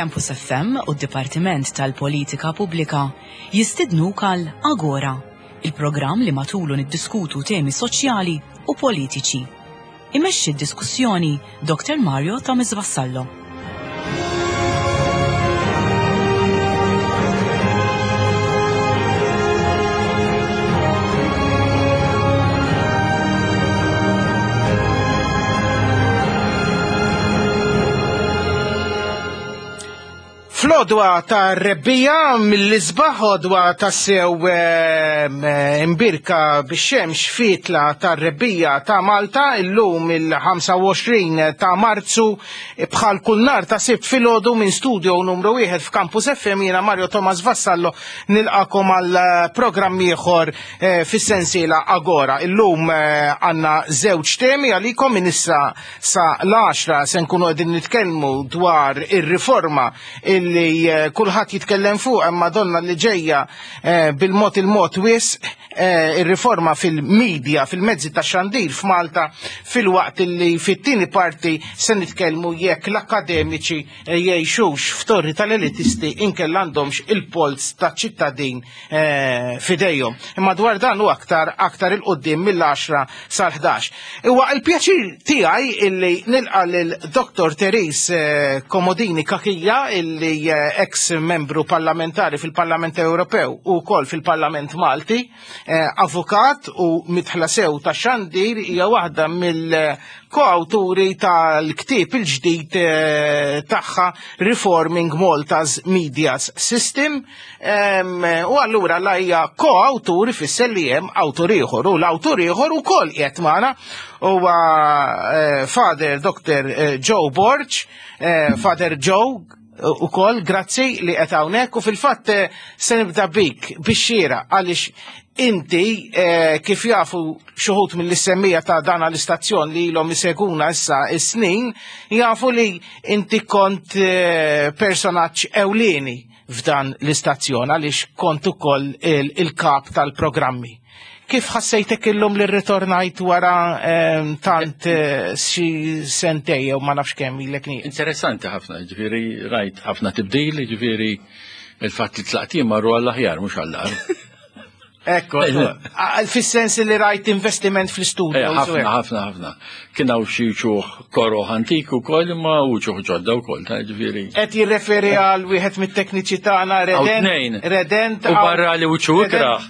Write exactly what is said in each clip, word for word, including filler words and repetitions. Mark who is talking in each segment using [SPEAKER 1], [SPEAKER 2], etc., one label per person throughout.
[SPEAKER 1] Campus F M u d-Dipartiment tal-Politika Pubblika jistidnuk għal Agora, il-programm li matulu niddiskutu temi soċjali u politiċi. Imexxi d-diskussjoni Doktor Mario Thomas Vassallo.
[SPEAKER 2] Fl-għodwa ta' rebbiegħa mill-isbaħ, għodwa ta' sew imbierka bix-xemx fitla ta' rebbiegħa ta' Malta, illum il-ħamsa u għoxrin ta' Marzu, bħal kull nhar ta' Sibt filgħodu, minn studio numru wieħed f'Campus F M, jiena Mario Thomas Vassallo nilqagħkom għal programm ieħor eh, fis-sensiela Agora. Illum eh, għandna żewġ temi għalikom. Minn issa sa l-għaxra se nkunu qegħdin nitkellmu dwar ir-riforma illi eh, kulħadd jitkellem fuq imma donna li ġejja eh, bil-mod il-mod wisq, eh, ir-riforma fil-medja, fil-mezzi ta' xandir f'Malta, filwaqt illi fit-tieni parti se nitkellmu jekk l-akademiċi jgħixux f'torri tal-elitisti inkella għandhomx il-polz ta' ċittadin f'idejhom. Imma dwar dan u aktar aktar 'il quddiem mill-għaxra sal-ħdax. Huwa il-pjaċir tiegħi illi nilqa' lil Doktor Therese Comodini Cachia, illi ex membru parlamentari fil-Parlament Ewropew u wkoll fil-Parlament Malti, eh, avukat u midħla sew ta' xandir, hija waħda mill-koawturi tal-ktieb il-ġdid eh, tagħha Reforming Malta's Media System. U allura la hija koawtur ifisser li hemm awtur ieħor u l-awtur ieħor ukoll qiegħed magħna, huwa eh, Father Doctor Joe Borg. Father Joe, ukoll grazzi li qed hawnhekk u fil-fatt eh, se nibda bik bix-xira għaliex inti, eh, kif jafu xi wħud mill-istennija ta' dan l-istazzjon li ilhom iseguna issa is-snin, jafu li inti kont eh, personaġġ ewlieni f'dan l-istazzjon għaliex kont ukoll il-kap tal-programmi. Kif ħassejtek illum li rritornajt wara ehm, tant eh, xi sentej jew ma nafx kemm ilek nieqes?
[SPEAKER 3] Interessanti ħafna, ġifieri rajt ħafna tibdil, ġifieri il-fatt li tlaqt marru għall-aħjar, mhux għall-agħar.
[SPEAKER 2] Ekku, fis-sens li rajt investiment fl-studio.
[SPEAKER 3] Eh, ħafna, ħafna, ħafna. Kien hawn xi wċuħ koroh antik ukoll imma wċuħ ġodda wkoll, ta' ġifieri.
[SPEAKER 2] Qed jirreferi għal wieħed mit-tekniċi tagħna.
[SPEAKER 3] Redent.
[SPEAKER 2] Redent.
[SPEAKER 3] U barra li wiċċu ikrah,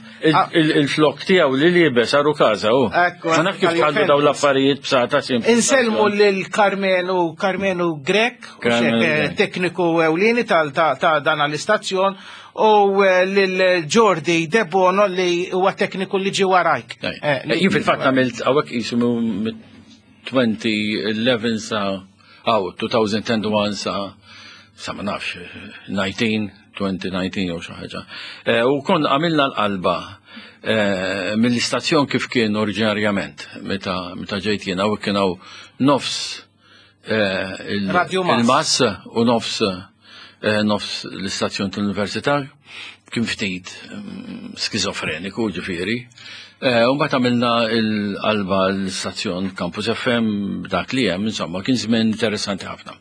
[SPEAKER 3] il-flok tiegħu li liebes għaru każa hu. Ma naf kif tħallu daw l-affarijiet b'sata simpli.
[SPEAKER 2] Insellmu lil Karmenu Karmenu Grek, tekniku ewlieni ta' dan l-istazzjon, u eh, lil Jordi Debono li huwa tekniku li ġi warajk.
[SPEAKER 3] Eh, jien fil-fatt għamilt hawnhekk jisimu elfejn u ħdax sa aw elfejn u wieħed sa sa ma nafx disa, elfejn u dsatax jew xi ħaġa. Eh, u kon għamilna l-qalba mill-istazzjon kif kien oriġinarjament meta meta ġejt jiena u kien hawn nofs il-mass u nofs Eh, nofs l-istazzjon tal-Università, kien ftit mm, skizofreniku ġifieri. Eh, u mbagħad għamilna l-qalba l-istazzjon Campus F M dak li hemm, insomma, kien żmien interessanti ħafna.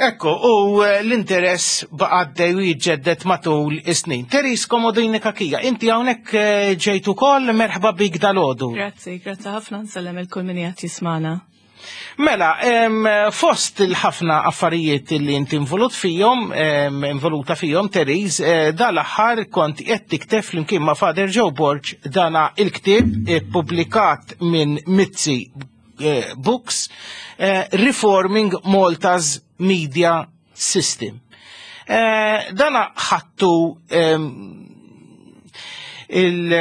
[SPEAKER 2] Ekku, u eh, l-interess baqa' għaddej u jiġġedded matul is-snin. Therese Comodini Cachia, inti hawnhekk ġejt ukoll, merħba bik dalgħodu.
[SPEAKER 4] Grazzi, grazzi ħafna, nsellem lil kull min qed jismagħna.
[SPEAKER 2] Mela, em, fost il-ħafna affarijiet li inti involut fihom, em, involuta fihom, Therese, eh, dal-aħħar kont qed tikteb flimkien ma' Father Joe Borg dana il-ktieb ippubblikat minn Mizzi eh, Books, eh, Reforming Malta's Media System. Eh, dana ħattu em, il-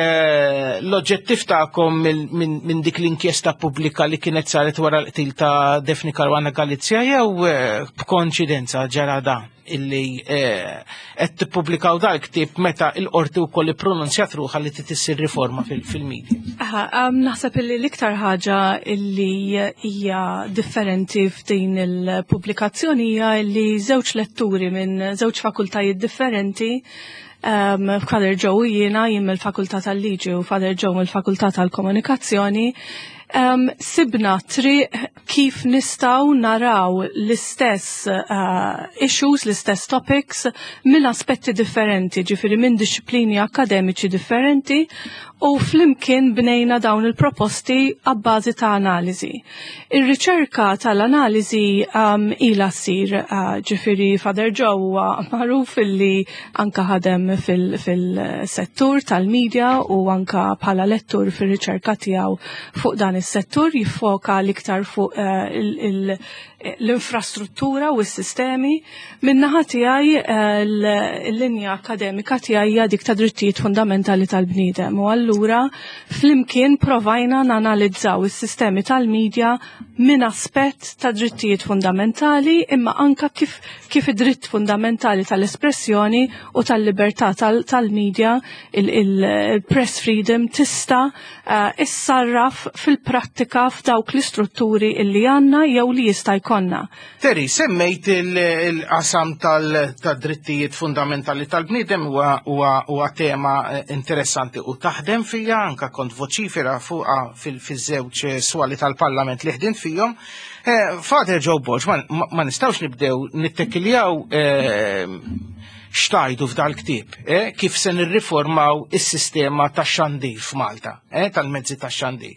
[SPEAKER 2] l-oġġettiv tagħkom minn min, min dik l-inkjesta pubblika li kienet saret wara l-qtil ta' Daphne Caruana Galizia jew eh, b'konċidenza ġara dan? illi qed tippubblikaw dal-ktieb meta l-qorti wkoll ippronunzjat ruħha li trid issir riforma fil-media?
[SPEAKER 4] Aha, naħseb illi l-iktar ħaġa illi hija differenti f'din il-pubblikazzjoni hija li żewġ letturi minn żewġ fakultajiet differenti. Um, Father Joe jiena jien mill-Fakultà tal-Liġi u Father Joe mill-Fakultà tal-Komunikazzjoni, um, sibna triq kif nistgħu naraw l-istess uh, issues, l-istess topics minn aspetti differenti, ġifieri minn disciplini akademiċi differenti, u flimkien bnejna dawn il-proposti għabbażi ta' analiżi. Ir-riċerka tal-analiżi um, ila ssir, uh, ġifieri Father Joe huwa magħruf illi anka ħadem fil-settur fil tal-medja u anka bħala lettur fir-riċerka tiegħu fuq dan is-settur, jiffoka l-iktar fuq uh, l-infrastruttura u s-sistemi. Min-naħa tiegħi l-linja akademika tiegħi hija dik ta' drittijiet fundamentali tal-bniedem, u allura flimkien provajna nanalizzaw is-sistemi tal-medja minn aspett ta' drittijiet fundamentali, imma anka kif, kif id-dritt fundamentali tal-espressjoni u tal-libertà tal-medja, il-press freedom, tista' uh, issarraf fil-prattika f'dawk l-istrutturi illi għandna jew li jista' jkollna.
[SPEAKER 2] Terry, semmejt il-qasam tal-drittijiet fundamentali tal-bniedem, huwa tema interessanti u taħdem fija, anka kont voċifera fuqa fil-żewġ swali tal-Parlament li ħdimt fihom. Father Joe Borg, ma nistgħux nibdew nittekiljaw xtajdu f'dal-ktieb, kif se nirriformaw is-sistema tax-xandir f'Malta, tal-mezzi tax-xandir.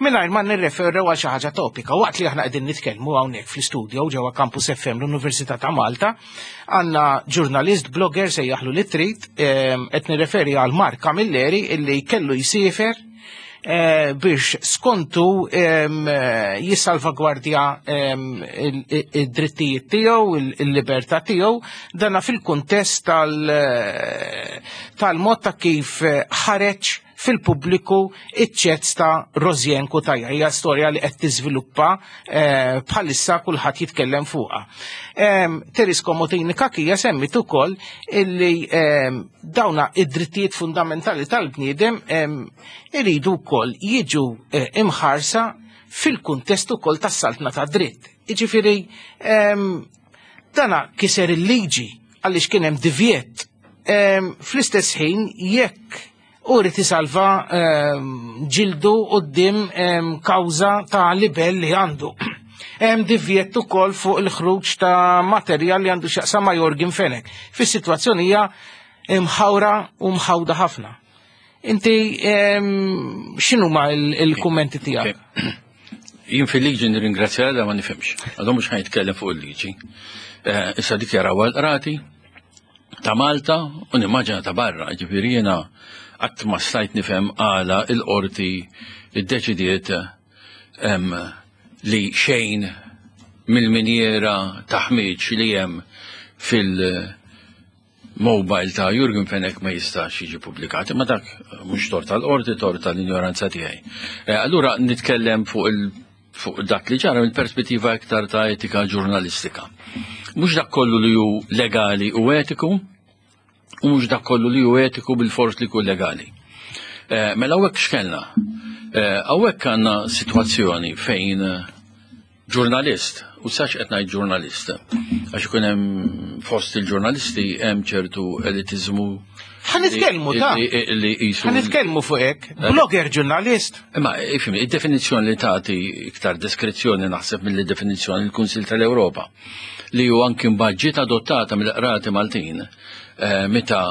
[SPEAKER 2] Mingħajr ma nirreferu għal xi ħaġa topika, waqt li aħna qegħdin nitkellmu hawnhekk fl-istudio ġewwa Campus F M l-Università ta' Malta, għandna ġurnalist, blogger sejjaħlu li trid, qed nirreferi għal Mark Camilleri illi kellu jsiefer biex skontu jissalvagwardja id-drittijiet tiegħu, il-libertà tiegħu, dana fil-kuntest tal-mod ta' kif ħareġ fil-pubbliku iċ-ċezz ta' Rosianne Cutajar. Hija storja li qed tiżviluppa bħalissa kulħadd jitkellem fuqha. Therese Comodini Cachia semmit ukoll illi dawna id-drittijiet fundamentali tal-bniedem iridu wkoll jiġu imħarsa fil-kuntest ukoll tas-saltna ta' dritt. Jiġifieri dana kiser il-liġi għaliex kien hemm divjett. Fl-istess ħin jekk u rrid isalva ġildu quddiem kawża ta' libell li għandu. Hemm divjett ukoll fuq il-ħruġ ta' materjal li għandu x'jaqsam ma' Yorgen Fenech. Fis-sitwazzjoni hija mħawra u mħawda ħafna. Inti x'inhuma il-kummenti tiegħek?
[SPEAKER 3] Jien fil-liġi nirringrazzja da ma nifhimx. Għadhom mhux ħajtkellem fuq il-liġi. Issa dik jaraw għall-qrati ta' Malta u nimmaġina ta' barra, ġifieri jiena qatt ma stajt nifhem għala il-qorti iddeċidiet li xejn mill-minjera ta' ħmieġ li hemm fil-mobile ta' Yorgen Fenech ma jistax jiġi pubblikat, imma dak mhux tort tal-qorti, tort tal-injoranza tiegħi. Allura nitkellem fuq il fuq dak li ġara mill-perspettiva iktar ta' etika ġurnalistika. Mhux dak kollu li hu legali u etiku, u mhux dak kollu li hu etiku bil-fors li jkun legali. Mela hawnhekk x'kellna? Hawnhekk għandna sitwazzjoni fejn ġurnalist, u sax qed ngħid ġurnalist, għax ikun hemm fost il-ġurnalisti hemm ċertu elitiżmu.
[SPEAKER 2] Ħa nitkellmu ta'
[SPEAKER 3] li qisu
[SPEAKER 2] Ħa nitkellmu fuq hekk. Blogger ġurnalist.
[SPEAKER 3] Imma ifhimni, id-definizzjoni li tagħti iktar deskrizzjoni naħseb mill-definizzjoni l-Kunsill tal-Ewropa, li hu anki mbagħad ġiet adottata mill-qrati Maltin meta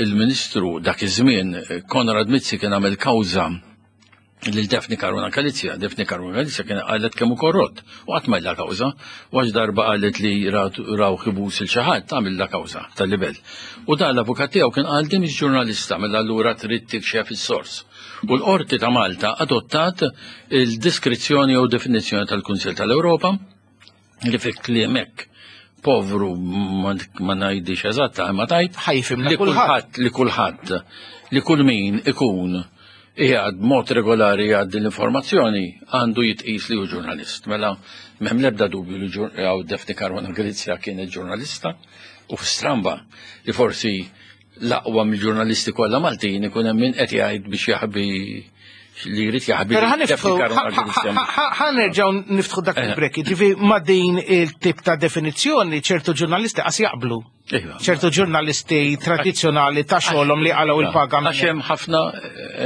[SPEAKER 3] il-Ministru dak iż-żmien Konrad Mizzi kien għamel kawża lil Daphne Caruana Galizia. Daphne Caruana Galizia kien qalet kemm hu korrott u qatt ma illa kawża, u għax darba qalet li raw ħibus il xi ħadd tagħmel la kawża tal-libell. U dan l-avukat tiegħu kien qal din mhix ġurnalista, mela allura trid tikxef is-sors. U l-Qorti ta' Malta adottat il-diskrizzjoni jew definizzjoni tal-Kunsill tal-Ewropa li fi kliem hekk povru ma ngħidix eżatta, imma tajt
[SPEAKER 2] Ħajfimna
[SPEAKER 3] li
[SPEAKER 2] kulħadd.
[SPEAKER 3] kulħadd, li kulħadd, li kull min ikun Qiegħed mod regolari jgħaddi l-informazzjoni għandu jitqis li hu ġurnalist. Mela m'hemm l-ebda dubju li għaw Daphne Caruana Galizia kienet ġurnalista u stramba li forsi l-aqwa mill-ġurnalisti kollha Maltin ikun hemm min qed jgħid biex jaħbi li jrid jaħbi.
[SPEAKER 2] Pero ħa nerġgħu niftħu dak il-break, ġifi ma din il-tip ta' definizzjoni ċertu ġurnalisti qas jaqblu.
[SPEAKER 3] Iva.
[SPEAKER 2] ċertu ġurnalisti tradizzjonali ta' xogħolhom li qalgħu il-paga.
[SPEAKER 3] Għax hemm ħafna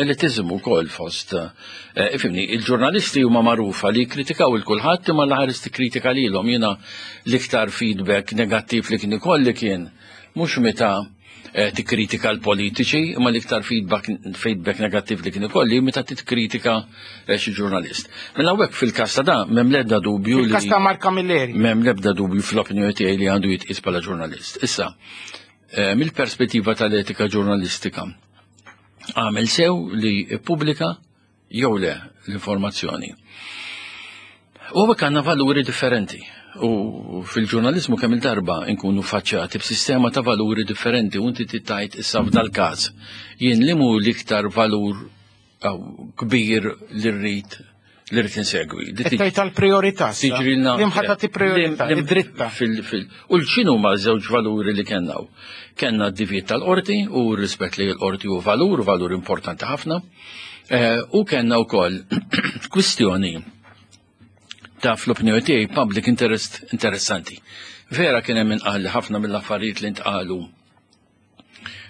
[SPEAKER 3] elitizmu wkoll fost. Eh, ifhimni, il-ġurnalisti huma magħrufa li jikkritikaw il kulħadd imma l-ħares tikkritika lilhom. Jiena l-iktar feedback negattiv li kien ikolli kien mhux meta eh, tikkritika l-politiċi, imma l-iktar feedback, feedback negattiv li kien ikolli meta tikkritika eh, xi ġurnalist. Mela hawnhekk fil-każ ta' da m'hemm l-ebda dubju li
[SPEAKER 2] Fil-każ ta' Mark Camilleri.
[SPEAKER 3] M'hemm l-ebda dubju fl-opinjoni tiegħi li għandu jitqis bħala ġurnalist. Issa, eh, mill-perspettiva tal-etika ġurnalistika, għamel sew li ippubblika jew le l-informazzjoni. U għek għandna valuri differenti. U fil-ġurnalizmu kemm il-darba nkunu faċċati b'sistema ta' valuri differenti u inti tittajt issa f'dal każ. Jien li mu l-iktar valur aw, kbir li rrid li rrid insegwi. Li
[SPEAKER 2] Qed tgħid tal-priorità.
[SPEAKER 3] tiġrilna.
[SPEAKER 2] Li mħatta ti priorità,
[SPEAKER 3] Lim- lim-
[SPEAKER 2] id-dritta.
[SPEAKER 3] fil- fil- U l-xinu ma żewġ valuri li kellna? Kenna d-divjet tal-qorti u r-rispett li l-qorti u valur, valur importanti ħafna. Eh, U kellna wkoll kwistjoni ta' fl-opinjoni tiegħi public interest interessanti. Vera kien hemm inqal li ħafna mill-affarijiet li ntqalu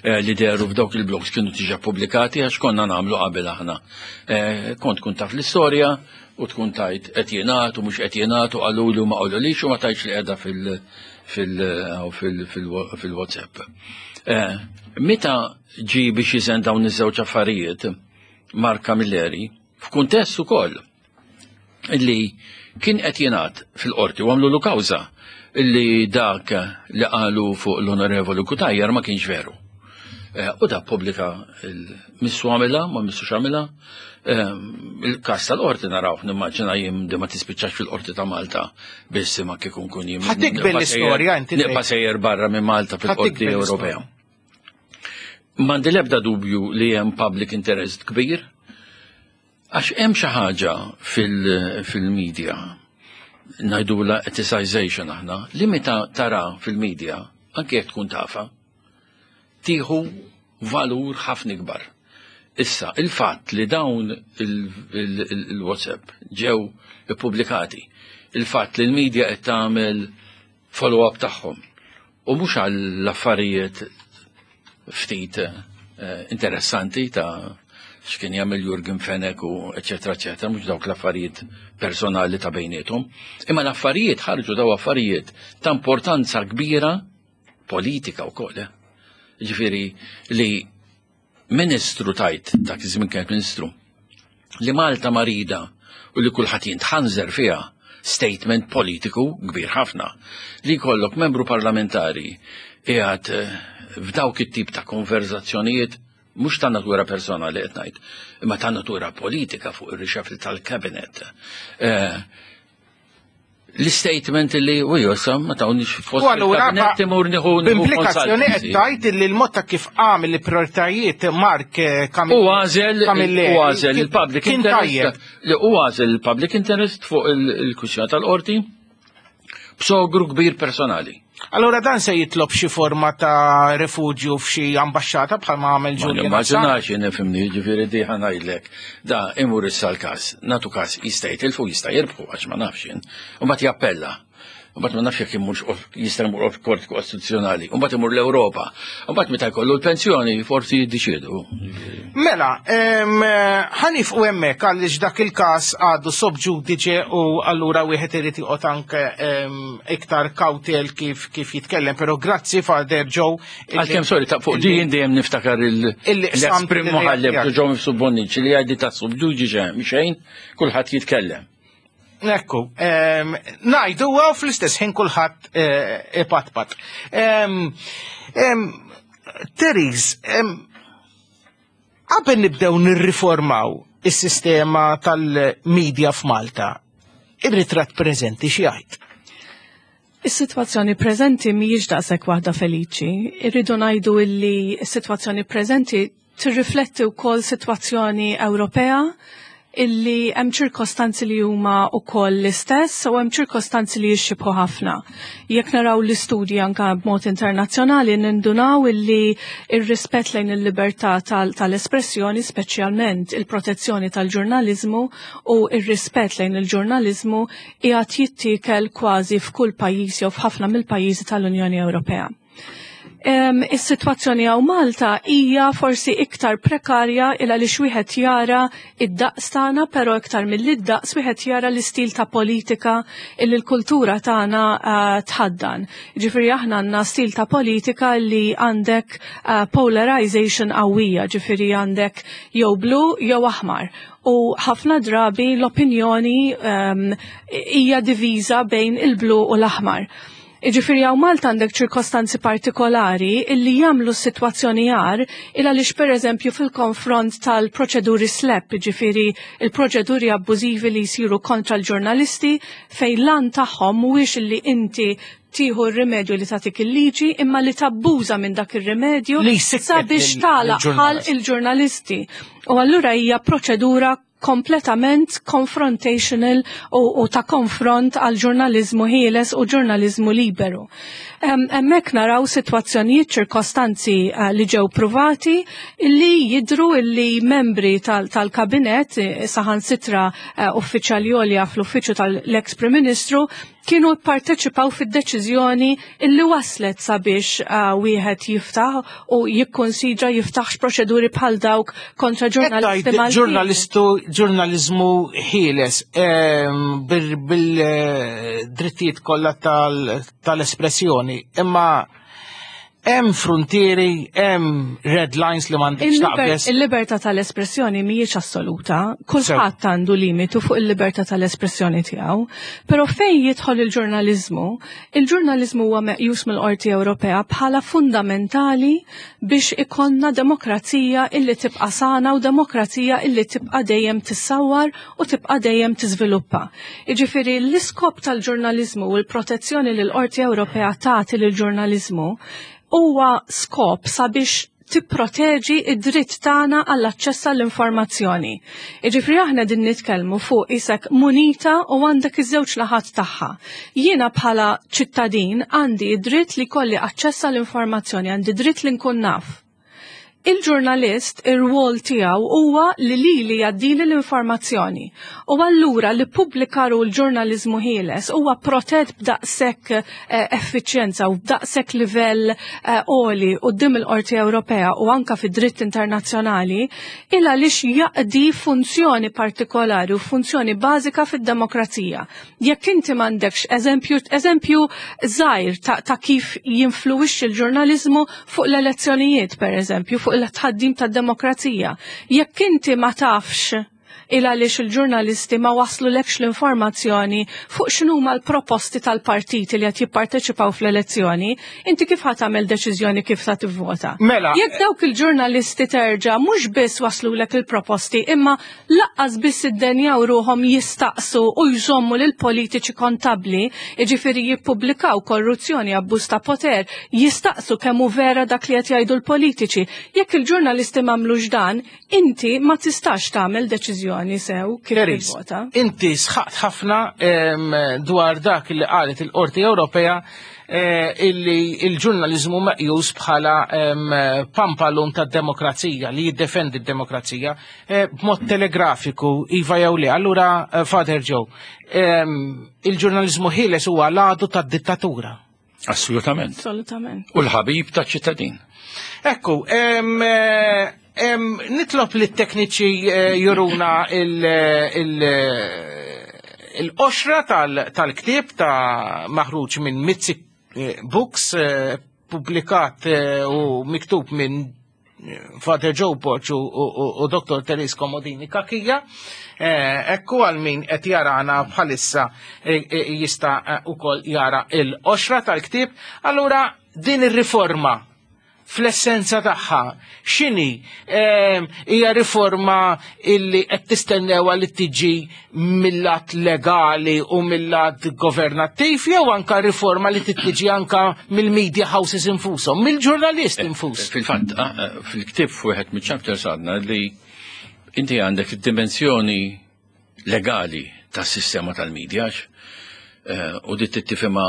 [SPEAKER 3] eh, li deru f'dawk il-blogs kienu diġà pubblikati għax konna nagħmlu qabel aħna. Eh, Kont tkun taf l-istorja u tkun tajt qed jingħad u mhux qed jingħad u qalulu u ma qalulix u ma tajtx li qiegħda fil- fil- fil- fil- fil-WhatsApp. Eh, Meta ġi biex jiżen dawn iż-żewġ affarijiet Mark Camilleri, f'kuntest ukoll illi kien qed jingħad fil-qorti u għamlu kawża illi dak li qalu fuq l-Onorevoli Cutajar ma kienx veru. Eh, U da pubblika missu għamilha, ma missux għamilha. Eh, Il-kas tal-qorti naraw, nimmaġina jim di ma tispiċċax fil-qorti ta' Malta biss ma kikun kun jim.
[SPEAKER 2] Ħa tikber l-istorja, inti
[SPEAKER 3] Nibqa' sejjer barra minn Malta fil-qorti
[SPEAKER 2] Ħa tikber
[SPEAKER 3] Ewropea.
[SPEAKER 2] l-istorja.
[SPEAKER 3] M'għandi l-ebda dubju li hemm public interest kbir, għax hemm xi ħaġa fil-media, ngħidula ethicization aħna, li meta tara fil-media, anke jekk tkun tafa, tieħu valur ħafna ikbar. Issa, il-fatt li dawn il-WhatsApp ġew ippubblikati, il-fatt li l-media qed tagħmel follow-up tagħhom u mhux għall-affarijiet ftit eh, interessanti ta' x'kien jagħmel Yorgen Fenech u eċetera eċetera, mhux dawk l-affarijiet personali ta' bejniethom, imma l-affarijiet ħarġu daw affarijiet ta' importanza kbira politika wkoll. Eh. Ġifieri li ministru tajt, dak iż-żmien kienet ministru, li Malta marida u li kulħadd jintħanżer fiha statement politiku kbir ħafna. Li jkollok membru parlamentari qiegħed eh, f'dawk it-tip ta' konverzazzjonijiet mhux ta' natura personali qed ngħid, imma ta' natura politika fuq ir-reshuffle tal-cabinet. Eh, L-statement li u josa ma tawnix fost
[SPEAKER 2] U allura
[SPEAKER 3] il-kabinet imur nieħu
[SPEAKER 2] b'implikazzjoni qed tgħid li l-mod ta' kif għamel il-prioritajiet Mark eh,
[SPEAKER 3] U għażel
[SPEAKER 2] Camilleri
[SPEAKER 3] u għażel il-public
[SPEAKER 2] kien tajjeb.
[SPEAKER 3] interest li u għażel il-public interest fuq il-kwistjoni tal-qorti b'sogru kbir personali.
[SPEAKER 2] Allura dan se jitlob xi forma ta' refugju f'xi ambaxxata bħalma għamel
[SPEAKER 3] Ma
[SPEAKER 2] Julian Assange?
[SPEAKER 3] nimmaġinax jien nifhimni, ġifieri di ħa ngħidlek. Da imur issa l-każ, natu każ jista' jitilfu jista' jirbħu għax ma nafx jien. U mbagħad jappella. U mbagħad ma nafx jekk imurx jista' jmur kort kostituzzjonali. U mbagħad imur l-Ewropa. U mbagħad meta jkollu l-pensjoni forsi jiddeċiedu.
[SPEAKER 2] Mela, em, ħa nieqfu hemmhekk għaliex dak il-każ għadu sub judice u allura wieħed irid joqgħod anke em, iktar kawtel kif kif jitkellem, però grazzi Father Joe.
[SPEAKER 3] Għalkemm sorry, ta' fuq di jien dejjem niftakar il-
[SPEAKER 2] Illi qsamt
[SPEAKER 3] l-esprim
[SPEAKER 2] l-idea
[SPEAKER 3] muħallef
[SPEAKER 2] tiegħek.
[SPEAKER 3] Joe Mifsud Bonnici li għaddi ta' sub judice xejn, kulħadd jitkellem.
[SPEAKER 2] Ekku, em, ngħidu għaw fl-istess ħin kulħadd eh, ipatpat. Em, em, Therese, em, qabel nibdew nirriformaw is-sistema tal-medja f'Malta, ir-ritratt preżenti xi jgħid?
[SPEAKER 4] Is-sitwazzjoni preżenti mhijiex daqshekk waħda feliċi. Irridu ngħidu illi s-sitwazzjoni preżenti tirrifletti wkoll sitwazzjoni Ewropea illi hemm ċirkostanzi li huma wkoll l-istess u hemm ċirkostanzi li jixxibħu ħafna. Jekk naraw l-istudji anka b'mod internazzjonali, nindunaw illi ir-rispett lejn il-libertà tal-espressjoni, speċjalment il-protezzjoni tal-ġurnaliżmu u ir-rispett lejn il-ġurnaliżmu, qiegħed jittiekel kważi f'kull pajjiż jew f'ħafna mill-pajjiżi tal-Unjoni Ewropea. Is-sitwazzjoni hawn Malta hija forsi iktar prekarja il għaliex wieħed jara id-daqs tagħna, però iktar mill-daqs wieħed jara l-istil ta' politika illi l-kultura tagħna uh, tħaddan. Ġifieri aħna għandna stil ta' politika li għandek uh, polarization qawwija, ġifieri għandek jew blu jew aħmar. U ħafna drabi l-opinjoni um, hija diviża bejn il-blu u l-aħmar. Iġifieri hawn Malta għandek ċirkostanzi partikolari illi jagħmlu s-sitwazzjoni agħar il għaliex, per eżempju, fil-konfront tal-proċeduri SLAPP, ġifieri il-proċeduri abbużivi li jsiru kontra l-ġurnalisti, fejn l-għan tagħhom mhuwiex illi inti tieħu r-rimedju li tagħtik il-liġi imma li tabbuża minn dak ir-rimedju sabiex tagħlaq il-ġurnalisti. U allura hija proċedura kompletament confrontational u, u ta' konfront għal ġurnalizmu ħieles u ġurnalizmu liberu. Hemmhekk naraw sitwazzjonijiet, ċirkostanzi uh, li ġew pruvati li jidru illi membri tal-kabinet, tal saħansitra uh, uffiċjali għolja fl-uffiċċju tal-ex Prim Ministru, kienu parteċipaw fid-deċiżjoni illi waslet sabiex uh, wieħed jiftaħ u jikkonsidra jiftaħx proċeduri bħal dawk kontra ġurnalisti Maltin.
[SPEAKER 2] Ġurnalistu, ġurnalizmu ħieles bil-drittijiet kollha tal-espressjoni, imma hemm frontieri, hemm red lines li m'għandekx taqbeż.
[SPEAKER 4] Il-libertà tal-espressjoni mhijiex assoluta, kulħadd għandu limitu fuq il-libertà tal-espressjoni tiegħu, però fejn jidħol il-ġurnaliżmu, il-ġurnaliżmu huwa meqjus mill-Qorti Ewropea bħala fundamentali biex ikollna demokrazija illi tibqa' sana u demokrazija illi tibqa' dejjem tissawwar u tibqa' dejjem tiżviluppa. Jiġifieri l-iskop tal-ġurnaliżmu u l-protezzjoni li l-Qorti Ewropea tagħti lill-ġurnaliżmu huwa skop sabiex tipproteġi id-dritt tagħna għall-aċċess għall-informazzjoni. Jiġifieri aħna din nitkellmu fuq isek munita u għandek iż-żewġ naħat tagħha. Jiena bħala ċittadin għandi id-dritt li kolli aċċess għall-informazzjoni, għandi dritt li nkun naf. Il-ġurnalist, ir-rwol tiegħu huwa li lili jgħaddili l-informazzjoni. U allura li pubblikaru l-ġurnaliżmu ħieles huwa protett b'daqshekk eh, effiċjenza u b'daqshekk livell għoli eh, quddiem il-Qorti Ewropea u anka fid-dritt internazzjonali, il għaliex jaqdi funzjoni partikolari u funzjoni bażika fid-demokrazija. Jekk inti m'għandekx eżempju, eżempju żgħir ta', ta kif jinfluwixxi l-ġurnaliżmu fuq l-elezzjonijiet, per eżempju, fuq il-tħaddim tad-demokrazija. Jekk inti ma tafx il għaliex il-ġurnalisti ma waslu lekx l-informazzjoni fuq x'inhuma l-proposti tal-partiti li qed jipparteċipaw fl-elezzjoni, inti kif ħa tagħmel deċiżjoni kif ta' tivvota?
[SPEAKER 2] Mela.
[SPEAKER 4] Jekk dawk il-ġurnalisti terġa' mhux biss waslu lek il-proposti, imma laqqas biss iddenjaw ruhom jistaqsu u jżommu lil politiċi kontabli, jiġifieri jippubblikaw korruzzjoni, abbuż ta' poter, jistaqsu kemm hu vera dak li qed jgħidu l-politiċi. Jekk il-ġurnalisti m'għamlux dan, inti ma tistax tagħmel deċiżjoni sew kif tivvota.
[SPEAKER 2] Inti sħaqt ħafna dwar dak li qalet il-Qorti Ewropea, eh, illi il-ġurnaliżmu meqjus bħala pampalun tad-demokrazija li jiddefendi d-demokrazija eh, b'mod telegrafiku, iva jew le. Allura, eh, Father Joe, il-ġurnaliżmu ħieles huwa l-għadu tad-dittatura.
[SPEAKER 3] Assolutament.
[SPEAKER 4] Assolutament.
[SPEAKER 3] U l-ħabib taċ-ċittadin.
[SPEAKER 2] Ekku, nitlob li t-tekniċi eh, juruna il-qoxra tal-ktieb ta' maħruġ minn Mizzi eh, Books, eh, publikat u miktub minn Father Joe Borg u Doktor Therese Comodini Cachia. Ekku għal min qed jarana bħalissa jista' ukoll jara il-qoxra tal-ktieb. Allura din ir-riforma fl-essenza tagħha x'inhi? Ehm, hija riforma illi qed tistennewha li tiġi mill-lat legali u mill-lat governattiv jew anka riforma li tiġi anka mill-media houses infushom, mill-ġurnalist infus?
[SPEAKER 3] Fil-fatt, ah, eh, fil-ktieb f'wieħed mill-chapters għadna li inti għandek id-dimensjoni legali tas-sistema tal-medja eh, u dit tifhimha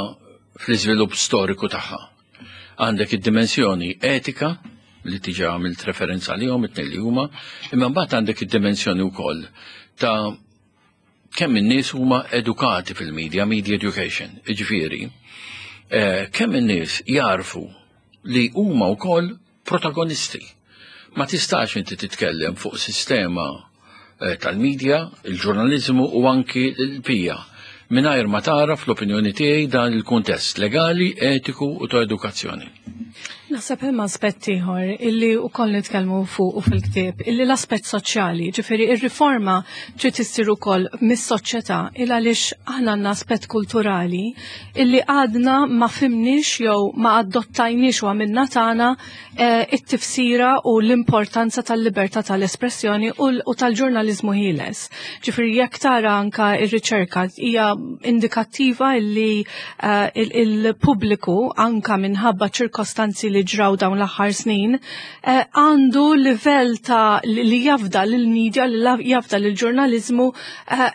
[SPEAKER 3] fl-iżvilupp storiku tagħha. Għandek id-dimensjoni etika li tiġa għamilt referenza għalihom it-tnejn li huma, imma mbagħad għandek id-dimensjoni wkoll ta' kemm in-nies huma edukati fil-media, media education, jiġifieri, eh, kemm in-nies jarfu li huma wkoll protagonisti. Ma tistax inti titkellem fuq sistema eh, tal-medja, il-ġurnalizmu u anki l-pija mingħajr ma tara fl-opinjoni tiegħi dan il-kuntest legali, etiku u ta' edukazzjoni.
[SPEAKER 4] Naħseb hemm aspett ieħor illi wkoll nitkellmu fuq u fil-ktieb, illi l-aspett soċjali, ġifieri ir-riforma trid issir ukoll mis-soċjetà il għaliex aħna għandna aspett kulturali illi għadna ma fhimniex jew ma adottajniex u għamilna tagħna eh, it-tifsira u l-importanza tal-libertà tal-espressjoni u l- u tal-ġurnaliżmu ħieles. Ġifieri jekk tara anka ir-riċerka hija indikattiva illi eh, il- il-pubbliku anka minħabba ċirkostanzi li ġraw dawn l-aħħar snin eh, għandu livell ta' li li jafda lill-media, li la- jafda lill-ġurnaliżmu eh,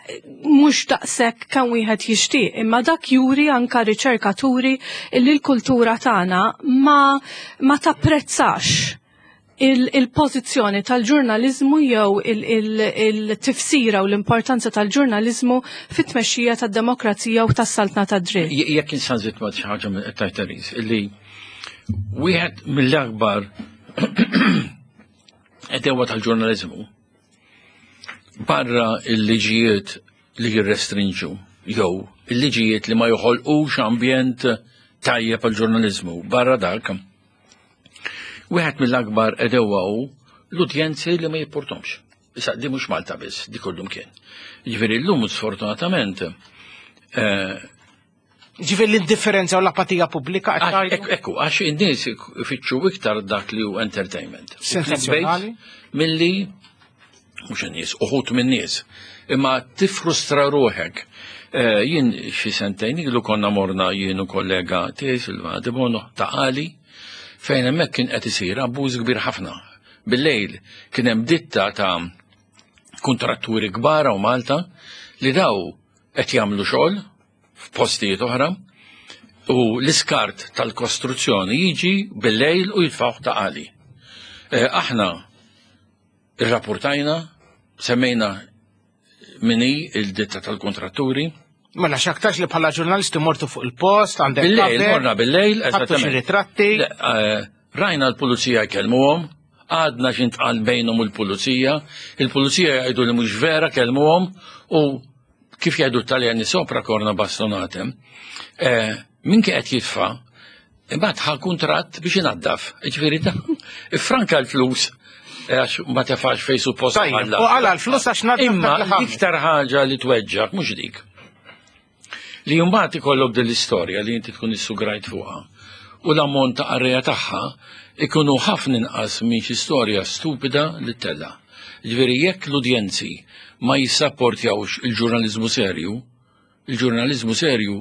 [SPEAKER 4] mhux daqshekk kemm wieħed jixtieq, imma dak juri anka riċerkaturi li l-kultura tagħna ma ma tapprezzax il-pożizzjoni tal-ġurnalizmu jew il-tifsira u l-importanza tal-ġurnalizmu fit-tmexxija tad-demokrazija u tas-saltna tad-dritt.
[SPEAKER 3] Jekk nista' nżid ma' xi ħaġa minn qed Therese, illi wieħed mill-akbar għedewwa tal-ġurnalizmu barra il-liġijiet li jirrestrinġu jew il-liġijiet li ma joħolqux ambjent tajjeb għal-ġurnalizmu, barra dak, wieħed mill-akbar għedewwa hu l-udjenzi li ma jipportomx. Issa, di mhux Malta biss, di kullimkien. Ġifieri llum sfortunatament eh,
[SPEAKER 2] Ġifieri l-indifferenza u l-apatija pubblika qed tgħidu?
[SPEAKER 3] Ekku, ekku, għax in-nies ifittxu iktar dak li hu entertainment. U
[SPEAKER 2] Sensazzjonali.
[SPEAKER 3] clickbait Milli, mhux in-nies, uħud min-nies, imma tifrustra ruħek. Eh, Jien xi sentejn ilu konna morna jien u kollega tiegħi Silvana Debono Ta' Qali, fejn hemmhekk kien qed isir abbuż kbir ħafna. Bil-lejl kien hemm ditta ta' kontratturi kbar u Malta li daw qed jagħmlu xogħol f'postijiet oħra u l-iskart tal-kostruzzjoni jiġi bil-lejl u jitfgħuh Ta' Qali. Eh, Aħna irrapportajna, semmejna min hi il-ditta tal-kontratturi.
[SPEAKER 2] Mela x'aktarx li bħala ġurnalisti mortu fuq il-post, għandek
[SPEAKER 3] Bil-lejl,
[SPEAKER 2] cover,
[SPEAKER 3] morna bil-lejl,
[SPEAKER 2] ħadtu xi
[SPEAKER 3] eżattament.
[SPEAKER 2] ritratti.
[SPEAKER 3] Le, eh, Rajna l-pulizija jkellmuhom, għadna x'intqal bejnhom u l-pulizija, il-pulizija jgħidu li mhux vera kellmuhom u kif jgħidu t-Taljani sopra corna bastonate. Eh, Min kien qed jitfa' imbagħad ħa kuntratt biex inaddaf. Ġifieri da, ifranka l-flus eh, għax ma tefax fej suppost
[SPEAKER 2] Tajjeb,
[SPEAKER 3] ħalla.
[SPEAKER 2] u għala l-flus għax naddaf
[SPEAKER 3] Imma
[SPEAKER 2] dak li ħamel.
[SPEAKER 3] l-iktar ħaġa li tweġġak mhux dik. Li mbagħad ikollok din l-istorja li inti tkun issugrajt fuqha u l-ammont ta' qarrejja tagħha ikunu ħafna inqas minn xi storja stupida li tella. Ġifieri jekk l-udjenzi ma jissapportjawx il-ġurnaliżmu serju, il-ġurnaliżmu serju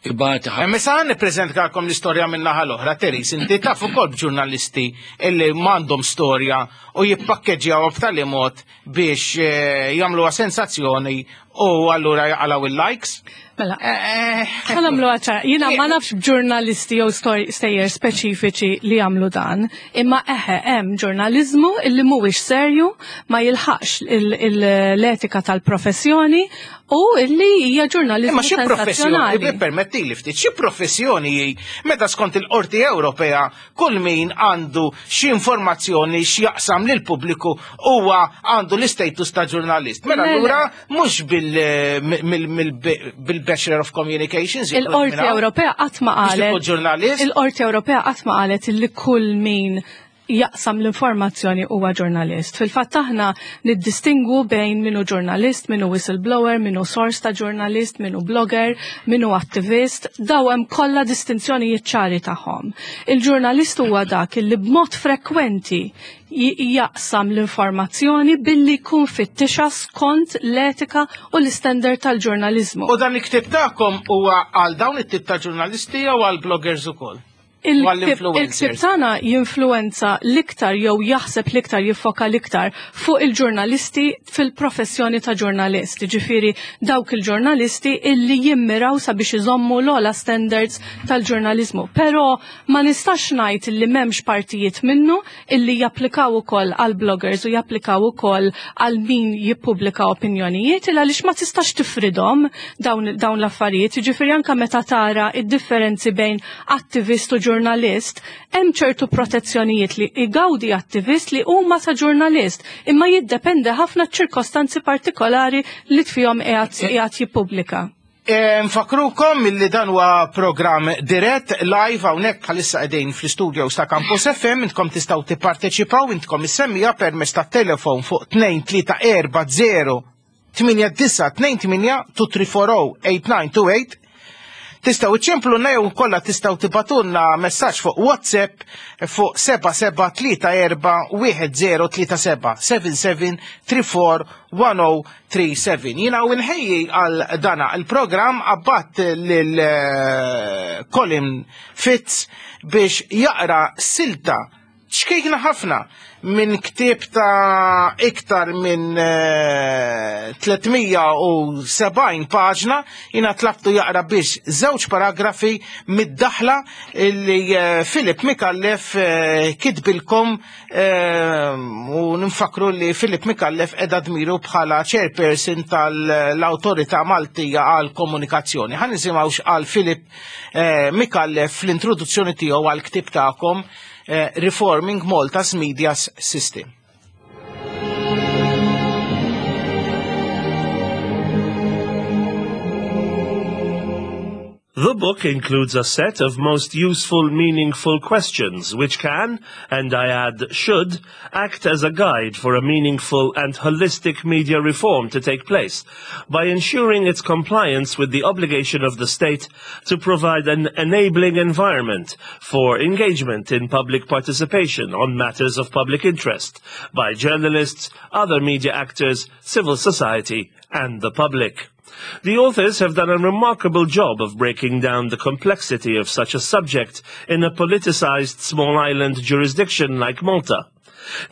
[SPEAKER 3] ibati ħafna.
[SPEAKER 2] Hemm issa nippreżentalkom l-istorja minn naħa l-oħra, Therese, inti taf ukoll b'ġurnalisti illi m'għandhom storja u jippakkeġġjaw b'tali mod biex eh, jagħmluha sensazzjoni u allura jaqalgħu il-likes.
[SPEAKER 4] Mela,
[SPEAKER 2] Eh,
[SPEAKER 4] ħa nagħmlu ċara, jiena ma nafx b'ġurnalisti jew stor- stejjer speċifiċi li jagħmlu dan, imma eħe hemm ġurnaliżmu illi mhuwiex serju, ma jilħaqx il- il- l-etika tal-professjoni u illi hija ġurnaliżmu
[SPEAKER 2] Imma xi professjoni,
[SPEAKER 4] sensazzjonali.
[SPEAKER 2] permetti li ftit, xi professjoni hi meta skont il-Qorti Ewropea kull min għandu xi informazzjoni x'jaqsam lil pubbliku huwa għandu l-istatus ta' ġurnalist. Mela
[SPEAKER 4] Le, le.
[SPEAKER 2] allura mhux bil- mill- mill- bil-Bachelor of Communications.
[SPEAKER 4] Il-Qorti Ewropea qatt ma
[SPEAKER 2] Biex
[SPEAKER 4] qalet.
[SPEAKER 2] tkun ġurnalist?
[SPEAKER 4] Il-Qorti Ewropea qatt ma qalet illi kull min jaqsam l-informazzjoni huwa ġurnalist. Fil-fatt aħna niddistingu bejn min hu ġurnalist, min hu whistleblower, min hu source ta' ġurnalist, min hu blogger, min hu attivist, daw hemm kollha distinzjonijiet ċari tagħhom. Il-ġurnalist huwa dak li b'mod frekwenti jaqsam l-informazzjoni billi jkun fittixa skont l-etika u l-istandard tal-ġurnalizmu.
[SPEAKER 2] U dan il-ktib tagħkom huwa għal dawn it-tip ta' ġurnalisti jew għal bloggers ukoll?
[SPEAKER 4] Il-ktib tagħna jinfluwenza l-iktar jew jaħseb l-iktar, jiffoka l-iktar fuq il-ġurnalisti fil-professjoni ta' ġurnalist. Ġifieri dawk il-ġurnalisti illi jimmiraw sabiex iżommu l-ogħla standards tal-ġurnalizmu. Però ma nistax ngħid illi m'hemmx partijiet minnu illi japplikaw ukoll għal bloggers u japplikaw ukoll għal min jippubblika opinjonijiet, il għaliex ma tistax tifridhom dawn, dawn l-affarijiet. Ġifieri anke meta tara id-differenzi bejn attivist u ġurnalist, hemm ċertu protezzjonijiet li igawdi attivist li huma ta' ġurnalist, imma jiddependi ħafna ċirkostanzi partikolari li fihom qiegħed jippubblika.
[SPEAKER 2] Nfakrukom milli dan huwa programm dirett live hawnhekk bħalissa qegħdin fl-istudio ta' Campus F M, intkom tistgħu tipparteċipaw, intkom issemmija permezz tat-telefon fuq tnejn tlieta erba' zero tmienja disa' tnejn tmienja two three four oh eight nine two eight. Tistgħu iċċempluna jew kollha tistgħu tibgħatulna messaġġ fuq WhatsApp fuq seba' seba' tlieta erba' wieħed zero tlieta seba' seven seven three four one oh three seven. Jiena u nħejji għal dana il-programm abbat lil, eh, Colin Fitz biex jaqra silta ċkejkna ħafna minn ktieb ta' iktar minn, eh, tlietmija u sebgħin paġna. Jiena tlabtu jaqra biex żewġ paragrafi mid-daħla li, eh, Philip Micallef, eh, kitbilkom, eh, u nfakru li Philip Micallef qeda dmiru bħala chairperson tal-Awtorità Maltija għal Komunikazzjoni. Ħa nisimgħu x'qal Philip, eh, Micallef fl-introduzzjoni tiegħu għal ktieb tagħkom, eh, Reforming Malta's Media System.
[SPEAKER 5] The book includes a set of most useful, meaningful questions which can, and I add should, act as a guide for a meaningful and holistic media reform to take place by ensuring its compliance with the obligation of the state to provide an enabling environment for engagement in public participation on matters of public interest by journalists, other media actors, civil society, and the public. The authors have done a remarkable job of breaking down the complexity of such a subject in a politicized small island jurisdiction like Malta.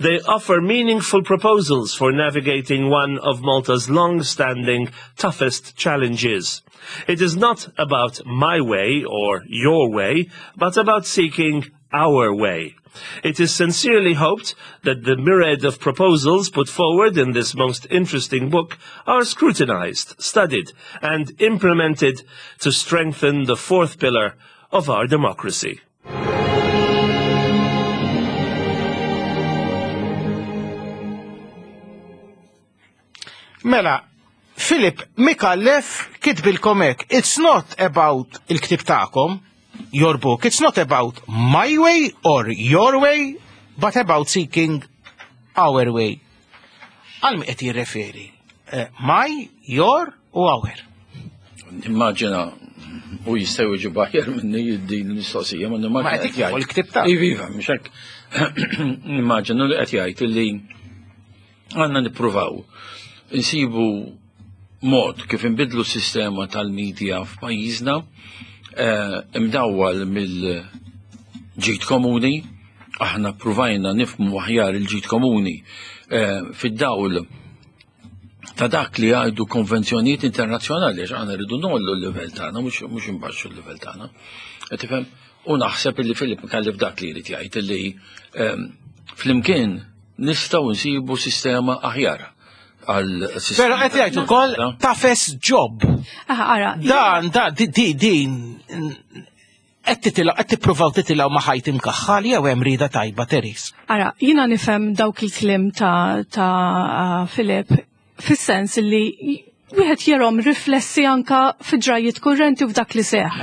[SPEAKER 5] They offer meaningful proposals for navigating one of Malta's long-standing, toughest challenges. It is not about my way or your way, but about seeking our way. It is sincerely hoped that the myriad of proposals put forward in this most interesting book are scrutinized, studied, and implemented to strengthen the fourth pillar of our democracy.
[SPEAKER 2] Mela, Philip Micallef kitbilkom hekk, it's not about il-ktib tagħkom, your book, it's not about my way or your way, but about seeking our way. Għal mi qed jirreferi? Eh, my, your u our.
[SPEAKER 3] Immaġina, u jistgħu jiġu baħjar minni din l-mistoqsija, ma nimmaġina
[SPEAKER 2] Ma qed
[SPEAKER 3] qed jgħid.
[SPEAKER 2] il-ktib ta'
[SPEAKER 3] Iva, iva, mhux hekk. Nimmaġina li qed jgħid li għandna nippruvaw insibu mod kif inbidlu s-sistema tal-medja f'pajjiżna, eh, imdawwal mill-ġid komuni. Aħna ppruvajna nifhmu aħjar il-ġid komuni, eh, fid-dawl ta' dak li għajdu konvenzjonijiet internazzjonali, għax aħna rridu nollu l-livell tagħna, mhux mhux imbaxxu l-livell tagħna. Qed tifhem? U naħseb illi Philip Micallef dak li jrid jgħid illi, ehm, flimkien nistgħu nsibu sistema aħjar għal sistema.
[SPEAKER 2] Però qed jgħid ukoll toughest job.
[SPEAKER 4] Aha, ara,
[SPEAKER 2] Dan, dan, di, di, din, qed titilgħu, qed tippruvaw titilgħu ma' ħajt imkaħħal jew hemm rida tajba, Therese?
[SPEAKER 4] Ara, jiena nifhem dawk il-kliem ta', ta' Philip fis-sens li wieħed jarahom riflessi anka fi ġrajiet kurrenti u f'dak li seħ.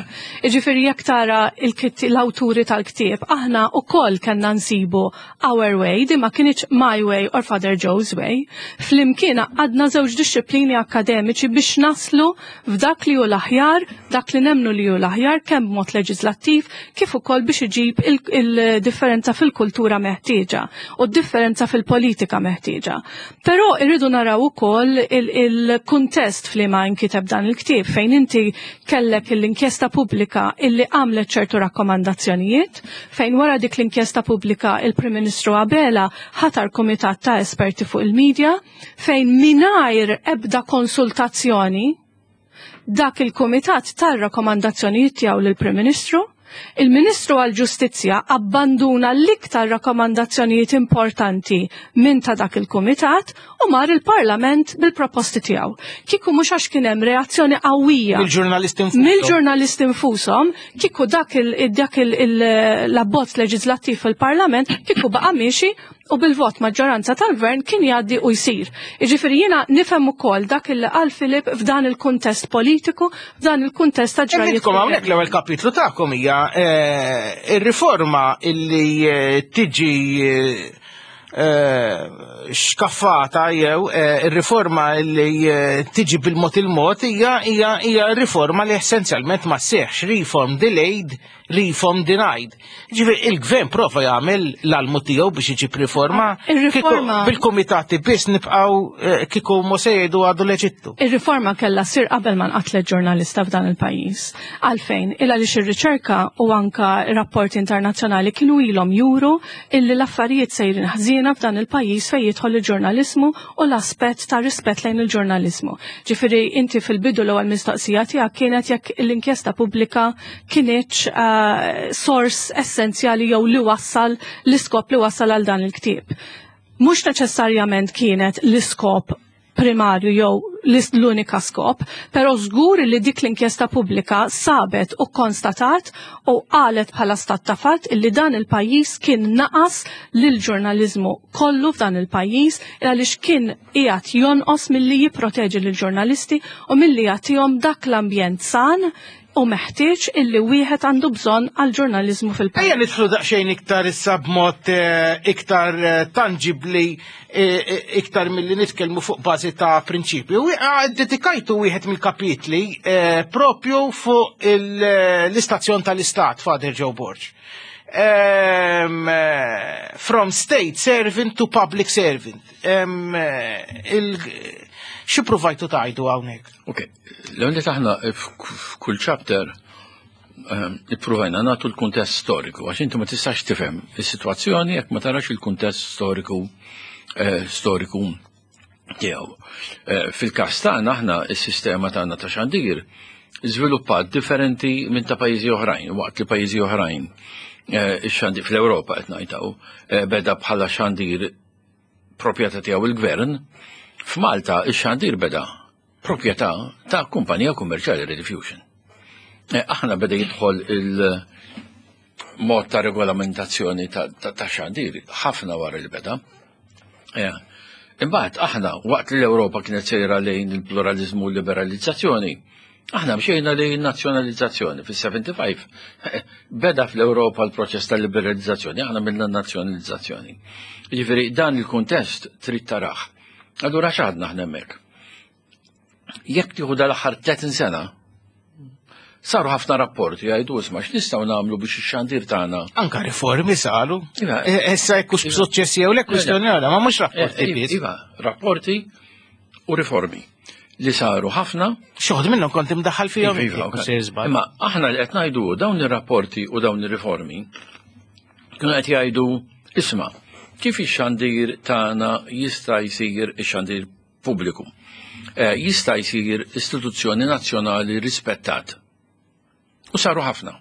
[SPEAKER 4] Iġifieri jekk tara l-awturi tal-ktieb, aħna wkoll kellna nsibu our way, di ma kinitx my way or Father Joe's way. Flimkien għadna żewġ dixxiplini akademiċi biex naslu f'dak li hu l-aħjar, dak li nemmnu li hu l-aħjar kemm b'mod leġislattiv kif ukoll biex iġib il-differenza fil-kultura meħtieġa u d-differenza fil-politika meħtieġa. Però irridu naraw ukoll il-kuntest f'liema nkiteb dan il-ktieb fejn inti kellek l-inkjesta pubblika illi għamlet ċertu rakkomandazzjonijiet, fejn wara dik l-inkjesta pubblika il-Prim Ministru Abela ħatar kumitat ta' esperti fuq il-medja, fejn mingħajr ebda konsultazzjoni dak il-kumitat tar-rakkomandazzjonijiet tiegħu lill-Prim Ministru. Il-Ministru għal-Ġustizzja abbanduna l-iktar rakkomandazzjonijiet importanti minn ta' dak il-Kumitat u mar il-Parlament bil-proposti tiegħu. Kieku mhux għax kien hemm reazzjoni qawwija
[SPEAKER 2] mill-ġurnalisti infushom.
[SPEAKER 4] Mill-ġurnalisti infushom, kieku dak dak l-abbozz leġislattiv fil-Parlament kieku baqa' miexi u bil-vot maġġoranza tal-gvern kien jgħaddi u jsir. Jiġifieri jiena nifhem ukoll dak il qal Filip f'dan il-kuntest politiku, f'dan il-kuntest ta' ġrajiet.
[SPEAKER 2] Intkom hawnhekk l-ewwel kapitlu tagħkom hija ir-riforma illi tiġi xkaffata jew ir-riforma li tiġi bil-mod il-mod hija hija hija riforma li essenzjalment ma sseħħx, reform delayed, reform denied. Ġifieri il-gvern prova jagħmel l-almu tiegħu biex iġib riforma.
[SPEAKER 4] Ir-riforma
[SPEAKER 2] bil-kumitati biss nibqgħu kieku Mosè jgħidu għadu l-Eġittu.
[SPEAKER 4] Ir-riforma kellha ssir qabel ma nqatlet ġurnalista f'dan il-pajjiż. Għalfejn, il għaliex ir-riċerka u anka rapporti internazzjonali kienu ilhom juru illi l-affarijiet sejrin ħżiena f'dan il-pajjiż fejn jidħol il-ġurnaliżmu u l-aspett ta' rispett lejn il-ġurnaliżmu. Ġifieri inti fil-bidu l-ewwel mistoqsija tiegħek kienet jekk l-inkjesta pubblika kinitx uh, sors essenzjali jew li wassal l-iskop li wassal għal dan il-ktieb. Mhux neċessarjament kienet l-iskop primarju jew l-unika skop, però żgur li dik l-inkjesta pubblika sabet u konstatat u qalet bħala stat ta' fatt illi dan il-pajjiż kien naqas lil ġurnaliżmu kollu f'dan il-pajjiż għaliex kien qiegħed jonqos milli jipproteġi lil ġurnalisti u milli jagħtihom dak l-ambjent san u meħtieġ illi wieħed għandu bżonn għal ġurnaliżmu fil-pajjiż.
[SPEAKER 2] Ejja nidħlu daqsxejn iktar issa b'mod iktar tangibli, iktar milli nitkellmu fuq bażi ta' prinċipju. Dedikajtu wieħed mill-kapitli propju fuq l-istazzjon tal-Istat, Father Joe Borg. From state servant to public servant. Xi provajtu tgħidu hawnhekk?
[SPEAKER 3] Ok, l-għalli taħna f'kull chapter ippruvajna nagħtu l-kuntest storiku, għax inti ma tistax tifhem is-sitwazzjoni jekk ma tarax il-kuntest storiku storiku tiegħu. Fil-każ tagħna aħna is-sistema tagħna ta' xandir żviluppat differenti minn ta' pajjiżi oħrajn, waqt li pajjiżi oħrajn ix-xandir fl-Ewropa qed ngħidaw beda bħala xandir proprjetà tiegħu il-gvern. F'Malta ix-xandir beda proprjetà ta' kumpanija kummerċjali Rediffusion. Aħna beda jidħol il-mod ta' regolamentazzjoni ta' xandir ħafna wara li beda. Imbagħad aħna waqt li l-Ewropa kienet sejra lejn il-pluralizmu u l-liberalizzazzjoni, aħna mxejna lejn nazzjonalizzazzjoni. Fis-sebgħa u sebgħin beda fl-Ewropa l-proċess ta' liberalizzazzjoni, aħna minna nazzjonalizzazzjoni. Jiġifieri dan il-kuntest trid tarah. Allura x'għadna aħna hemmhekk? Jekk tieħu dal-aħħar tletin sena, saru ħafna rapporti jgħidu isma' x'nistgħu nagħmlu biex ix-xandir tagħna.
[SPEAKER 2] Anka riformi saru. Issa jekk hux b'suċċess jew le kwistjoni oħra, ma mhux rapporti biss.
[SPEAKER 3] Iva, rapporti u riformi li saru ħafna.
[SPEAKER 2] Xogħol minnhom kont imdaħħal fihom.
[SPEAKER 3] Imma aħna li qed ngħidu dawn ir-rapporti u dawn ir-riformi kienu qed jgħidu isma' kif ix-xandir tagħna jista' jsir ix-xandir pubbliku. Jista' jsir istituzzjoni nazzjonali rispettat. U saru ħafna.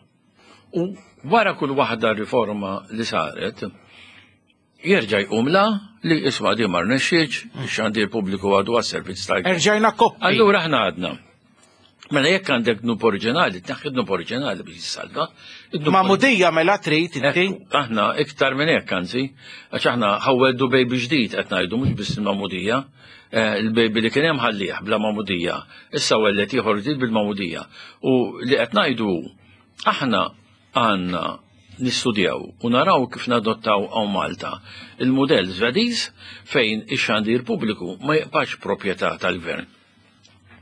[SPEAKER 3] U wara kull waħda riforma li saret, jerġa' jqum la li isma' di ma rnexxietx, ix-xandir pubbliku għadu għas-servizz tal.
[SPEAKER 2] Erġajna koppi.
[SPEAKER 3] Allura aħna għadna. Mela jekk għandek dnub oriġinali, tneħħi dnub oriġinali biex jissalva.
[SPEAKER 2] Magħmudija mela trid inti?
[SPEAKER 3] Aħna iktar minn hekk anzi, għax aħna ħa nwelldu baby ġdid qed ngħidu, mhux biss il-magħmudija. Eh, il-baby li kien hemm ħallih bla magħmudija, issa welled ieħor ġdid bil-magħmudija. U li qed ngħidu, aħna għandna nistudjaw u naraw kif nadottaw hawn Malta il-modell Svediż, fejn ix-xandir pubbliku ma jibqax proprjetà tal-gvern.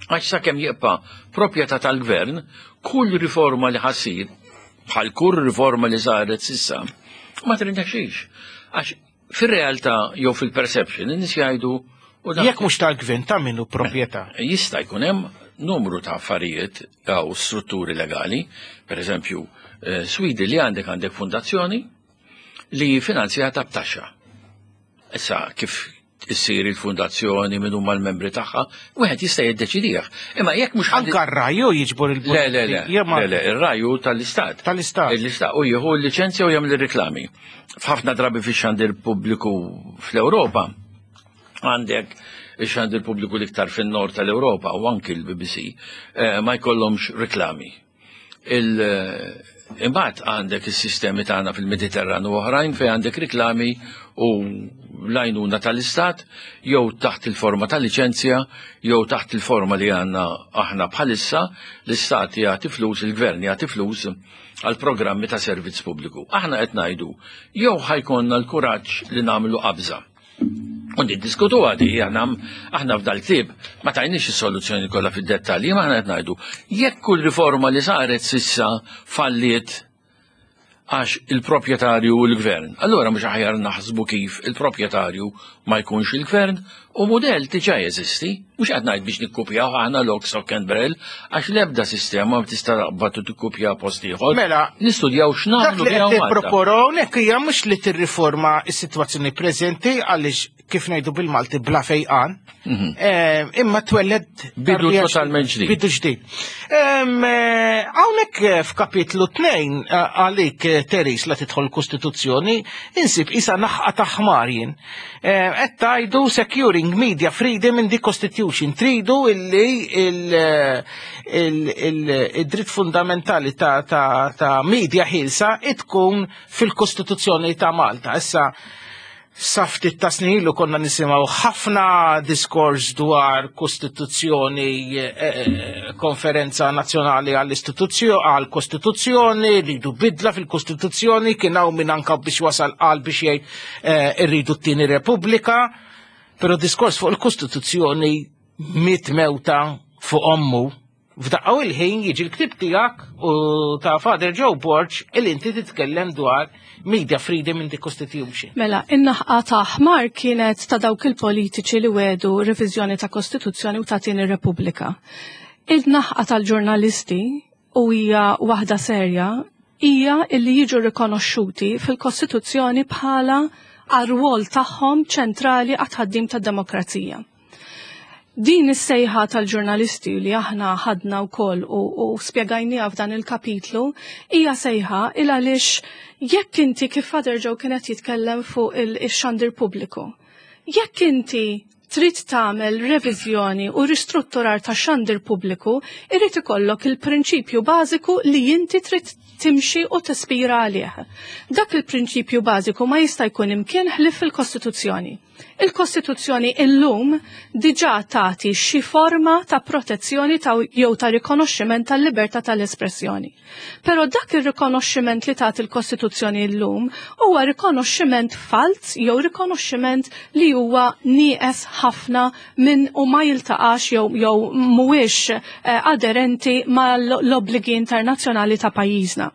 [SPEAKER 3] Għax sakemm jibqa' proprjetà tal-gvern, kull riforma li ħa ssir, bħal kull riforma li saret s'issa, ma tirnexxix. Għax fir-realtà jew fil-perception, in-nies jgħidu u
[SPEAKER 2] dak- Jekk mhux tal-gvern, ta' min hu proprjetà?
[SPEAKER 3] Jista' jkun hemm numru ta' affarijiet jew strutturi legali, per eżempju, eh, Swidi li għandek għandek fundazzjoni li finanzjata b'taxxa. Issa kif issir il-fundazzjoni, minn huma l-membri tagħha, wieħed jista' jiddeċidih. Imma jekk mhux
[SPEAKER 2] Anka r-Rai jiġbor il
[SPEAKER 3] Le, le, le,
[SPEAKER 2] Jew ma-
[SPEAKER 3] le, le, ir-Rai tal-Istat.
[SPEAKER 2] Tal-Istat.
[SPEAKER 3] L-Istat u jieħu l-liċenzja u jagħmel ir-reklami. F'ħafna drabi fix-xandir pubbliku fl-Ewropa għandek ix-xandir pubbliku l-iktar fin-nord tal-Ewropa u anki l-B B C eh, ma jkollhomx reklami. Il- eh, Imbagħad għandek is-sistemi tagħna fil-Mediterran u oħrajn fejn għandek reklami u l-għajnuna tal-Istat jew taħt il-forma tal-liċenzja jew taħt il-forma li għandna aħna bħalissa, l-Istat jagħti flus, il-gvern jagħti flus għal programmi ta' servizz pubbliku. Aħna qed ngħidu jew ħa jkollna l-kuraġġ li nagħmlu qabża. U niddiskutu għadi, aħna aħna f'dal-ktieb ma tajniex is-soluzzjoni kollha fid-dettalji, ma aħna qed ngħidu jekk kull riforma li saret s'issa falliet għax il-proprjetarju u l-gvern. Allura mhux aħjar naħsbu kif il-proprjetarju ma jkunx il-gvern? U model diġà jeżisti, mhux qed ngħid biex nikkupjaw aħna lock, stock and barrel, għax l-ebda sistema ma tista' taqbad u tikkupja post ieħor.
[SPEAKER 2] Mela,
[SPEAKER 3] nistudjaw
[SPEAKER 2] dak
[SPEAKER 3] x'nagħmlu
[SPEAKER 2] li
[SPEAKER 3] biha
[SPEAKER 2] qed
[SPEAKER 3] Malta.
[SPEAKER 2] tipproponu hawnhekk hija mhux li tirriforma s-sitwazzjoni preżenti, għaliex kif ngħidu bil-Malti bla fejqan, eh, imma twelled
[SPEAKER 3] Mhm. Bidu
[SPEAKER 2] tarbija
[SPEAKER 3] totalment ġdid.
[SPEAKER 2] Bidu ġdid. Em, eh, Hawnhekk eh, f'kapitlu tnejn, eh, għalik eh, Teris, la tidħol kostituzzjoni, insib isa naħqa ta' ħmar jien. Eh, Qed tgħidu "securing media freedom in the constitution". Tridu illi il- il- il- id-dritt fundamentali ta' ta' ta' media ħielsa tkun fil-Kostituzzjoni ta' Malta. Issa, sa ftit ta' snin ilu konna nisimgħu ħafna diskors dwar kostituzzjoni, eh, eh, konferenza nazzjonali għall-istituzzjoni, għall-kostituzzjoni, rridu bidla fil-kostituzzjoni, kien hawn min anka biex wasal qal biex jgħid eh, irridu t-tieni Repubblika, però diskors fuq il-kostituzzjoni miet mewta fuq ommu. F'daqqa il-ħin jiġi l-ktib tiegħek u ta' Father Joe Borg il inti titkellem dwar media freedom in the constitution.
[SPEAKER 4] Mela, in-naħqa ta' ħmar kienet ta' dawk il-politiċi li wedu reviżjoni ta' kostituzzjoni u ta' tieni Repubblika. Il-naħqa tal-ġurnalisti, u hija waħda serja, hija illi jiġu rikonoxxuti fil-Kostituzzjoni bħala għar-rwol tagħhom ċentrali għat-tħaddim tad-demokrazija. Din is-sejħa tal-ġurnalisti li aħna ħadna wkoll u, u spjegajniha f'dan il-kapitlu hija sejħa il għaliex jekk inti, kif Father Joe kienet jitkellem fuq il-xandir pubbliku, jekk inti trid tagħmel reviżjoni u ristrutturar ta' xandir pubbliku, irid ikollok il-prinċipju bażiku li inti trid timxi u tispira għalih. Dak il-prinċipju bażiku ma jista' jkun imkien ħlief fil-Kostituzzjoni. Il-Kostituzzjoni illum diġà tagħti xi forma ta' protezzjoni ta' jew ta' rikonoxximent tal-libertà tal-espressjoni. Però dak ir-rikonoxximent li tagħti il-Kostituzzjoni illum huwa rikonoxximent falz jew rikonoxximent li huwa nieqes ħafna minn u ma jiltaqax jew jew mhuwiex eh, aderenti mal-obbligi internazzjonali ta' pajjiżna.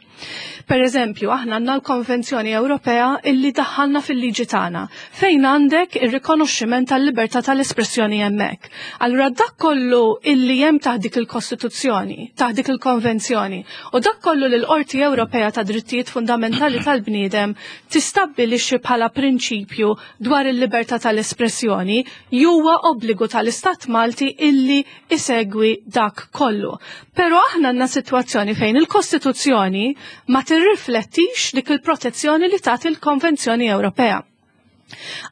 [SPEAKER 4] Per eżempju, aħna għandna l-Konvenzjoni Ewropea illi daħħalna fil-liġi tagħna, fejn għandek ir-rikonoxximent tal-libertà tal-espressjoni hemmhekk. Allura dak kollu illi hemm taħt dik il-Kostituzzjoni, taħt dik il-Konvenzjoni, u dak kollu li l-Qorti Ewropea ta' Drittijiet Fundamentali tal-Bniedem tistabbilixxi bħala prinċipju dwar il-libertà tal-espressjoni, huwa obbligu tal-Istat Malti illi isegwi dak kollu. Però aħna għandna sitwazzjoni fejn il-Kostituzzjoni ma tirriflettix dik il-protezzjoni li tagħti il-Konvenzjoni Ewropea.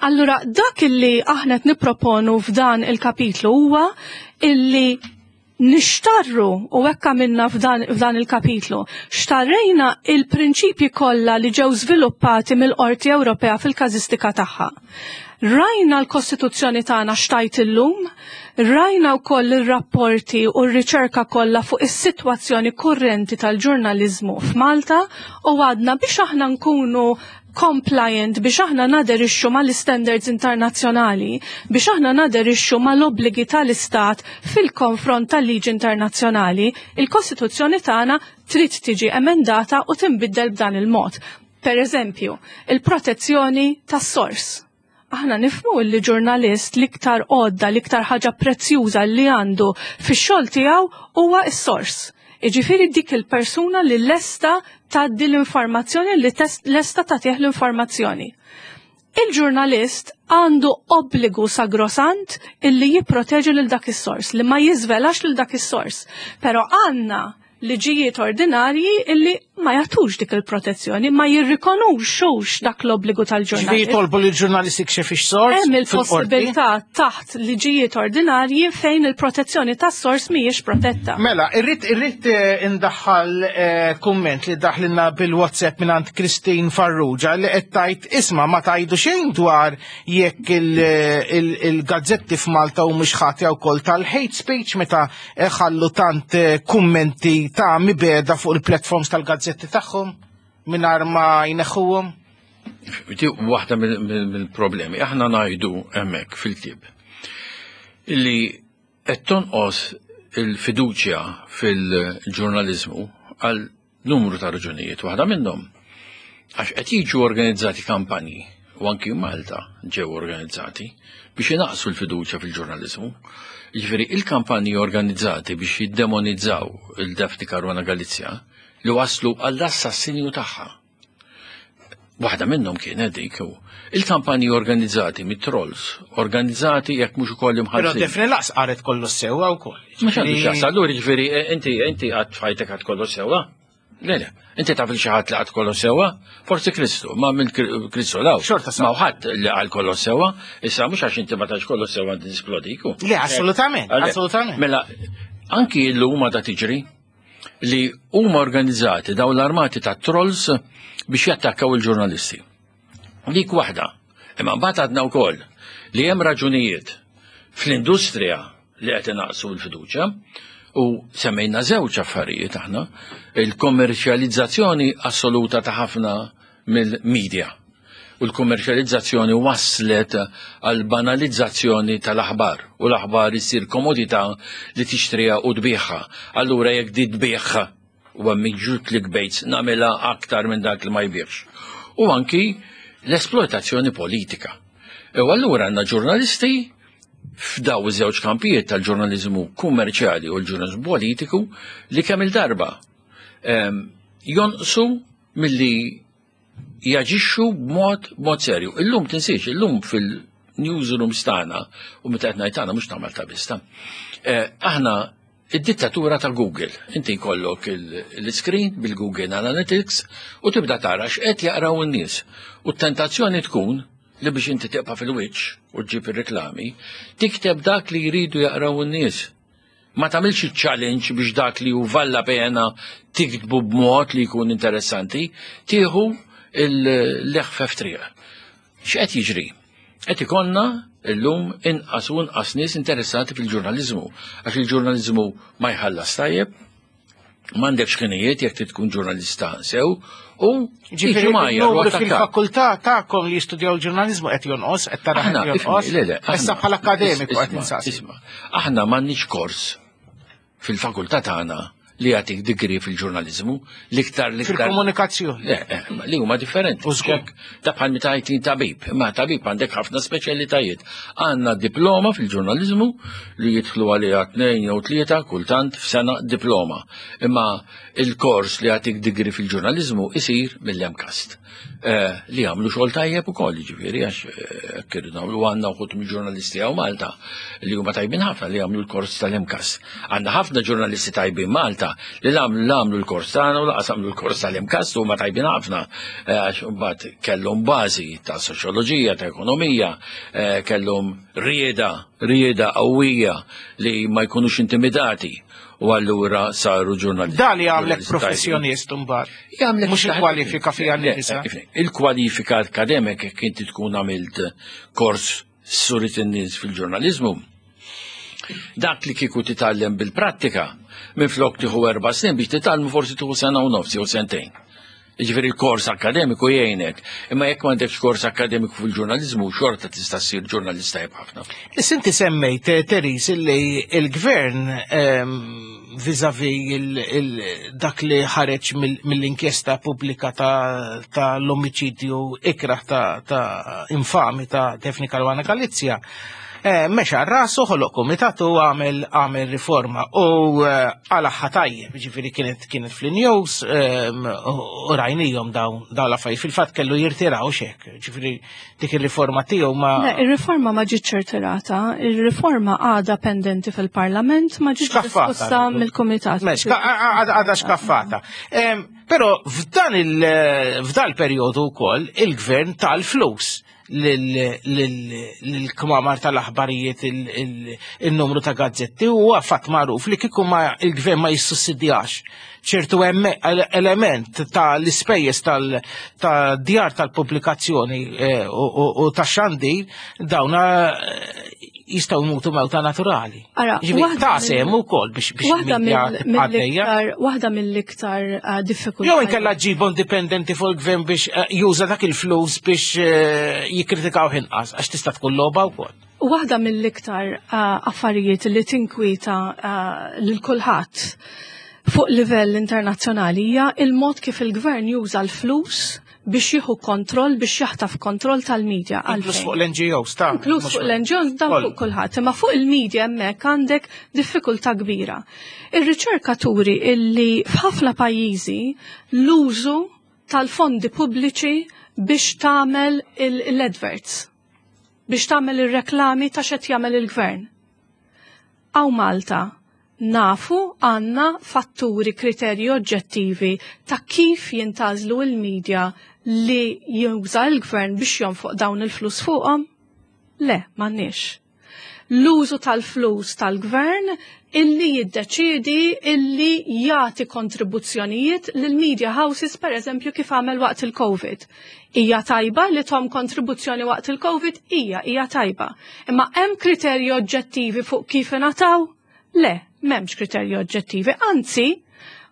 [SPEAKER 4] Allura dak illi aħna qed nipproponu f'dan il-kapitlu huwa illi Nixtarru, u hekk għamilna f'dan, f'dan il-kapitlu, xtarrejna il-prinċipji kollha li ġew żviluppati mill-Qorti Ewropea fil-każistika tagħha. Rajna l-Kostituzzjoni tagħna x'tgħid illum, rajna wkoll ir-rapporti u r-riċerka kollha fuq is-sitwazzjoni kurrenti tal-ġurnaliżmu f'Malta u għadna biex aħna nkunu compliant, biex aħna naderixxu mal-standards internazzjonali, biex aħna naderixxu mal-obbligi tal-Istat fil-konfront tal-liġi internazzjonali, il-Kostituzzjoni tagħna trid tiġi emendata u tinbiddel b'dan il-mod. Per eżempju, il-protezzjoni tas-sors. Aħna nifhmu li ġurnalist l-iktar għodda, l-iktar ħaġa prezzjuża li għandu fix-xogħol tiegħu huwa s-sors. Iġifieri dik il-persuna li lesta tgħaddi l-informazzjoni, li lesta tagħtih l-informazzjoni. Il-ġurnalist għandu obbligu sagrosant illi jipproteġi lil dak is-sors, li ma jiżvelax lil dak is-sors. Però għandna liġijiet ordinarji illi ma jagħtux dik il-protezzjoni, ma jirrikonoxxux dak l-obbligu tal-ġurnalist.
[SPEAKER 2] Ġifieri jitolbu li l-ġurnalist jikxef ix-sors?
[SPEAKER 4] Hemm il-possibilità taħt liġijiet ordinarji fejn il-protezzjoni tas-sors mhijiex protetta.
[SPEAKER 2] Mela, irrid irrid eh, indaħħal eh, kumment li daħlilna bil-WhatsApp mingħand Christine Farrugia li qed tgħid, isma', ma tgħidu xejn dwar jekk il-gazzetti f'Malta u mhux ħatja wkoll tal-hate speech meta ħallu tant eh, kummenti ta' mibegħda fuq il-platforms tal-gazzetti tagħhom mingħajr ma jneħħuhom?
[SPEAKER 3] Di waħda mill-problemi. Aħna ngħidu hemmhekk fil-ktieb illi qed tonqos il-fiduċja fil-ġurnaliżmu għal numru ta' raġunijiet. Waħda minnhom għax qed jiġu organizzati kampanji, u anki Malta ġew organizzati biex inaqsu l-fiduċja fil-ġurnaliżmu. Jiġifieri il-kampanji organizzati biex jiddemonizzaw il-Daphne Caruana Galizia li waslu għall-assassinju tagħha. Waħda minnhom kienet dik u il-kampanji organizzati mit-trolls, organizzati jekk mhux ukoll
[SPEAKER 2] Però
[SPEAKER 3] imħallsin.
[SPEAKER 2] Daphne lanqas qalet kollu sewwa wkoll.
[SPEAKER 3] Mhux għandu x'jaqsam, allura jiġifieri eh, inti inti qatt f'ħajtek għedt kollu sewwa? Le, le, inti taf li xi ħadd li qal kollu sewwa? Forsi Kristu, ma minn Kristu law.
[SPEAKER 2] Xorta
[SPEAKER 3] Ma ħadd li qal kollu sewwa, issa mhux għax inti ma tgħidx kollu sewwa inti tisplodiku.
[SPEAKER 2] Le, assolutament,
[SPEAKER 3] Għale,
[SPEAKER 2] assolutament.
[SPEAKER 3] Mela, anki l-lum da tiġri li huma organizzati daw l-armati ta' trolls biex jattakkaw il-ġurnalisti. Dik waħda. Imma mbagħad għadna wkoll li hemm raġunijiet fl-industrija li qed inaqsu l-fiduċja u semmejna żewġ affarijiet aħna, il-kommerċjalizzazzjoni assoluta ta' ħafna mill-media. U l-kommerċjalizzazzjoni waslet għal banalizzazzjoni tal-aħbar u l-aħbar issir komodità li tixtriha u tbigħha. Allura jekk di tbigħha u hemm miġjun clickbaits, nagħmilha aktar minn dak li ma jbigħx. U anki l-esploitazzjoni politika. U allura għandna ġurnalisti f'daw iż-żewġ kampijiet tal-ġurnaliżmu kummerċjali u l-ġurnaliżmu politiku li kemm il-darba em, jonqsu milli jaġixxu b'mod b'mod serju. Illum tinsiex, illum fil-newsrooms tagħna, u meta qed ngħid tagħna mhux ta' Malta biss ta'. Eh, aħna id-dittatura ta' Google. Inti jkollok il-screen bil-Google Analytics u tibda tara x'qed jaqraw in-nies. U t-tentazzjoni tkun li biex inti tibqa' fil-wiċċ u ġġib ir-reklami, tikteb dak li jridu jaqraw in-nies. Ma tagħmilx challenge biex dak li hu vallapena tiktbu b'mod li jkun interessanti, tieħu l-eħfef triq. X'qed jiġri? Qed ikollna illum inqas u inqas nies interessati fil-ġurnaliżmu, għax il-ġurnaliżmu ma jħallas tajjeb, m'għandekx ħinijiet jekk trid tkun ġurnalista sew, u
[SPEAKER 2] Ġifieri
[SPEAKER 3] jiġu mgħajjar u
[SPEAKER 2] il-numru
[SPEAKER 3] attakkat.
[SPEAKER 2] fil-fakultà tagħkom li jistudjaw il-ġurnaliżmu qed jonqos, qed tara
[SPEAKER 3] Aħna,
[SPEAKER 2] qed jonqos.
[SPEAKER 3] ifni, le, le,
[SPEAKER 2] Issa
[SPEAKER 3] aħna-
[SPEAKER 2] bħala akademiku qed
[SPEAKER 3] isma'
[SPEAKER 2] insaqsi.
[SPEAKER 3] Isma', aħna m'għandniex kors fil-fakultà tagħna li jagħtik degree fil-ġurnaliżmu, l-iktar l-iktar.
[SPEAKER 2] Fil-komunikazzjoni.
[SPEAKER 3] Le, eh, li huma differenti.
[SPEAKER 2] U żgur.
[SPEAKER 3] Ċek, ta' bħal meta għajtin tabib, imma tabib għandek ħafna speċjalitajiet. Għandna diploma fil-ġurnaliżmu li jidħlu għaliha tnejn jew tlieta kultant f'sena diploma. Imma il-kors li jagħtik degree fil-ġurnaliżmu isir mill-MCAST. Eh, li għamlu xogħol tajjeb ukoll, ġifieri għax eh, kirdu nagħmlu, għandna wħud mill-ġurnalisti hawn Malta li huma tajbin ħafna li għamlu l-kors tal-MCAST. Għandna ħafna ġurnalisti tajbin Malta li għamlu għamlu l-kors tagħna u lanqas għamlu l-kors tal-MCAST u huma tajbin ħafna eh, għax mbagħad kellhom bażi ta' soċjoloġija, ta' ekonomija, eh, kellhom rieda Rieda qawwija li ma jkunux intimidati u allura saru ġurnalisti.
[SPEAKER 2] Dan li għamlek professjonist mbagħad.
[SPEAKER 3] Jagħmlek
[SPEAKER 2] Mhux il-kwalifika fiha nnifisha.
[SPEAKER 3] Il-kwalifika akademika, jekk inti tkun għamilt kors surit in-nies fil-ġurnalizmu. Dak li kieku titgħallem bil-prattika, minn flok tieħu erba' snin biex titgħallmu, forsi tieħu sena u nofs jew sentejn. Ġifieri il-kors akademiku jgħinek, imma jekk m'għandekx kors akademiku fil-ġurnalizmu, xorta tista' ssir ġurnalista tajjeb ħafna.
[SPEAKER 2] Issa inti semmejt, eh, Therese, illi il-gvern ehm, vis-a-vis dak li ħareġ mill-inkjesta pubblika ta' l-omiċidju ikraħ ta' ta' infami ta' Daphne Caruana Galizia, eh, mexa rasu, ħoloq komitat u għamel għamel riforma u eh, għalaħħa tajjeb, ġifieri kienet kienet fl-news ehm, u rajnijom dawn dawn l-affarijiet. Fil-fatt kellu jirtiraw xek, ġifieri dik il-riforma tiegħu ma.
[SPEAKER 4] Le, ir-riforma ma ġietx irtirata, ir-riforma għadha pendenti fil-Parlament, ma ġietx
[SPEAKER 2] Xkaffata.
[SPEAKER 4] diskussa mill-Kumitat.
[SPEAKER 2] Mex, għadha xkaffata. Em, Però f'dan il- f'dan il-perjodu wkoll il-gvern tal-flus lill-kmamar tal-aħbarijiet, il-numru ta' gazzetti, u fatt magħruf li kieku ma il-gvern ma jissussidjax ċertu element ta' l-ispejjeż tal-djar tal-pubblikazzjoni eh, u ta' xandir, dawna eh, jistgħu jmutu mewta naturali.
[SPEAKER 4] Ara,
[SPEAKER 2] Ġifieri ta' sem ukoll biex biex
[SPEAKER 4] Waħda
[SPEAKER 2] il-medja tibqa' għaddejja.
[SPEAKER 4] mill-iktar waħda mill-iktar uh, diffikultà.
[SPEAKER 2] Jew inkella ġibu indipendenti fuq il-gvern biex eh, juża dak il-flus biex eh, jikkritikaw inqas, għax tista' tkun logħba wkoll.
[SPEAKER 4] Waħda mill-iktar uh, affarijiet li tinkwita uh, lil kulħadd fuq livell internazzjonali hija il-mod kif il-gvern juża l-flus biex jieħu kontroll, biex jaħtaf kontroll tal-medja.
[SPEAKER 2] Inkluż
[SPEAKER 4] Għalfejn?
[SPEAKER 2] fuq l-N G Os ta'
[SPEAKER 4] Inkluż
[SPEAKER 2] mhux
[SPEAKER 4] fuq l-N G Os, dan
[SPEAKER 2] Koll.
[SPEAKER 4] fuq kulħadd, imma fuq il-media hemmhekk għandek diffikultà kbira. Ir-riċerka turi illi f'ħafna pajjiżi l-użu tal-fondi pubbliċi biex tagħmel l-adverts, biex tagħmel ir-reklami ta' x'qed jagħmel il-gvern. Hawn Malta nafu għandna fatturi, kriterji oġġettivi ta' kif jintgħażlu il-medja li juża l-gvern biex jonfoq dawn il-flus fuqhom? Le, m'għandniex. L-użu tal-flus tal-gvern illi jiddeċidi illi jagħti kontribuzzjonijiet lil media houses, per eżempju, kif għamel waqt il-Covid. Hija tajba li tahom kontribuzzjoni waqt il-Covid? Hija, hija tajba. Imma hemm kriterji oġġettivi fuq kif ingħataw? Le, m'hemmx kriterji oġġettivi. Anzi,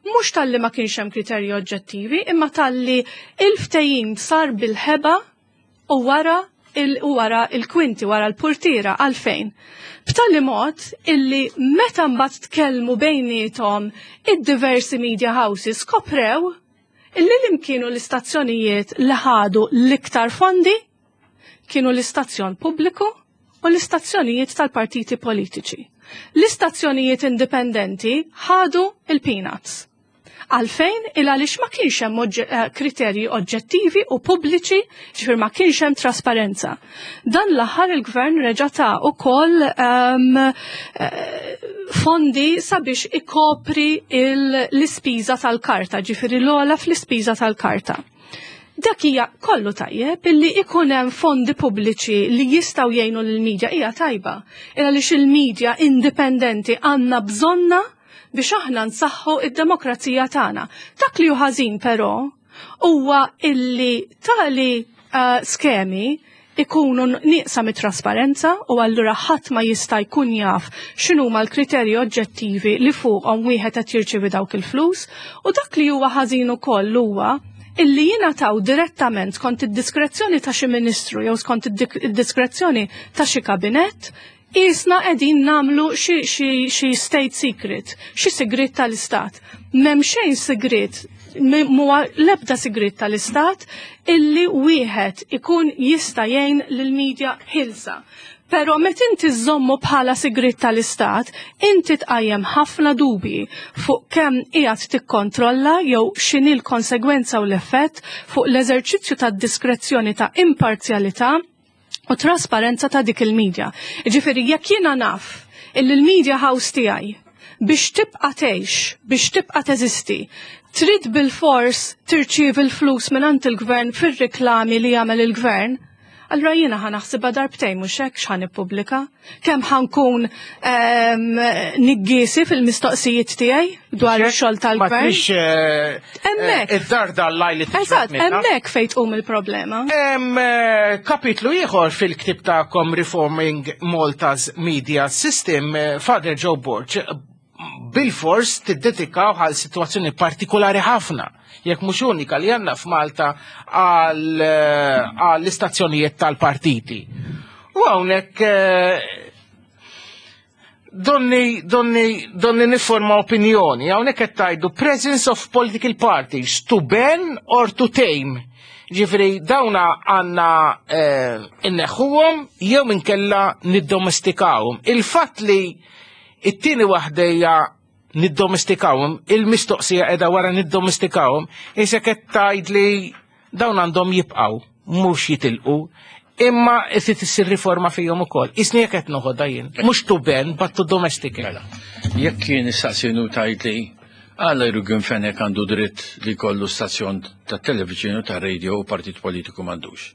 [SPEAKER 4] mhux talli ma kienx hemm kriterji oġġettivi, imma talli il-ftehim sar bil-ħeba u wara il u wara il-kwinti, wara l-purtira. Għalfejn? B'tali mod illi meta mbagħad tkellmu bejniethom id-diversi media houses, skoprew illi li kienu l-istazzjonijiet li ħadu l-iktar fondi kienu l-istazzjon pubbliku u l-istazzjonijiet tal-partiti politiċi. L-istazzjonijiet indipendenti ħadu il-peanuts. Għalfejn? Il għaliex ma kienx hemm oġġe- eh, kriterji oġġettivi u pubbliċi, ġifier ma kienx hemm trasparenza. Dan l-aħħar il-gvern reġa' ta ukoll um, fondi sabiex ikopri il- l-ispiża tal-karta, ġifieri l-ogħla fl-ispiża tal-karta. Dak hija kollu tajjeb illi ikun hemm fondi pubbliċi li jistgħu jgħinu lill-medja, hija tajba. Il għaliex il-medja indipendenti għandna bżonna biex aħna nsaħħu id-demokrazija tagħna. Dak li hu ħażin però huwa illi tali uh, skemi ikunu nieqsa mit-trasparenza u allura ħadd ma jista' jkun jaf x'inhuma l-kriterji oġġettivi li fuqhom wieħed qed jirċievi dawk il-flus, u dak li huwa ħażin ukoll huwa illi jingħataw direttament skont id-diskrezzjoni ta' xi ministru jew skont id-diskrezzjoni ta' xi kabinett. Isna qegħdin nagħmlu xi xi xi state secret, xi segret tal-istat. M'hemm xejn segret, muwa l-ebda segret tal-istat illi wieħed ikun jista' jgħin lill-medja ħilsa. Pero met inti żommu bħala sigrit tal-istat, inti tqajjem ħafna dubji fuq kemm qiegħed tikkontrolla jew x'inhi l-konsegwenza u l-effett fuq l-eżerċizzju tad-diskrezzjoni ta' imparzjalità u trasparenza ta' dik il-medja. Ġifieri jekk jiena naf illi l-media house tiegħi biex tibqa' tgħix, biex tibqa' teżisti, trid bil-fors tirċievi l-flus mingħand il-gvern fir-reklami li jagħmel il-gvern, Allura jiena ħa naħsibha darbtejn mhux hekk x'ħa nippubblika. Kemm ħa nkun ehm, niggiesi fil-mistoqsijiet tiegħi dwar ix-xogħol
[SPEAKER 2] Ma
[SPEAKER 4] tal-gvern.
[SPEAKER 2] trix eh,
[SPEAKER 4] Hemmhekk.
[SPEAKER 2] eh, id-darda l-lajli
[SPEAKER 4] Eżatt, hemmhekk fejn tqum il-problema.
[SPEAKER 2] Hemm eh, kapitlu ieħor fil-ktib tagħkom Reforming Malta's Media System, eh, Father Joe Borg, bil-fors tiddedikaw għal situazzjoni partikolari ħafna, jekk mhux unika li għandna f'Malta għal eh, għall-istazzjonijiet tal-partiti. U hawnhekk eh, donni, donni, donni niforma opinjoni, hawnhekk qed tgħidu presence of political parties to ban or to tame. Ġifieri, dawna għandna eh, inneħħuhom jew inkella niddomestikawhom. Il-fatt li it-tieni waħda hija niddomestikawhom, il-mistoqsija qiegħda wara niddomestikawhom, isek qed tgħid li dawn għandhom jibqgħu, mhux jitilqu, imma irid issir riforma fihom ukoll. Isni jekk qed noħodha jien. Mhux to ban, but to domesticate.
[SPEAKER 3] Mela, jekk kien istaqsinu tajt li għala Yorgen Fenech għandu dritt li kollu stazzjon ta' television u ta' radio u partit politiku m'għandux.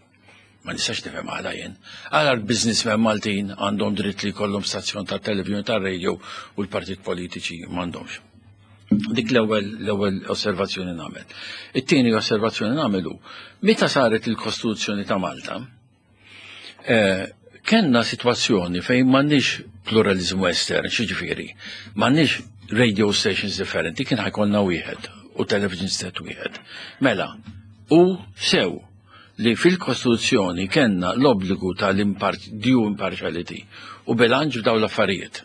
[SPEAKER 3] Ma nistax nifhem għala jien. Għala l-businessmen Maltin għandhom dritt li kollhom stazzjon ta' television ta' radio u l-partit politiċi m'għandhomx. Dik l-ewwel l-ewwel osservazzjoni nagħmel. It-tieni osservazzjoni nagħmel hu meta saret il-Kostituzzjoni ta' Malta, eh, kenna situazzjoni fejn m'għandniex pluralizmu estern, xiġifieri, m'għandniex radio stations differenti, kien ħa jkollna wieħed u television set wieħed. Mela, u sew li fil-Kostituzzjoni kenna l-obbligu tal-due impartiality u bilanċ f'dawn l-affarijiet.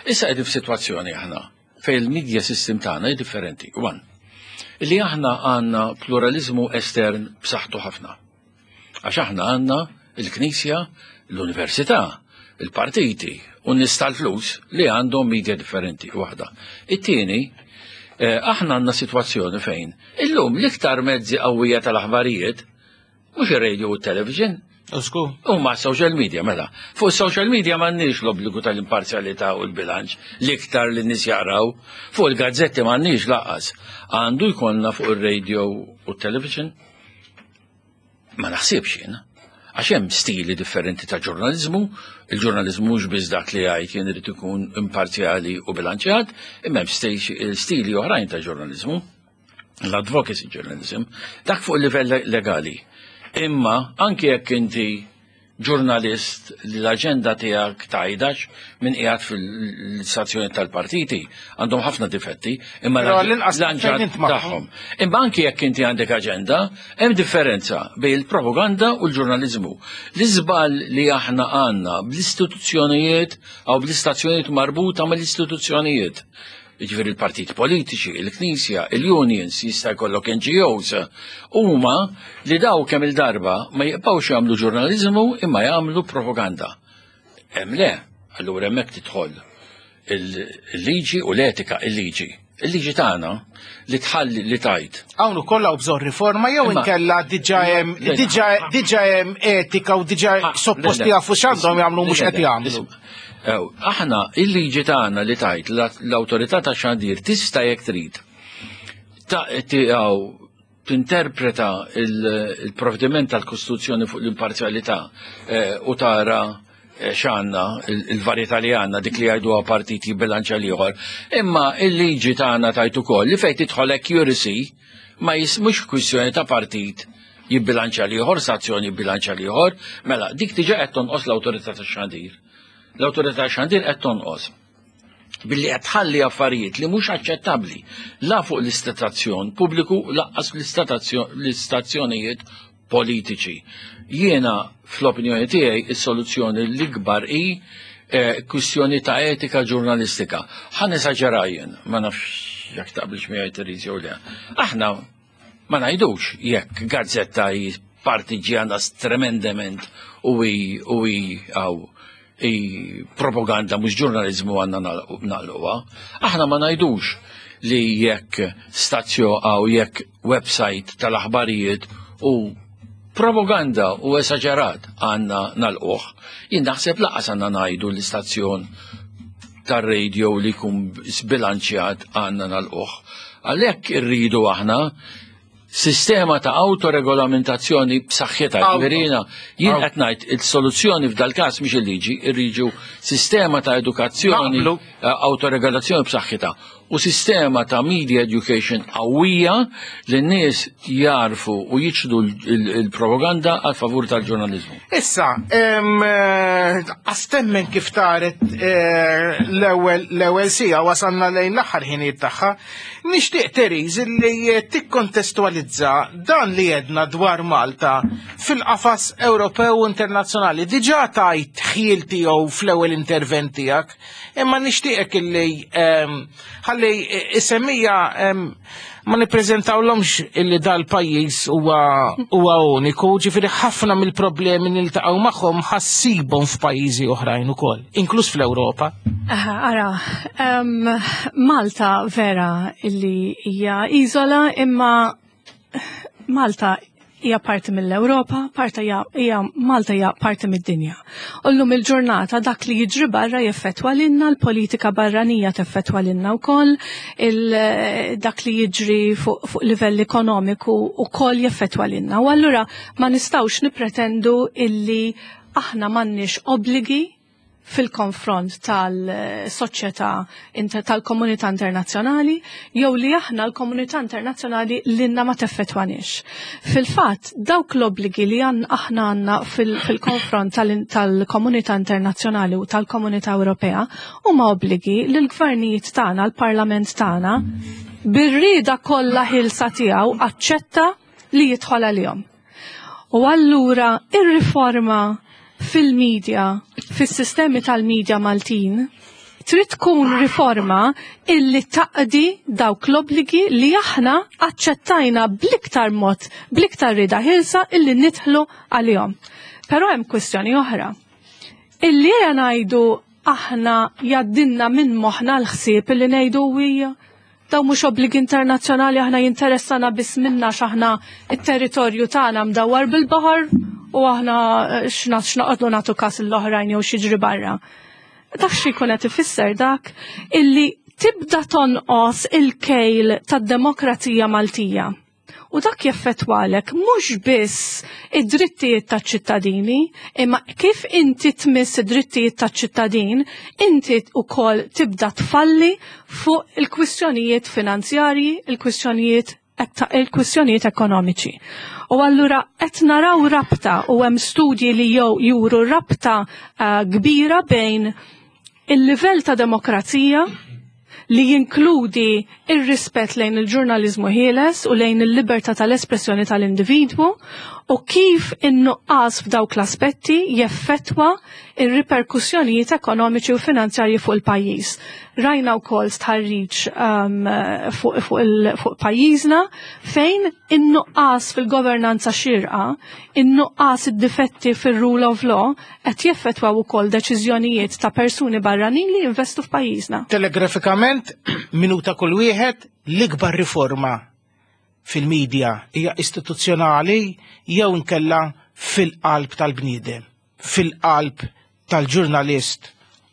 [SPEAKER 3] Issa qegħdin f'sitwazzjoni aħna fejn il-media system tagħna hi differenti. One, li aħna għandna pluralizmu estern b'saħħtu ħafna. Għax aħna għandna il-Knisja, l-Università, il-partiti u n-nies tal-flus li għandhom media differenti waħda. It-tieni, eh, aħna għandna situazzjoni fejn illum l-iktar mezzi qawwija tal-aħbarijiet mhux ir-radio u t-television,
[SPEAKER 2] Usku.
[SPEAKER 3] U ma social media, mela. Fuq social media m'għandniex l-obbligu tal-imparzjalità u l-bilanċ l-iktar li nies jaqraw. Fuq il-gazzetti m'għandniex lanqas. Għandu jkollna fuq il-radio u t-television? Ma naħsibx jien. Għax hemm stili differenti ta' ġurnalizmu, il-ġurnalizmu mhux biss dak li jgħid jien irid ikun imparzjali u bilanċjat, imma hemm sti- stili oħrajn ta' ġurnalizmu, l-advocacy journalism, dak fuq il-livell legali. Imma anke jekk inti ġurnalist li l-aġenda tiegħek tajdax minn qiegħed fil-stazzjoni tal-partiti għandhom ħafna difetti, imma
[SPEAKER 2] Però l-inqas fejn
[SPEAKER 3] l-anġad
[SPEAKER 2] int magħhom.
[SPEAKER 3] tagħhom. Imma anke jekk inti għandek aġenda, hemm differenza bejn il-propaganda u l-ġurnalizmu. L-iżbal li aħna għandna bl-istituzzjonijiet jew bl-istazzjonijiet marbuta mal-istituzzjonijiet. Ġifieri il-partit politiċi, il-Knisja, il-unions, jista' jkollok N G Os, huma li daw kemm il-darba ma jibqgħux jagħmlu ġurnalizmu imma jagħmlu propaganda. Hemm le, allura hemmhekk tidħol il-liġi u l-etika, il-liġi. Il-liġi tagħna li tħalli li tajt.
[SPEAKER 2] Hawn ukoll hawn bżonn riforma jew
[SPEAKER 3] Imma-
[SPEAKER 2] inkella diġà hemm
[SPEAKER 3] Le-
[SPEAKER 2] diġà diġà hemm etika u diġà
[SPEAKER 3] Ah,
[SPEAKER 2] supposti
[SPEAKER 3] le, le.
[SPEAKER 2] jafu x'għandhom jagħmlu mhux
[SPEAKER 3] Le,
[SPEAKER 2] qed
[SPEAKER 3] le,
[SPEAKER 2] jagħmlu.
[SPEAKER 3] isma'. Ew, aħna il-liġi tagħna li tajt l-awtorità ta' xandir tista' jekk trid ta' tiegħu tinterpreta il- il-provvediment tal-Kostituzzjoni fuq l-imparzjalità eh, u tara eh, x'għandna il- il-varjetà li għandna dik li jgħiduha partiti bilanċa l-ieħor. Imma il-liġi tagħna tajt ukoll li fejn tidħol accuracy ma jis mhux kwistjoni ta' partit jibbilanċa l-ieħor, stazzjoni jibbilanċa l-ieħor, mela dik diġà qed tonqos l-awtorità tax-xandir. L-awtorità tax-xandir qed tonqos billi qed tħalli affarijiet li mhux aċċettabbli la fuq l-istazzjon pubbliku lanqas l-istazzjonijiet politiċi. Jiena fl-opinjoni tiegħi is-soluzzjoni l-ikbar hi eh, kwistjoni ta' etika ġurnalistika. Ħa nesaġera jien, ma nafx jekk taqbilx miegħi Therese jew le. Aħna ma ngħidux jekk gazzetta hi partiġjana tremendament u hi u hi għaw i propaganda mhux ġurnalizmu għandna nagħlquha. Aħna ma ngħidux li jekk stazzjo għaw jekk website tal-aħbarijiet u propaganda u esaġerat għandna nagħlquh. Jien naħseb lanqas għandna ngħidu l-istazzjon tar-radio li jkun sbilanċjat għandna nagħlquh. Għalhekk irridu aħna Sistema ta' autoregolamentazzjoni b'saħħitha, ġifieri jien qed ngħid il-soluzzjoni f'dal-każ mhix il-liġi, irriġu sistema ta' edukazzjoni, autoregolazzjoni b'saħħitha u sistema ta' media education qawwija li n-nies jarfu u jiċdu il-propaganda għal favur tal-ġurnaliżmu.
[SPEAKER 2] Issa, għastemmen kif taret l-ewwel sija wasalna lejn l-aħħar ħinijiet tagħha, nixtieq Therese li tikkontestualizza dan li jedna dwar Malta fil-qafas Ewropew u internazzjonali. Diġà tajt ħjiel tiegħu fl-ewwel intervent tiegħek, imma nixtieqek illi ħalli isemmija ma nippreżentawlhomx illi dal-pajjiż huwa uniku, ġifieri ħafna mill-problemi niltaqgħu magħhom ħassibhom f'pajjiżi oħrajn ukoll, inkluż fl-Ewropa.
[SPEAKER 4] Ara, Malta vera illi hija iżola, imma Malta hija parti mill-Ewropa, parti hija Malta hija parti mid-dinja. U llum il-ġurnata dak li jiġri barra jeffettwa lilna, l-politika barranija teffettwa lilna wkoll, dak li jiġri fuq fu livell ekonomiku wkoll jeffettwa lilna. U allura ma nistgħux nippretendu illi aħna m'għandniex obbligi fil-konfront tal-soċjetà tal-komunità internazzjonali jew li aħna l-komunità internazzjonali lilna ma teffettwanix. Fil-fatt, dawk l-obbligi li aħna għandna fil-konfront tal-komunità internazzjonali u tal-komunità Ewropea huma obbligi li l-gvernijiet tagħna, l-parlament tagħna, bir-rieda kollha ħilsa tiegħu aċċetta li jidħol għalihom. U allura ir-riforma fil-medja, fis-sistemi tal-medja Maltin, trid tkun riforma illi taqdi dawk l-obbligi li aħna aċċettajna bl-iktar mod, bl-iktar rida ħilsa illi nidħlu għalihom. Però hemm kwistjoni oħra. Illi ejja ngħidu aħna jaddinna minn moħħna l-ħsieb illi ngħidu hija daw mhux obbligi internazzjonali, aħna jinteressana biss minna x'aħna it-territorju tagħna mdawwar bil-baħar u aħna x'naqgħodlu nagħtu każ l-oħrajn jew xiġri barra. Dak xi jkun qed ifisser dak illi tibda tonqos il-kejl tad-demokrazija Maltija. U dak jeffettwalek mhux biss id-drittijiet taċ-ċittadini, imma kif inti tmiss id-drittijiet taċ-ċittadin, inti wkoll tibda tfalli fuq il-kwistjonijiet finanzjarji, il-kwistjonijiet il-kwistjonijiet ekonomiċi. U allura qed naraw rabta u hemm studji li jew juru rabta uh, kbira bejn il-livell ta' demokrazija li jinkludi ir-rispett lejn il-ġurnaliżmu ħieles u lejn il-libertà tal-espressjoni tal-individwu u kif in-nuqqas f'dawk l-aspetti jeffettwa ir-riperkussjonijiet ekonomiċi u finanzjarji fuq il-pajjiż. Rajna wkoll stħarriġ um, fuq fu fu pajjiżna fejn in-nuqqas fil-governanza xirqa, in-nuqqas id-difetti fil-rule of law qed jeffettwaw ukoll deċiżjonijiet ta' persuni barranin li jinvestu f'pajjiżna.
[SPEAKER 2] Telegrafikament, minuta kull wieħed, l-ikbar riforma fil-medja hija istituzzjonali jew nkella fil-qalb tal-bniedem, fil-qalb tal-ġurnalist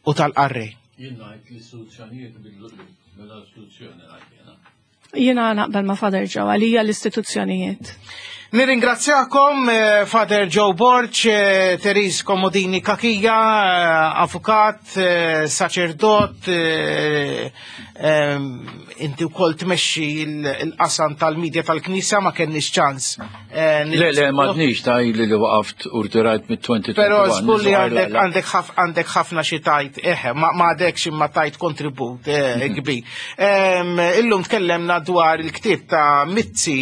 [SPEAKER 2] u tal-qarrej.
[SPEAKER 3] Jien ngħid l-istituzzjonijiet bil-istituzzjoni ngħid jiena.
[SPEAKER 4] Jiena naqbel ma' Father Joe, għalija l-istituzzjonijiet.
[SPEAKER 2] Nirringrazzjakom Father Joe Borg, Therese Comodini Cachia, avukat, saċerdot, inti wkoll tmexxi l-qasam tal-medja tal-Knisja, ma kenniex ċans.
[SPEAKER 3] Le, le, m'għadniex ta' ili li waqaft u rtirajt mit-twenty twenty-one.
[SPEAKER 2] Però żgur li għandek ħafna xi tajt, eħe, ma għadekx imma tajt kontribut kbir. Illum tkellemna dwar il-ktieb ta' Mizzi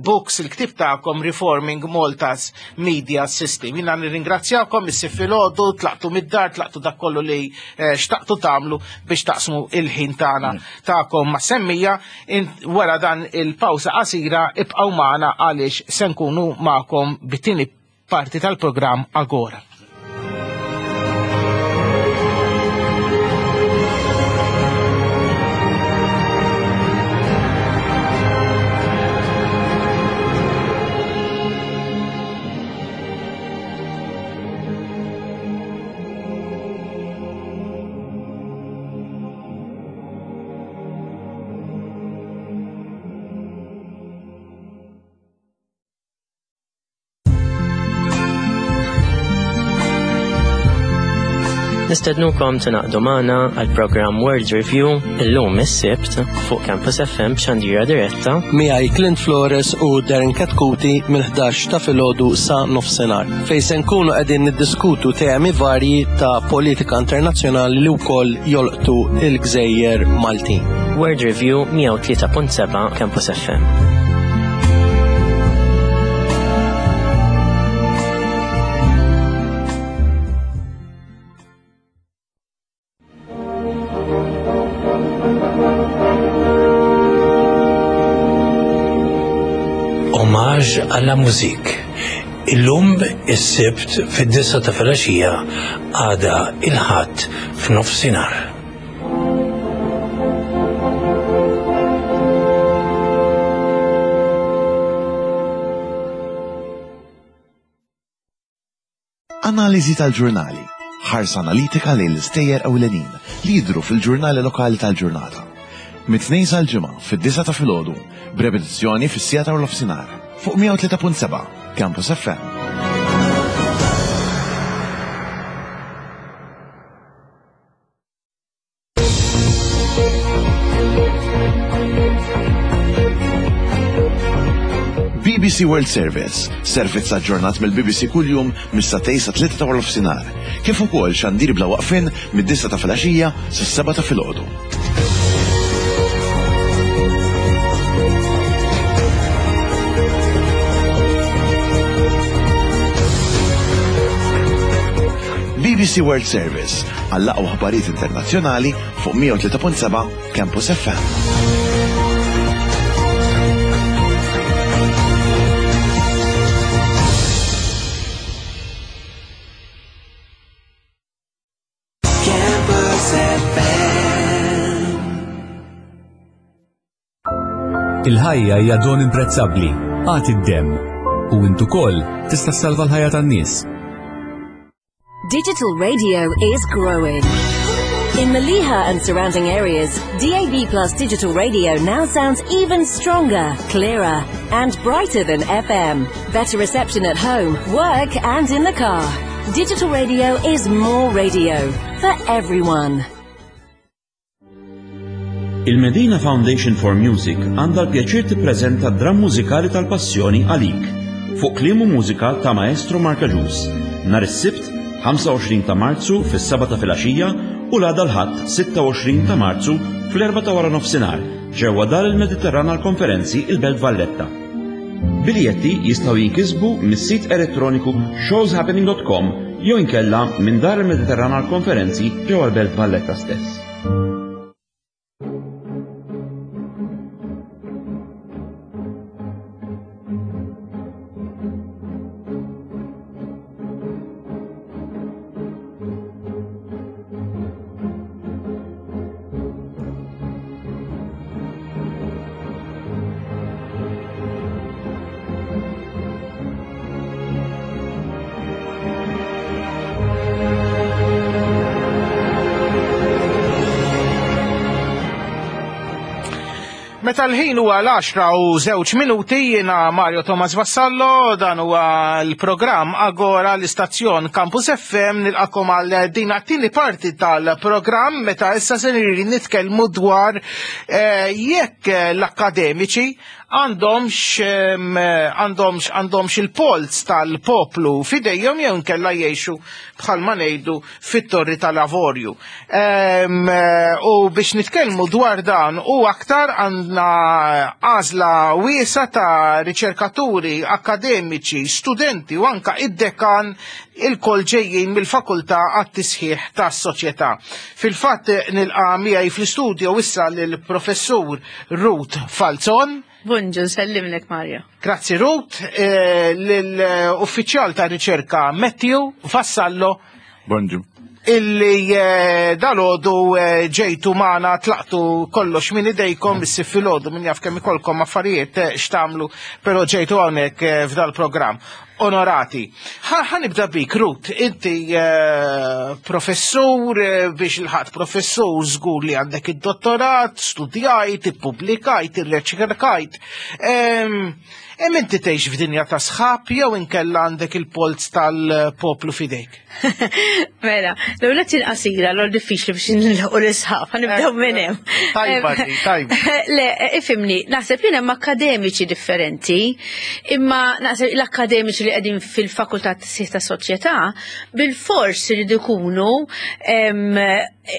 [SPEAKER 2] Books, il-ktieb ta' Reforming Malta's Media System. Jina nirringrazzjakom, issi filgħodu, tlaqtu mid-dar, tlaqtu dak kollu li xtaqtu tagħmlu biex taqsmu il-ħin tagħna tagħkom ma' semmija. Wara dan il-pawsa qasira ibqgħu magħna għaliex se nkunu magħkom bit-tieni parti tal-programm Agora.
[SPEAKER 6] Nistednukom tingħaqdu magħna għal programm World Review illum is-Sibt fuq Campus F M b'xandira diretta.
[SPEAKER 7] Miegħi Clint Flores u Darren Katkuti mill-ħdax ta' filgħodu sa nofsinhar, fejn se nkunu qegħdin niddiskutu temi varji ta' politika internazzjonali li wkoll jolqtu il-gżejjer Maltin.
[SPEAKER 6] World Review, mija u tlieta punt seba' Campus F M.
[SPEAKER 8] Hommage à la musique. Illum is-Sibt fid-disgħa ta' filgħaxija, għada il-Ħadd f'nofsinhar.
[SPEAKER 9] Analiżi tal-ġurnali. Ħarsa analitika lejn l-istejjer ewlenin li jidru fil-ġurnali lokali tal-ġurnata. Mit-Tnejn sal-Ġimgħa fid-disgħa ta' filgħodu, b'repetizzjoni fis-siegħa ta' nofsinhar fuq mija u tlieta punt seba' Campus F M. B B C World Service, servizz aġġornat mill-B B C kuljum mis-sagħtejn sa tlieta ta' nofsinhar, kif ukoll xandir bla waqfin mid-disgħa ta' filgħaxija sas-sebgħa ta' filgħodu. B B C World Service għall-aqwa aħbarijiet internazzjonali fuq mija u tlieta punt seba' Campus F M.
[SPEAKER 10] Campus F M.
[SPEAKER 11] Il-ħajja hija don imprezzabbli. Agħti d-demm. U int ukoll tista' salva l-ħajja tan-nies.
[SPEAKER 12] Digital radio is growing. In Mellieħa and surrounding areas, D A B Plus digital radio now sounds even stronger, clearer, and brighter than F M. Better reception at home, work, and in the car. Digital radio is more radio for everyone.
[SPEAKER 13] Il-Medina Foundation for Music għandha l-pjaċir tippreżenta dramm mużikali tal-Passjoni Għalik fuq kliem u mużika ta' Maestro Mark Agius. Nhar is-Sibt ħamsa u għoxrin ta' Marzu fis-sebgħa ta' filgħaxija u l-għada l-Ħadd sitta u għoxrin ta' Marzu fl-erbgħa ta' wara nofsinhar ġewwa Dar il-Mediterran għal-Konferenzi, il-Belt Valletta. Biljetti jistgħu jinkisbu mis-sit elettroniku showshappening dot com jew inkella minn Dar il-Mediterran għal-Konferenzi ġewwa l-Belt Valletta stess.
[SPEAKER 2] Meta l-ħin huwa l-għaxra u żewġ minuti, jiena Mario Thomas Vassallo, dan huwa l-programm Agora, l-istazzjon Campus F M. Nilqakom għal din għat-tieni parti tal-programm meta issa se nitkellmu dwar eh, jekk l-akademiċi għandhomx em, għandhomx għandhomx il-polz tal-poplu fidejhom jew nkella jgħixu bħalma ngħidu fit-torri tal-avorju. Em, U biex nitkellmu dwar dan u aktar għandna għażla wiesa ta' riċerkaturi, akademiċi, studenti u anka id-dekan, ilkoll ġejjin mill-fakultà għat-tisħiħ tas-soċjetà. Fil-fatt nilqa' miegħi fl-istudio issa lill-professur Ruth Falzon.
[SPEAKER 14] Bonġu, nsellimlek, Mario.
[SPEAKER 2] Grazzi, Ruth, eh, l-uffiċjal ta' riċerka Matthew Vassallo.
[SPEAKER 15] Bonġu.
[SPEAKER 2] Illi eh, dalgħodu eh, ġejtu magħna, tlaqtu kollox minn idejkom is filgħodu, min jaf kemm ikolkom affarijiet eh, x'tagħmlu, però ġejtu hawnhekk eh, f'dal programm. onorati. Ħa nibda bik, Ruth, inti eh, professur, eh, biex ilħaqt professur, żgur li għandek id-dottorat, studjajt, ippubblikajt, irreċerkajt. Hemm inti tgħix f'dinja ta' sħab jew inkella għandek il-polz tal-poplu fidejk?
[SPEAKER 14] Mela, l-ewwel qasira, l diffiċli biex nilħu l-isħab, ħa nibdew minn hemm.
[SPEAKER 2] Tajba, tajba.
[SPEAKER 14] Le, ifhimni, naħseb li hemm akkademiċi differenti, imma naħseb l-akkademiċi li qegħdin fil-fakultà tas ta' soċjetà bil-fors iridu jkunu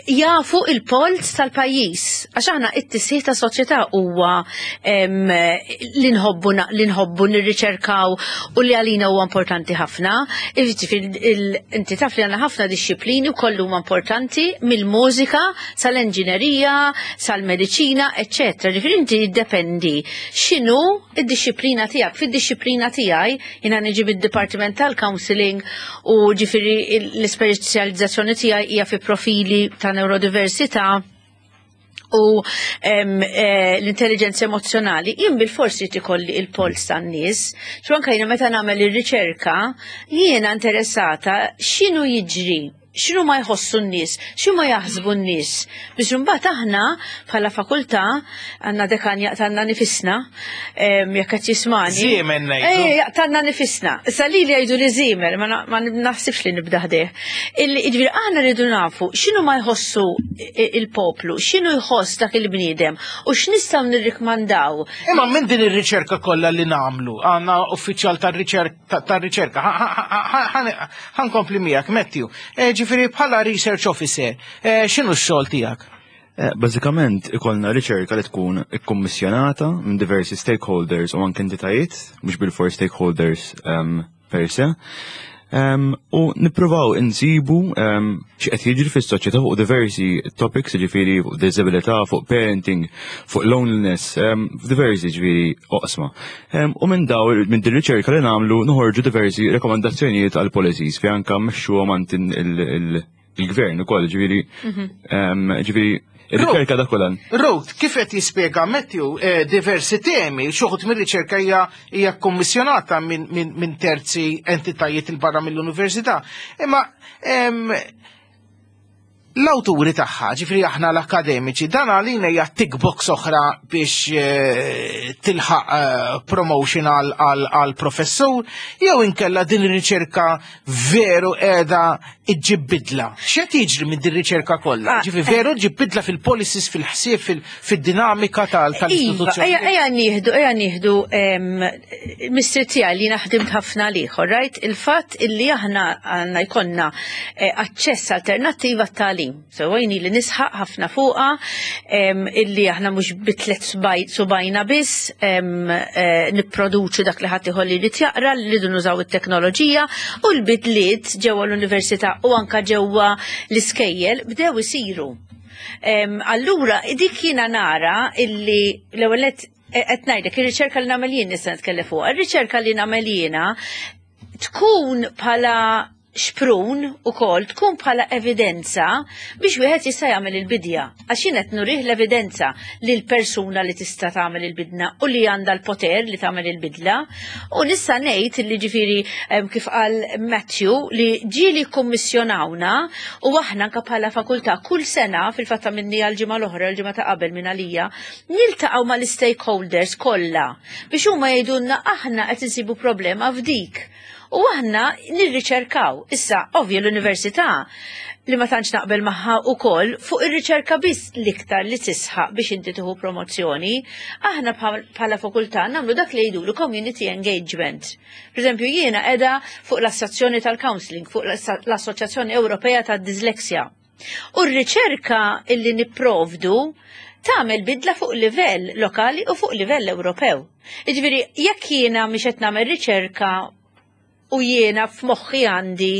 [SPEAKER 14] jafu il-polz tal-pajjiż. Għax aħna it-tisħiħ ta' soċjetà huwa li nħobbu li nħobbu nirriċerkaw u li għalina huwa importanti ħafna. Inti taf li għandna ħafna dixxiplini u kollu huma importanti mill-mużika sal-enġinerija, sal-mediċina, eċċetera. Ġifieri inti jiddependi x'inhu id-dixxiplina tiegħek. Fid-dixxiplina tiegħi jiena niġi bid-Dipartiment tal-Counseling u ġifieri l-ispeċjalizzazzjoni tiegħi hija fi profili ta' neurodiversità u eh, l-intelligenza emozjonali, jien bil-forsi ikolli il-pols tan-nies. Xu anka jiena meta nagħmel ir-riċerka, jiena interessata x'inhu jiġri, x'inhu ma jħossu n-nies, x'inhu ma jaħsbu n-nies. Biex imbagħad aħna bħala fakultà għandna dekan jaqtgħalna nifisna, jekk qed jismani.
[SPEAKER 2] Żiemel ngħidu.
[SPEAKER 14] Eh, jaqtgħalna nifisna. Issa li li jgħidu li żiemel, ma naħsibx li nibda ħdejh. Jiġifieri aħna rridu nafu x'inhu ma jħossu il-poplu, x'inhu jħoss dak il-bniedem u x'nistgħu nirrikmandaw.
[SPEAKER 2] Imma minn din ir-riċerka kollha li nagħmlu, għandna uffiċjal tar-riċerka, ħa nkompli miegħek Matthew. Ġifieri bħala research officer, x'inhu x-xogħol tiegħek?
[SPEAKER 15] Bażikament ikollna riċerka li tkun ikkummissjonata minn diversi stakeholders u anke entitajiet, mhux bil-for stakeholders um, per se. Um, u nippruvaw insibu um, x'qed jiġri fis-soċjetà fuq diversi topics, ġifieri fuq disabilità, fuq parenting, fuq loneliness, um, diversi ġifieri oqsma. Um, u minn daw minn din riċerka li nagħmlu noħorġu diversi rekomandazzjonijiet għal policies fi anke mmexxuhom għand il-gvern ukoll, ġifieri um, ġifieri il-riċerka da kollha.
[SPEAKER 2] Ruth, kif qed jispjega Matthew eh, diversi temi, xi wħud mir-riċerka hija hija kkommissjonata minn min, min terzi entitajiet il barra mill-università. Imma em, l-awturi tagħha, ġifieri aħna l-akademiċi, dan għalina hija tick box oħra biex eh, tilħaq eh, promotion għal professur, jew inkella din ir-riċerka veru qiegħda iġġib bidla. X'qed jiġri minn din ir-riċerka kollha?
[SPEAKER 14] Ah,
[SPEAKER 2] Ġifieri veru ġib bidla fil-policies, fil-ħsieb, fil-dinamika tal-istituzzjoni.
[SPEAKER 14] Iva, ejja nieħdu, ejja nieħdu mistri tiegħi li naħdimt ħafna liħor, right? Il-fatt illi aħna għandna jkollna eh, aċċess alternattiva għat-tagħlim. So għajni li nisħaq ħafna fuqa illi aħna mhux bi tliet subgħajna biss eh, nipproduċu dak li ħadd li jrid jaqra, li rridu nużaw it-teknoloġija u l-bidliet ġewwa l-università u anka ġewwa l-iskejjel bdew isiru. Allura, dik jiena nara illi l-ewwel qed ngħidlek ir-riċerka li nagħmel jien nista' nitkellem fuq. Ir-riċerka li nagħmel jiena tkun bħala xprun ukoll tkun bħala evidenza biex wieħed jista' jagħmel il-bidja. Għax jien qed nurih l-evidenza lil persuna li tista' tagħmel il-bidna u li għandha l-poter li tagħmel il-bidla. U nista' ngħid li ġifieri kif qal Matthew li ġieli kummissjonawna u aħna anke bħala fakultà kull sena fil-fatta minni għal-ġimgħa l-oħra, l-ġimgħa ta' qabel minn għalija, niltaqgħu mal-stakeholders kollha biex huma jgħidulna aħna qed insibu problema f'dik. U aħna nirriċerkaw. Issa, ovvju l-università li ma tantx naqbel magħha ukoll fuq ir-riċerka biss l-iktar li tisħaq biex inti tieħu promozzjoni, aħna bħala fakultà nagħmlu dak li jgħidulu community engagement. Per eżempju, jiena qiegħda fuq l-Assoċjazzjoni tal-Counseling, fuq l-Assoċjazzjoni Ewropea tad-Dislexja. U r-riċerka illi nipprovdu tagħmel bidla fuq livell lokali u fuq livell Ewropew. Jiġifieri, jekk jiena mhix qed nagħmel riċerka u jiena f'moħħi għandi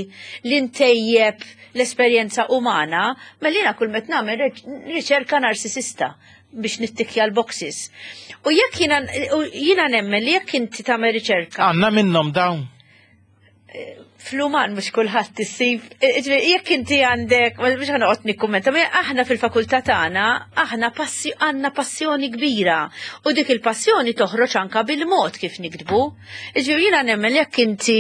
[SPEAKER 14] li ntejjeb l-esperjenza umana, mela jiena kull met nagħmel riċerka narsisista biex nittikja l-boxes. U jekk jiena jiena nemmen li jekk inti tagħmel riċerka.
[SPEAKER 2] Għandna minnhom dawn.
[SPEAKER 14] Fl-uman mhux kulħadd issib, ġifieri, jekk inti għandek, mhux ħa noqgħod nikkummenta, ma aħna fil-fakultà tagħna aħna passi għandna passjoni kbira u dik il-passjoni toħroġ anka bil-mod kif niktbu. Ġifieri jiena nemmen jekk inti,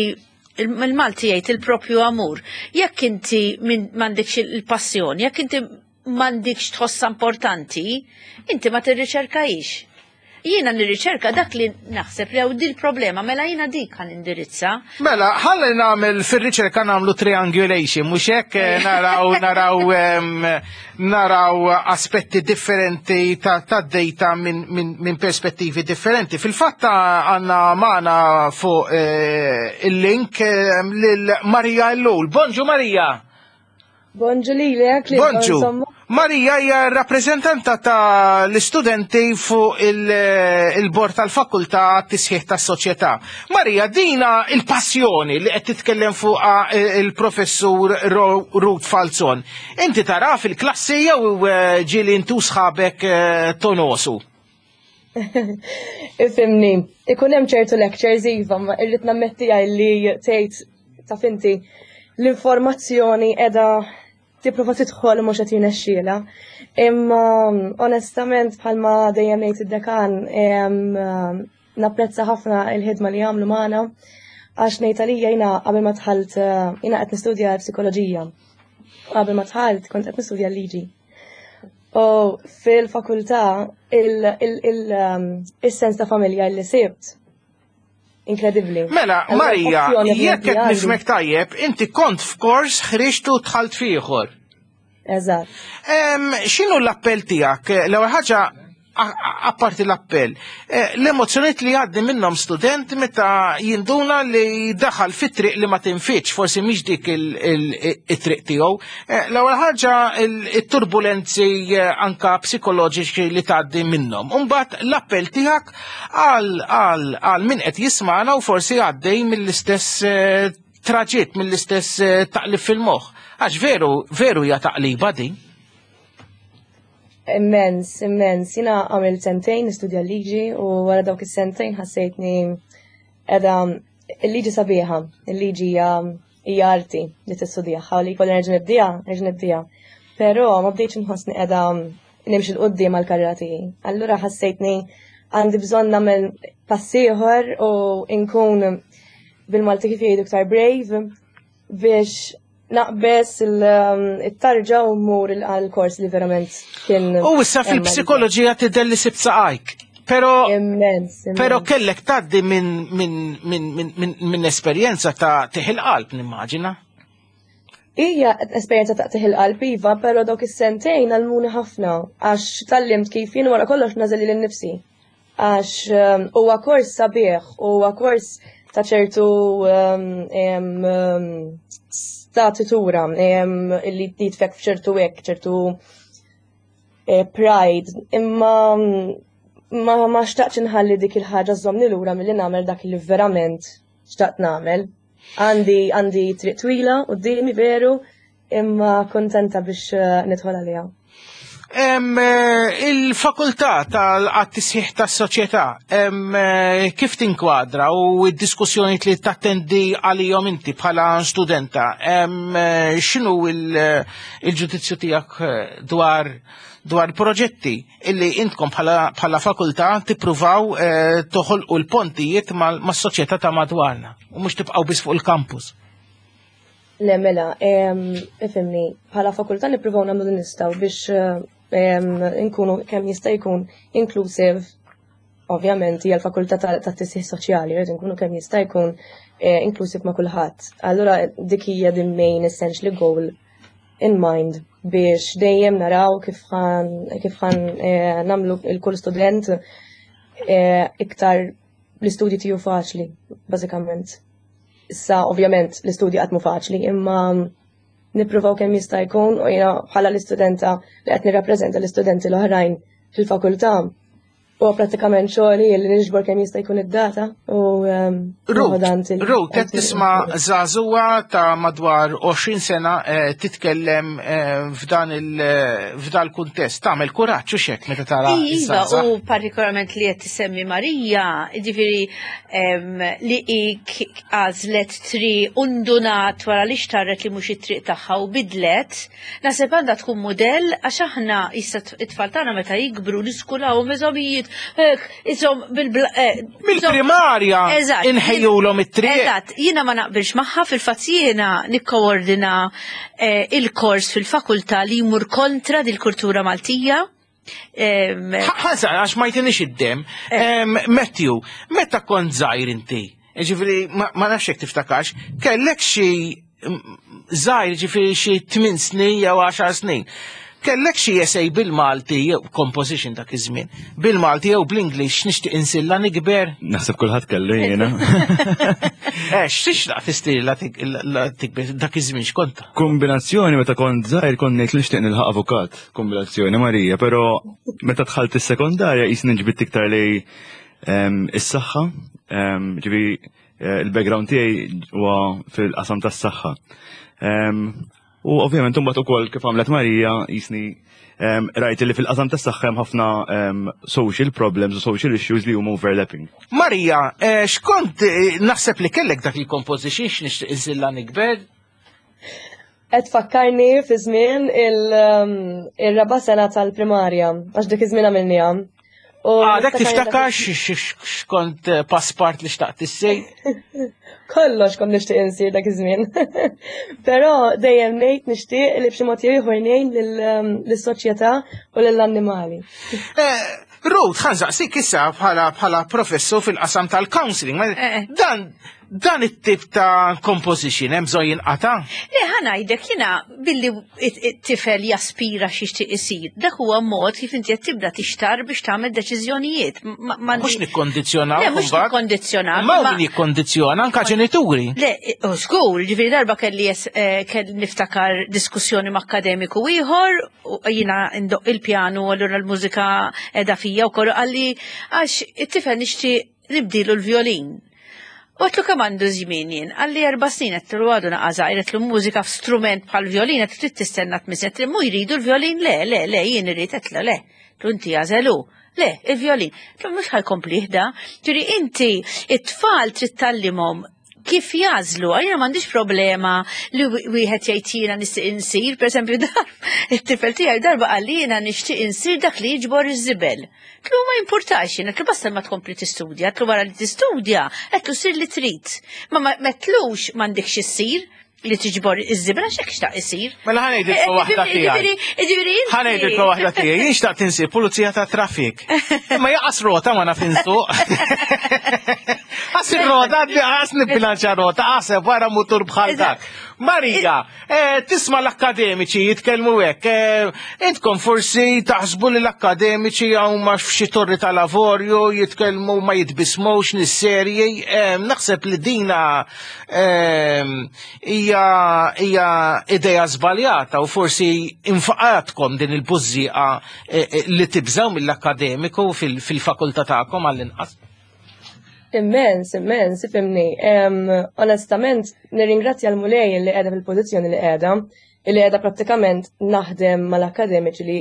[SPEAKER 14] il-Malti jgħid il-propju amur, jekk inti m'għandekx il-passjoni, jekk inti m'għandekx tħossha importanti, inti ma tirriċerkajx. Jiena nirriċerka dak li naħseb li hawn dil problema, mela jiena dik ħa nindirizza.
[SPEAKER 2] Mela, ħalli nagħmel fir-riċerka nagħmlu triangulation, mhux hekk, eh, naraw naraw em, naraw aspetti differenti ta', ta data minn min, min perspettivi differenti. Fil-fatt għandna magħna fuq eh, il-link eh, lil Marija Ellul. Bonġu, Marija.
[SPEAKER 16] Bonġu lilek, li
[SPEAKER 2] Bonġu.
[SPEAKER 16] Insomma.
[SPEAKER 2] Marija hija rappreżentanta ta' l-istudenti fuq il-bord tal-fakultà tisħiħ tas-soċjetà. Marija, dina il-passjoni li qed titkellem fuqha il-professur Ruth Falzon. Inti tara fil-klassi jew eh, ġieli intu sħabek eh, tonosu?
[SPEAKER 16] Ifhimni, ikun hemm ċertu lectures iva, ma irrid nammetti li tgħid taf inti l-informazzjoni qiegħda tipprova tidħol u mhux qed jirnexxielha. Imma onestament, bħalma dejjem ngħid id-dekan, em, napprezza ħafna il-ħidma li jagħmlu magħna għax ngħid għalija jiena qabel ma dħalt, jiena qed nistudja psikoloġija. Qabel ma dħalt kont qed nistudja l-liġi. U fil-fakultà um, il-sens ta' familja li sibt inkredibbli.
[SPEAKER 2] Mela,
[SPEAKER 16] Allura,
[SPEAKER 2] Marija,
[SPEAKER 16] passjoni
[SPEAKER 2] jekk qed
[SPEAKER 16] għandi.
[SPEAKER 2] nifhmek tajjeb, inti kont f'kors, ħriġtu, dħalt f'ieħor.
[SPEAKER 16] Eżatt.
[SPEAKER 2] Em, X'inhu l-appell tiegħek? L-ewwel ħaġa, a- apparti l-appell, eh, l-emozzjoniet li għaddi minnhom student meta jinduna li daħal fit-triq li ma tinfitx, forsi mhix dik il- il- it-triq tiegħu. Eh, L-ewwel ħaġa il- it-turbulenzi eh, anka psikoloġiċi li tgħaddi minnhom. Imbagħad l-appell tiegħek għal għal għal min qed jismana u forsi għaddej mill-istess eh, traġitt, mill-istess eh, taqlib fil-moħħ. Għax veru, veru hija taqliba din.
[SPEAKER 16] Immens, immens. Jiena għamilt sentejn nistudja l-liġi u wara dawk is-sentejn ħassejtni edha il-liġi sabiħa, il-liġi hija hija arti li tistudjaha u li jkolli nerġa' nibdija, nerġa' nibdija. Però ma bdejtx nħossni qiegħda nimxi 'l quddiem għall-karriera tiegħi. Allura ħassejtni għandi bżonn nagħmel pass ieħor u nkun, bil-Malti kif jgħidu, iktar brave biex naqbes il-tarġa u mmur għal-kors li verament kien.
[SPEAKER 2] U issa fil-psikoloġija tidher li sibt saqajk. Pero,
[SPEAKER 16] Immens, immens.
[SPEAKER 2] pero kellek tgħaddi minn min, min, min, min, min esperjenza ta' tih il-qalb, nimmaġina.
[SPEAKER 16] Hija esperjenza ta' il-qalb iva, pero dawk is-sentejn għallmuni ħafna għax tgħallimt kif jien wara kollox nagħżel lili nnifsi. Għax um, huwa kors sabiħ, huwa kors ta' ċertu um, em, um, statitura em, illi jitfek f'ċertu hekk, ċertu eh, pride, imma mm, ma ma xtaqtx inħalli dik il-ħaġa żżommni lura milli nagħmel dak li verament xtaqt nagħmel. Għandi għandi triq twila quddiemi veru, imma kontenta biex eh, nidħol għaliha.
[SPEAKER 2] Em, eh, Il-fakultà tal-tisħiħ tas-soċjetà em, eh, kif tinkwadra u d-diskussjoni li tattendi għalihom inti bħala studenta, em, eh, x'inhu il- il-ġudizzju tiegħek eh, dwar dwar proġetti illi intkom bħala, bħala fakultà tippruvaw eh, toħolqu l-pontijiet mal- mas-soċjetà ta' madwarna u mhux tibqgħu biss fuq il-campus?
[SPEAKER 16] Le, mela, em, ifhimni, bħala fakultà nippruvaw nagħmlu li nistgħu biex em, nkunu kemm jista' jkun inclusive. Ovvjament hija l-fakultà ta' tat-tisħiħ soċjali, rrid nkunu kemm jista' jkun eh, inclusive ma' kulħadd. Allura dik hija the main essentially goal in mind biex dejjem naraw kif ħan kif ħan eh, nagħmlu il-kull student eh, iktar l-istudji tiegħu faċli, bażikament. Issa, ovvjament, l-istudji qatt mhu faċli, imma nippruvaw kemm jista' jkun u jiena bħala l-istudenta li qed nirrappreżenta l-istudenti l-oħrajn fil-fakultà Huwa prattikament xogħli li niġbor kemm jista' jkun id-data u ehm,
[SPEAKER 2] Ruth, Ruth, qed tisma' żagħżugħa ta' madwar għoxrin sena eh, titkellem eh, f'dan il f'dan il-kuntest. Tagħmel kuraġġ u xek meta tara
[SPEAKER 14] Iva,
[SPEAKER 2] iż-żgħażagħ.
[SPEAKER 14] U partikolarment li qed tisemmi Marija, ġifieri em, li hi k- għażlet triq u ndunat wara li xtarret li mhux it-triq tagħha u bidlet, naħseb għandha tkun mudell, għax aħna issa it-tfal tagħna meta jikbru niskulawhom eżamijiet, hekk, isom bil-bla. eh,
[SPEAKER 2] Mill-primarja
[SPEAKER 14] Eżatt.
[SPEAKER 2] inħejjulhom it-triq.
[SPEAKER 14] Eżatt, jiena ma naqbilx magħha. Fil-fatt jiena nikkoordina eh, il-kors fil-fakultà li jmur kontra dil-kultura Maltija. Em,
[SPEAKER 2] Ħansa, għax ma jtinix id-dem. Em, Matthew, meta kont żgħir inti, ġifieri, ma ma nafx jekk tiftakarx, kellek xi mm, żgħir, ġifieri xi tmien snin jew għaxar snin. Kellek xi essay bil-Malti jew composition dak iż-żmien, bil-Malti jew bl-Inglish, "Nixtieq insir la nikber"?
[SPEAKER 15] Naħseb kulħadd kellu, jiena.
[SPEAKER 2] Eh, x'tixtaq tissir la tik- la tikber dak iż-żmien, x'kont?
[SPEAKER 15] Kombinazzjoni, meta kont żgħir kont ngħid li nixtieq nilħaq avukat, kombinazzjoni Marija, però meta dħalt is-sekondarja jisni nġbidt iktar lejn em, is-saħħa, em, ġifieri eh, il-background tiegħi huwa fil-qasam tas-saħħa. Em, U ovvjament imbagħad ukoll kif għamlet Marija jisni em, rajt li fil-qasam tas-saħħa hemm ħafna em, social problems u social issues li huma overlapping.
[SPEAKER 2] Marija, eh, x'kont eh, naħseb li kellek dak il-composition, "X'nixtieq insir la nikber"?
[SPEAKER 16] Qed fakkarni fi żmien il- um, il-raba' sena tal-primarja, għax dik iż-żmien għamilniha. U
[SPEAKER 2] Għadek
[SPEAKER 16] niftakar
[SPEAKER 2] tiftakar x'kont eh, passport li xtaqt issir?
[SPEAKER 16] Kollox kont nixtieq insir dak iż-żmien. Però dejjem ngħid nixtieq li b'xi mod jew ieħor ngħin lil- um, lis-soċjetà u lill-annimali.
[SPEAKER 2] Eh, Ruth, ħa nsaqsik issa bħala bħala professor fil-qasam tal-counseling. Ma-
[SPEAKER 14] Eh.
[SPEAKER 2] Dan dan it-tip ta' composition hemm bżonn jinqata'?
[SPEAKER 14] Le, ħa ngħidlek jiena, billi it-tifel jaspira x'jixtieq isir, dak huwa mod kif inti qed tibda tixtar biex tagħmel deċiżjonijiet. Ma- ma-
[SPEAKER 2] Mhux nikkondizzjonaw.
[SPEAKER 14] Le, mhux
[SPEAKER 2] mbagħad.
[SPEAKER 14] nikkondizzjonaw.
[SPEAKER 2] Ma
[SPEAKER 14] ma-
[SPEAKER 2] min jikkondizzjona, anka ġenituri.
[SPEAKER 14] Le, u żgur, ġifieri darba kelli jes- eh, kelli niftakar diskussjoni ma' akademiku ieħor, u jiena ndoqq il-pjanu, allura l-mużika qiegħda fija u kollu, qalli għax it-tifel nixtieq nibdilu l-violin. U għedtlu kemm għandu żmien jien, qalli erba' snin, għedtlu għadu naqa żgħir, għedtlu mużika f'strument bħal violin, għedtlu trid tistenna tmiss, għedtlu mu jridu l-violin, le, le, le, jien irrid, għedtlu le, għedtlu inti għażelu. Le, il-violin. Għedtlu mhux ħa jkompli da. Ġifieri inti, it-tfal trid tgħallimhom kif jagħżlu. Jiena m'għandix problema li wieħed jgħid jiena nixtieq insir, per eżempju dar, it-tifel tiegħi darba qalli jiena nixtieq insir dak li jiġbor iż-żibel. Għedtlu ma jimpurtax, jiena għedtlu basta ma tkompli tistudja, għedtlu wara li tistudja, għedtlu sir li trid. Ma ma m'għedtlux m'għandekx issir li tiġbor iż-żibel għax hekk xtaq isir.
[SPEAKER 2] Mela ħa ngħidilkom waħda tiegħi.
[SPEAKER 14] Ġifieri inti.
[SPEAKER 2] Ħa ngħidilkom waħda tiegħi, jien xtaqt insir pulizija ta' traffic. Imma lanqas rota ma naf insuq. Għas ir-rota, għas nibbilanċa rota, għaseb wara mutur bħal dak. Marija, eh, tisma' l-akademiċi jitkellmu hekk. eh, Intkom forsi taħsbu li l-akademiċi huma f'xi torri tal-avorju jitkellmu ma jitbismux nis-serji. Eh, Naħseb li dina eh, hija hija idea żbaljata u forsi infaqatkom din il-bużżieqa eh, eh, li tibżaw mill-akademiku fil- fil-fakultà tagħkom għall-inqas.
[SPEAKER 16] Immens, immens, ifhimni. Em, Onestament, nirringrazzja l-Mulej li qiegħda fil-pożizzjoni li qiegħda, li qiegħda prattikament naħdem mal-akademiċi li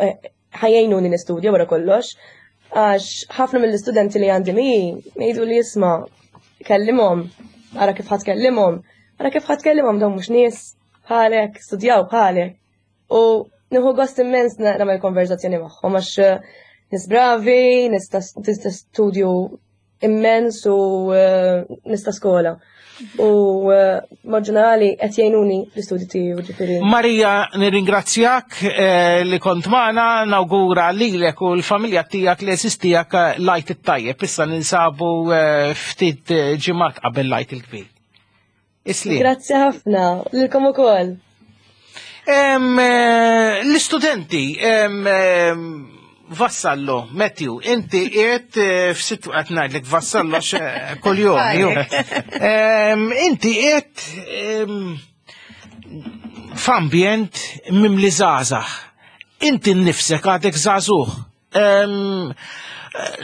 [SPEAKER 16] eh, ħa jgħinuni nistudja wara kollox, għax ħafna mill-istudenti li għandi mi jgħidu li isma' kellimhom, ara kif ħa tkellimhom, ara kif ħa tkellimhom, dawn mhux nies bħalek, studjaw bħalek. U nieħu gost immens nagħmel konverzazzjoni magħhom għax eh, nies bravi, nies ta' nies ta' studju immens u eh, nies ta' skola. U eh, mod ġenerali qed jgħinuni fl-istudju tiegħi, ġifieri.
[SPEAKER 2] Marija, nirringrazzjak eh, li kont magħna, nawgura lilek u l-familja tiegħek li esistijak l-Għid it-tajjeb. Issa ninsabu eh, ftit eh, ġimgħat qabel l-Għid il-kbir. Isli.
[SPEAKER 16] Grazzi ħafna, lilkom ukoll.
[SPEAKER 2] Em, eh, L-istudenti, em, em, Vassallo, Matthew, inti qiegħed eh, f'situ qed ngħidlek Vassallo għax, eh, kuljum. ju. Em, Inti qiegħed em, f'ambjent mimli żgħażagħ. Inti nnifsek għadek żagħżugħ. Em,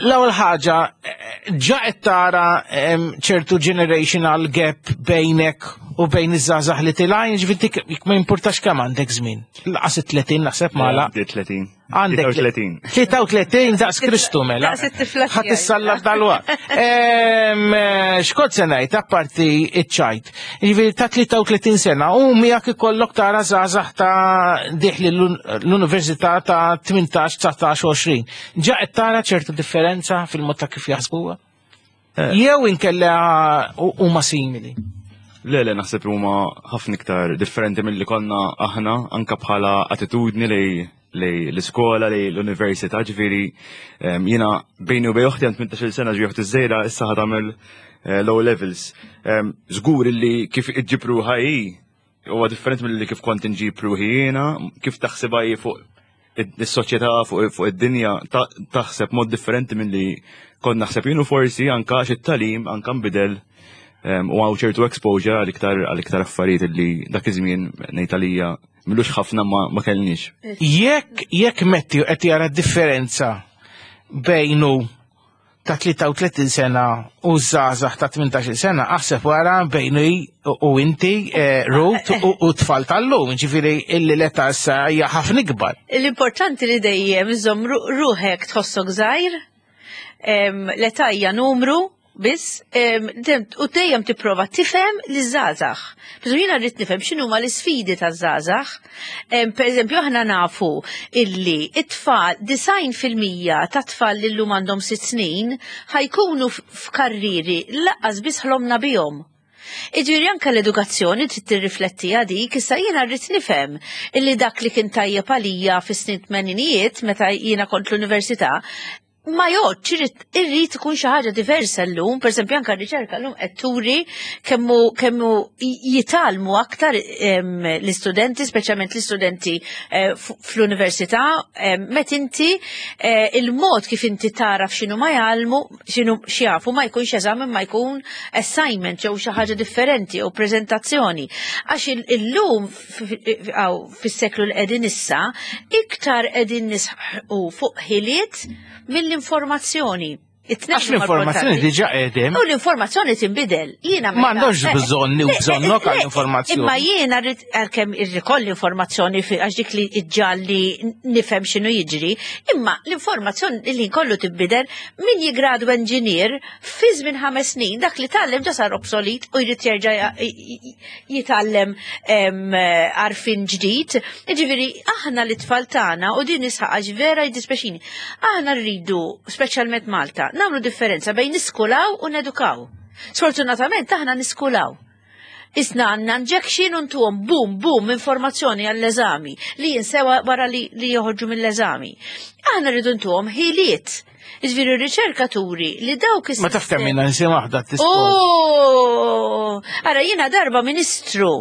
[SPEAKER 2] L-ewwel ħaġa, eh, ġa qed tara em, ċertu generational gap bejnek u bejn iż-żgħażagħ li tilgħin, ġifieri dik jekk ma jimpurtax kemm għandek żmien. Lanqas it-tletin naħseb mala.
[SPEAKER 15] Għandi tletin.
[SPEAKER 2] Għandek
[SPEAKER 15] tlieta u tletin.
[SPEAKER 2] tlieta u tletin daqs Kristu mela.
[SPEAKER 14] Daqs it-tifla
[SPEAKER 2] Ħadd
[SPEAKER 14] tiegħi.
[SPEAKER 2] issallab dal-waqt. Em, eh, X'kont se ngħid apparti iċ-ċajt? Jiġifieri ta' tlieta u tletin sena u miegħek ikollok tara żgħażagħ ta' dieħli l-università ta' tmintax, dsatax, għoxrin. Ġa qed tara ċertu differenza fil-mod ta' kif jaħsbuha? Jew inkella huma simili?
[SPEAKER 15] Le, le, naħseb li huma ħafna iktar differenti mill-li konna aħna, anka bħala attitudni li li l-iskola, li l-università, ġifieri em, jiena bejni u bejn uħti għand tmintax-il sena, ġi uħti żgħira issa ħa tagħmel eh, low levels. Em, Żgur illi kif iġġib ruħha hi huwa differenti mill-li kif kont inġib ruħi jiena, kif taħsibha hi fuq is-soċjetà, fuq fuq id-dinja, ta- taħseb mod differenti milli kont naħseb jien u forsi anka għax it-tagħlim anka nbidel em, u hawn ċertu exposure għal iktar għal iktar affarijiet li dak iż-żmien, ngħid għalija m'ilux ħafna, ma, ma kellniex.
[SPEAKER 2] Jekk jekk Matthew qed jara differenza bejnu ta' tlieta u tletin sena u żgħażagħ ta' tmintax-il sena, aħseb wara bejnu u inti, eh, Ruth, u u tfal tal-lum, ġifieri illi l-età issa hija ħafna ikbar.
[SPEAKER 14] L-importanti li dejjem iżomm ru- ruħek tħossok żgħir, em, l-età hija numru biss, em, dem- u dejjem tipprova tifhem li żgħażagħ. Biżu jiena rrid nifhem x'inhuma l-isfidi taż-żgħażagħ. Em, Per eżempju, aħna nafu illi it-tfal, disgħin fil-mija ta' tfal li llum għandhom sitt snin ħa jkunu f- f'karriri lanqas biss ħlomna bihom. Iġifieri anka l-edukazzjoni trid tirrifletti dik. Issa jiena rrid nifhem illi dak li kien tajjeb għalija fis-snin tmeninijiet meta jiena kont l-università ma jgħodx, irrid irrid ikun xi ħaġa diversa llum. Pereżempju, anka r-riċerka llum qed turi kemmu kemmu jitgħallmu aktar em, l-istudenti, speċjalment l-istudenti eh, f- fl-università, em, met inti eh, il-mod kif inti taraf x'inhu ma jgħallmu, x'inhu x'jafu, ma jkunx eżami ma jkun assignment jew xi ħaġa differenti jew preżentazzjoni. Għax il- illum f- f- għaw, fis-seklu li qegħdin issa, iktar qegħdin nisħu fuq ħiliet mill-informazzjoni. It-tnejn
[SPEAKER 2] Għax
[SPEAKER 14] huma
[SPEAKER 2] l-informazzjoni
[SPEAKER 14] importanti.
[SPEAKER 2] diġà qegħdem.
[SPEAKER 14] U l-informazzjoni tinbidel. Jiena
[SPEAKER 2] Ma għandhomx
[SPEAKER 14] meta-
[SPEAKER 2] bżonn u
[SPEAKER 14] Le,
[SPEAKER 2] bżonnok
[SPEAKER 14] le,
[SPEAKER 2] għall-informazzjoni.
[SPEAKER 14] Imma jiena rrid, għalkemm irrid l-informazzjoni fi- għax dik li iġġalli nifhem x'inhu jiġri, imma l-informazzjoni li kollu tinbidel. Min jigradwa engineer fi żmien ħames snin dak li tgħallem ġa sar obsolet u jrid jerġa' ja- jitgħallem em, għarfien ġdid. Ġifieri aħna li tfal tagħna, u din nisħaq għax vera jiddispjaċini, aħna rridu, speċjalment Malta, nagħmlu differenza bejn niskulaw u nedukaw. Sfortunatament aħna niskulaw. Isna għandna injection u ntuhom boom, boom, informazzjoni għall-eżami li jinsewa wara li, li joħorġu mill-eżami. Aħna rridu ntuhom ħiliet. Iġifieri r-riċerkaturi li dawk
[SPEAKER 2] Ma taf kemm jiena nsi waħda t
[SPEAKER 14] Oh! Ara, jiena darba ministru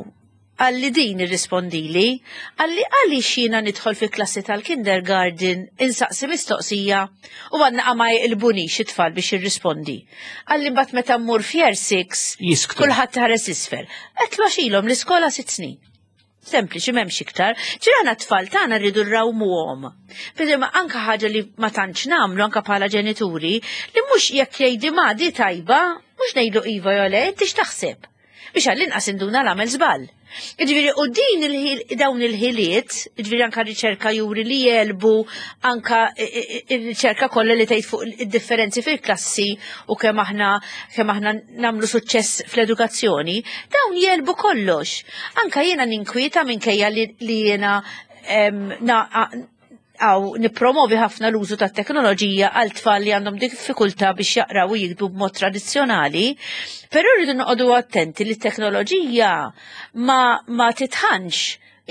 [SPEAKER 14] għalli din irrispondili, għalli għalli jiena nidħol fi klassi tal-kindergarten insaqsi mistoqsija u għanna ma jilbunix it-tfal biex jirrispondi. Għalli mbagħad meta mmur f'year six,
[SPEAKER 2] Jisktu.
[SPEAKER 14] kulħadd ħares isfel. Għedtlu għax ilhom l-iskola sitt snin. Sempliċi, m'hemmx iktar. Ġirana tfal tagħna rridu rrawmuhom. Pero ma anka ħaġa li ma tantx nagħmlu anka bħala ġenituri, li mhux jekk jgħidi ma di tajba, mhux ngħidu iva jew le, inti x'taħseb? Biex għall-inqas induna l-għamel żball. Ġifieri, u din il-ħil- dawn il-ħiliet, ġifieri anka riċerka juri li jelbu anka il-riċerka kollha li tgħid fuq id-differenzi fil-klassi u kemm aħna kemm aħna nagħmlu suċċess fl-edukazzjoni, dawn jelbu kollox. Anka jiena ninkwieta minkejja li, li jiena em, na, għaw nipromovi ħafna l-użu ta' teknoloġija għal tfal li għandhom diffikultà biex jaqraw u jiktbu b'mod tradizzjonali, però rridu noqogħdu attenti li t-teknoloġija ma, ma titħanx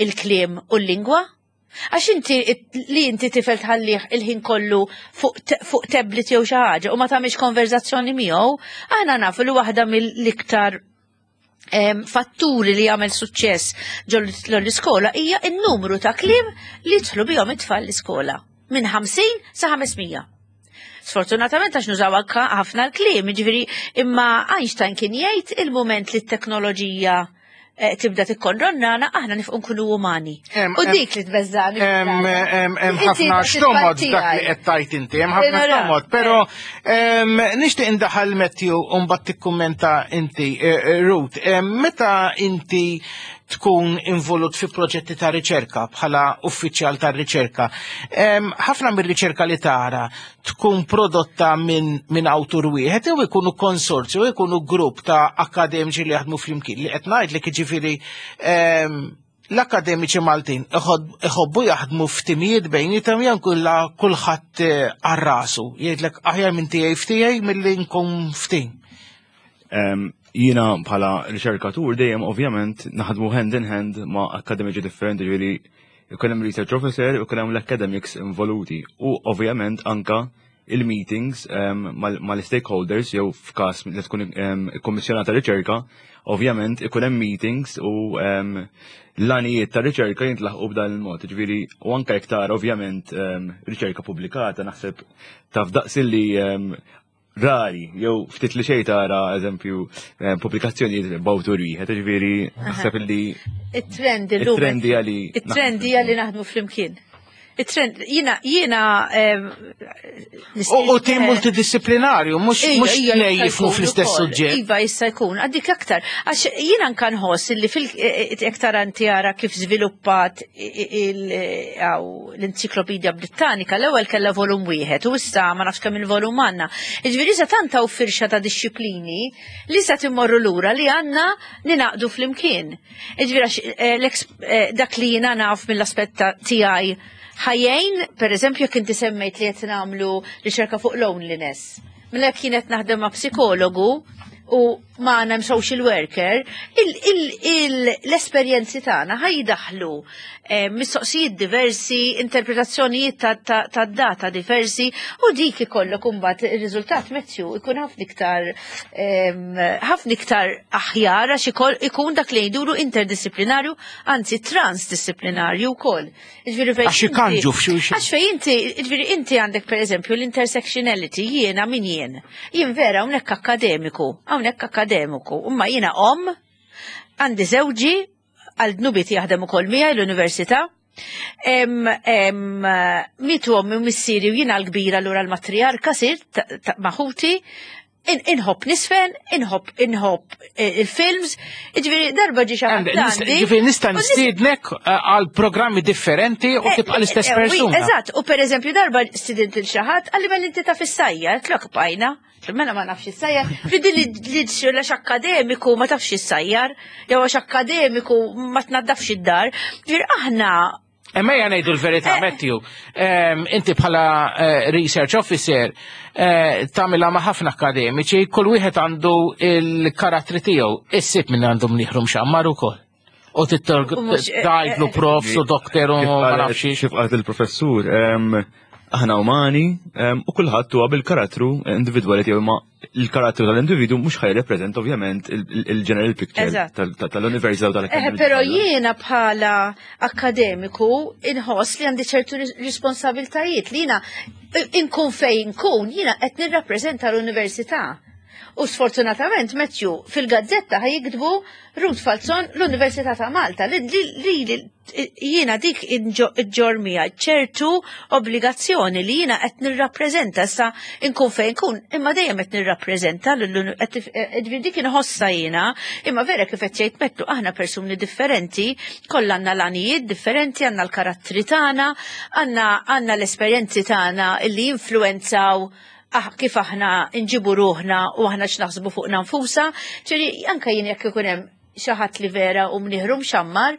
[SPEAKER 14] il-kliem u l-lingwa. Għax inti li inti tifel tħallih il-ħin kollu fuq te- fuq tablet jew xi ħaġa u ma tagħmilx konverzazzjoni miegħu, aħna nafu li waħda mill-iktar em, fatturi li jagħmel suċċess ġol l-iskola hija n-numru ta' kliem li jidħlu bihom it-tfal l-iskola minn ħamsin sa ħames mija. Sfortunatament għax nużaw anka ħafna l-kliem, ġifieri imma Einstein kien jgħid il-moment li t-teknoloġija eh, tibda tikkondannana, aħna nifqu nkunu umani.
[SPEAKER 2] Em,
[SPEAKER 14] U
[SPEAKER 2] em,
[SPEAKER 14] dik li tbeżżani.
[SPEAKER 2] Hemm hemm hemm
[SPEAKER 14] Inti
[SPEAKER 2] ħafna
[SPEAKER 14] tibda
[SPEAKER 2] xtomod
[SPEAKER 14] tiegħi.
[SPEAKER 2] dak li qed tajt inti, hemm ħafna
[SPEAKER 14] Nara.
[SPEAKER 2] xtomod, però em, nixtieq indaħal Matthew u mbagħad tikkummenta inti eh, eh, Ruth. Em, Meta inti tkun involut fi proġetti ta' riċerka bħala uffiċjal ta' riċerka, em, ħafna mir-riċerka li tara tkun prodotta minn min awtur wieħed jew ikunu konsorzju, jew ikunu grupp ta' akademiċi li jaħdmu flimkien li qed ngħidlek jiġifieri em, l-akademiċi Maltin iħod- iħobbu jaħdmu f'timijiet bejnietom jew kulla kulħadd eh, għal rasu jgħidlek aħjar minn tiegħi f'tiegħi milli nkun f'tim.
[SPEAKER 15] Em, Jiena bħala riċerkatur dejjem ovvjament naħdmu hand in hand ma' akademiċi differenti, ġifieri ikun hemm research officer u jkun hemm l-academics involuti u ovvjament anka il-meetings em, mal- mal-stakeholders jew f'każ li tkun em, ikkommissjonata riċerka, ovvjament ikun hemm meetings u em, l-għanijiet ta' riċerka jintlaħqu b'dan il-mod. Ġifieri u anka iktar ovvjament em, riċerka pubblikata naħseb taf daqs li em, rari, jew ftit li xejn tara eżempju eh, pubblikazzjonijiet b'awtur wieħed, ġifieri naħseb li
[SPEAKER 14] Il-trend illum.
[SPEAKER 15] it-trend hija li
[SPEAKER 14] Il-trend hija li naħdmu flimkien. Il-trend, jiena, jiena. em,
[SPEAKER 2] U u tim multidisciplinarju, mhux
[SPEAKER 14] Ija,
[SPEAKER 2] mhux
[SPEAKER 14] ija,
[SPEAKER 2] tnej
[SPEAKER 14] jista'
[SPEAKER 2] jifhmu
[SPEAKER 14] jkun
[SPEAKER 2] fl-istess
[SPEAKER 14] ukoll.
[SPEAKER 2] suġġett.
[SPEAKER 14] Iva, jista' jkun. Għaddik aktar. Għax jiena anka nħoss li fil iktar anti ara kif żviluppat l-Enċiklopedja Britannika, l-ewwel kellha volum wieħed u issa ma nafx kemm il-volum għandna. Jiġifieri issa tant hawn firxa ta' disċiplini li sa timmorru lura li għandna ninaqdu flimkien. Jiġifieri għax, eh, l-eks- eh, dak li jiena naf mill-aspett ta' tiegħi ħajjejn, per eżempju, jekk inti semmejt li qed nagħmlu riċerka fuq loneliness. Mela kienet naħdem ma' psikologu u ma hemm social worker, il- il- il- l-esperjenzi tagħna ħajdaħlu eh, mistoqsijiet diversi, interpretazzjonijiet ta' ta' ta' data diversi u dik ikollok imbagħad ir-riżultat Matthew ikun ħafna iktar em, ħafna iktar aħjar għax ikoll- ikun dak li jgħidulu interdisciplinarju, anzi transdisciplinarju wkoll. Jiġifieri fejn
[SPEAKER 2] Għax
[SPEAKER 14] inti-
[SPEAKER 2] ikanġu f'xulxin.
[SPEAKER 14] Għax fej inti, jiġifieri inti għandek per eżempju l-intersectionality, jiena min jien. Jien vera hawnhekk akademiku, hawnhekk akademiku, imma jiena om, għandi żewġi, għal dnubiet jaħdem ukoll miegħi l-università. Em, em, Mietu ommi u missieri u jiena l-kbira allura l-matriarka sirt ta- ta- ma' ħuti, in- inħobb nisfen, inħobb inħobb eh, il-films, jiġifieri darba ġi xi ħadd għandi.
[SPEAKER 2] Ġifieri nista' nistiednek eh, għal programmi differenti u tibqa' l-istess
[SPEAKER 14] Eh, eh, oui,
[SPEAKER 2] persuna.
[SPEAKER 14] Eżatt, u per eżempju darba stidint lil xi ħadd, qalli mela inti taf issajjar, tlok bajna. Mela ma nafx issajjar, Fidi li li għax akademiku ma tafx issajjar, jew għax akademiku ma tnaddafx id-dar. Ġifieri aħna
[SPEAKER 2] Imma ejja ngħidu l-verità,
[SPEAKER 14] Eh.
[SPEAKER 2] Matthew, em, inti bħala eh, research officer eh, tagħmilha ma' ħafna akademiċi, kull wieħed għandu il-karattri tiegħu, issib minn għandhom nieħru mxammar ukoll. U
[SPEAKER 14] U mhux- eh,
[SPEAKER 2] tgħidlu
[SPEAKER 14] eh,
[SPEAKER 2] profs u doktor u
[SPEAKER 15] Kif
[SPEAKER 2] ma
[SPEAKER 15] qalet-
[SPEAKER 2] nafx.
[SPEAKER 15] Kif qalet il-professur, em, aħna umani em, u kulħadd huwa bil-karattru individwali tiegħu ma il-karattru tal-individu mhux ħa jirrepreżenta ovvjament il- il- il-general picture
[SPEAKER 14] Eżatt.
[SPEAKER 15] tal- tal- tal-università u
[SPEAKER 14] Eh,
[SPEAKER 15] tal-akademija.
[SPEAKER 14] però jiena bħala akademiku inħoss li għandi ċertu ris- responsabiltajiet li jiena inkun fejn inkun jiena qed nirrappreżenta l-università. U sfortunatament, Matthew, fil-gazzetta ħa jiktbu Ruth Falzon l-Università ta' Malta. Li, li, li, li jiena dik iġġorr miegħi ċertu obbligazzjoni li jiena qed nirrappreżenta issa inkun fejn inkun, imma dejjem qed nirrappreżenta l dik inħossa jiena, imma vera kif qed jgħid Matthew aħna persuni differenti, kollha għandna l-għanijiet differenti, għandna l-karattri tagħna, għandna għandna l-esperjenzi tagħna illi jinfluwenzaw ah, kif aħna nġibu ruħna u aħna x'naħsbu fuqna nfusna, ġifieri anke jien jekk ikun hemm xi ħadd li vera u mnieħru mxammar,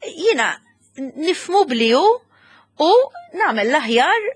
[SPEAKER 14] jiena nifhmu bli hu u nagħmel l-aħjar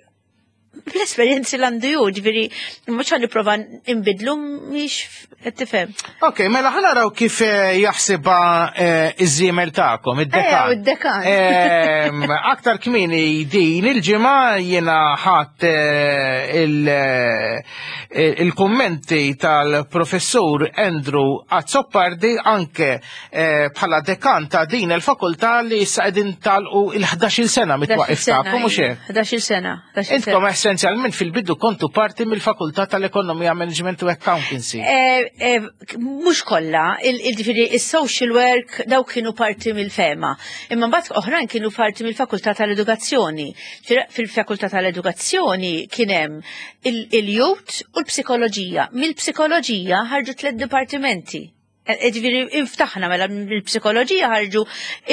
[SPEAKER 14] bl-esperjenzi l għandu ju, ġifieri, mhux ħa nipprova nbidlu mhix qed tifhem.
[SPEAKER 2] Ok, mela ħa naraw kif eh, jaħsibha eh, iż-żiemel tagħkom, id-dekan.
[SPEAKER 14] Eh, id-dekan.
[SPEAKER 2] Em, Aktar kmieni din il-ġimgħa jiena ħadt eh, il- eh, il-kummenti tal-professur Andrew Azzopardi anke eh, bħala dekan ta' din il-fakultà li issa qegħdin tagħlqu il-ħdax-il sena mit-twaqif tagħkom mhux hekk?
[SPEAKER 14] ħdax-il sena. ħdax-il
[SPEAKER 2] Intkom
[SPEAKER 14] sena.
[SPEAKER 2] Essenzjalment fil-bidu kontu parti mill-Fakultà tal-Ekonomija, Management u Accountancy.
[SPEAKER 14] Eh, eh, mhux kollha, il-ġifieri il-social work daw kienu parti mill-FEMA. Imma mbagħad oħrajn kienu parti mill-Fakultà tal-Edukazzjoni. Fil-Fakultà tal-Edukazzjoni kien hemm il-youth u l-psikoloġija. Mill-psikoloġija ħarġu tliet dipartimenti. Eh, ġifieri, inftaħna mela mill-psikoloġija ħarġu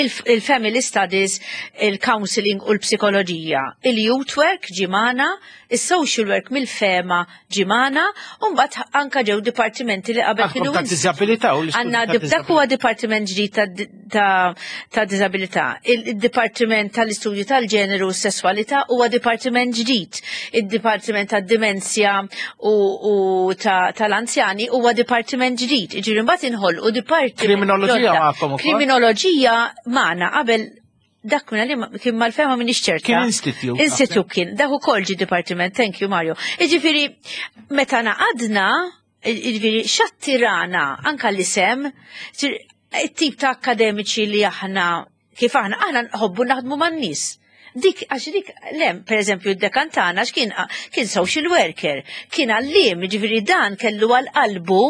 [SPEAKER 14] il-family studies, il-counseling u l-psikoloġija. Il-youth work ġie magħna, il-social work mill-FEMA ġie magħna, u mbagħad anka ġew dipartimenti li qabel kienu.
[SPEAKER 2] Ta' disabilità u
[SPEAKER 14] Għandna dak huwa dipartiment ġdid ta' disabilità. Il-dipartiment tal-istudju tal-ġeneru u s-sessualità huwa dipartiment ġdid. Il-dipartiment tad-dimensja u tal-anzjani huwa dipartiment ġdid. Ġifieri mbagħad inħolqu dipartiment.
[SPEAKER 2] Kriminoloġija magħkom ukoll.
[SPEAKER 14] Kriminoloġija magħna qabel dak minna li kien mal-FEMA minn ċerta.
[SPEAKER 2] Kien institute.
[SPEAKER 14] Institute kien, dak ukoll ġi dipartiment, thank you Mario. Iġifieri, meta naqadna, iġifieri, x'attirana anka l-isem, it-tip ta' akademiċi li aħna, kif aħna, aħna nħobbu naħdmu man-nies. Dik, għax dik, lem, per eżempju, id-dekan tagħna kien kien social worker, kien għalliem, ġifieri dan kellu għal-qalbu,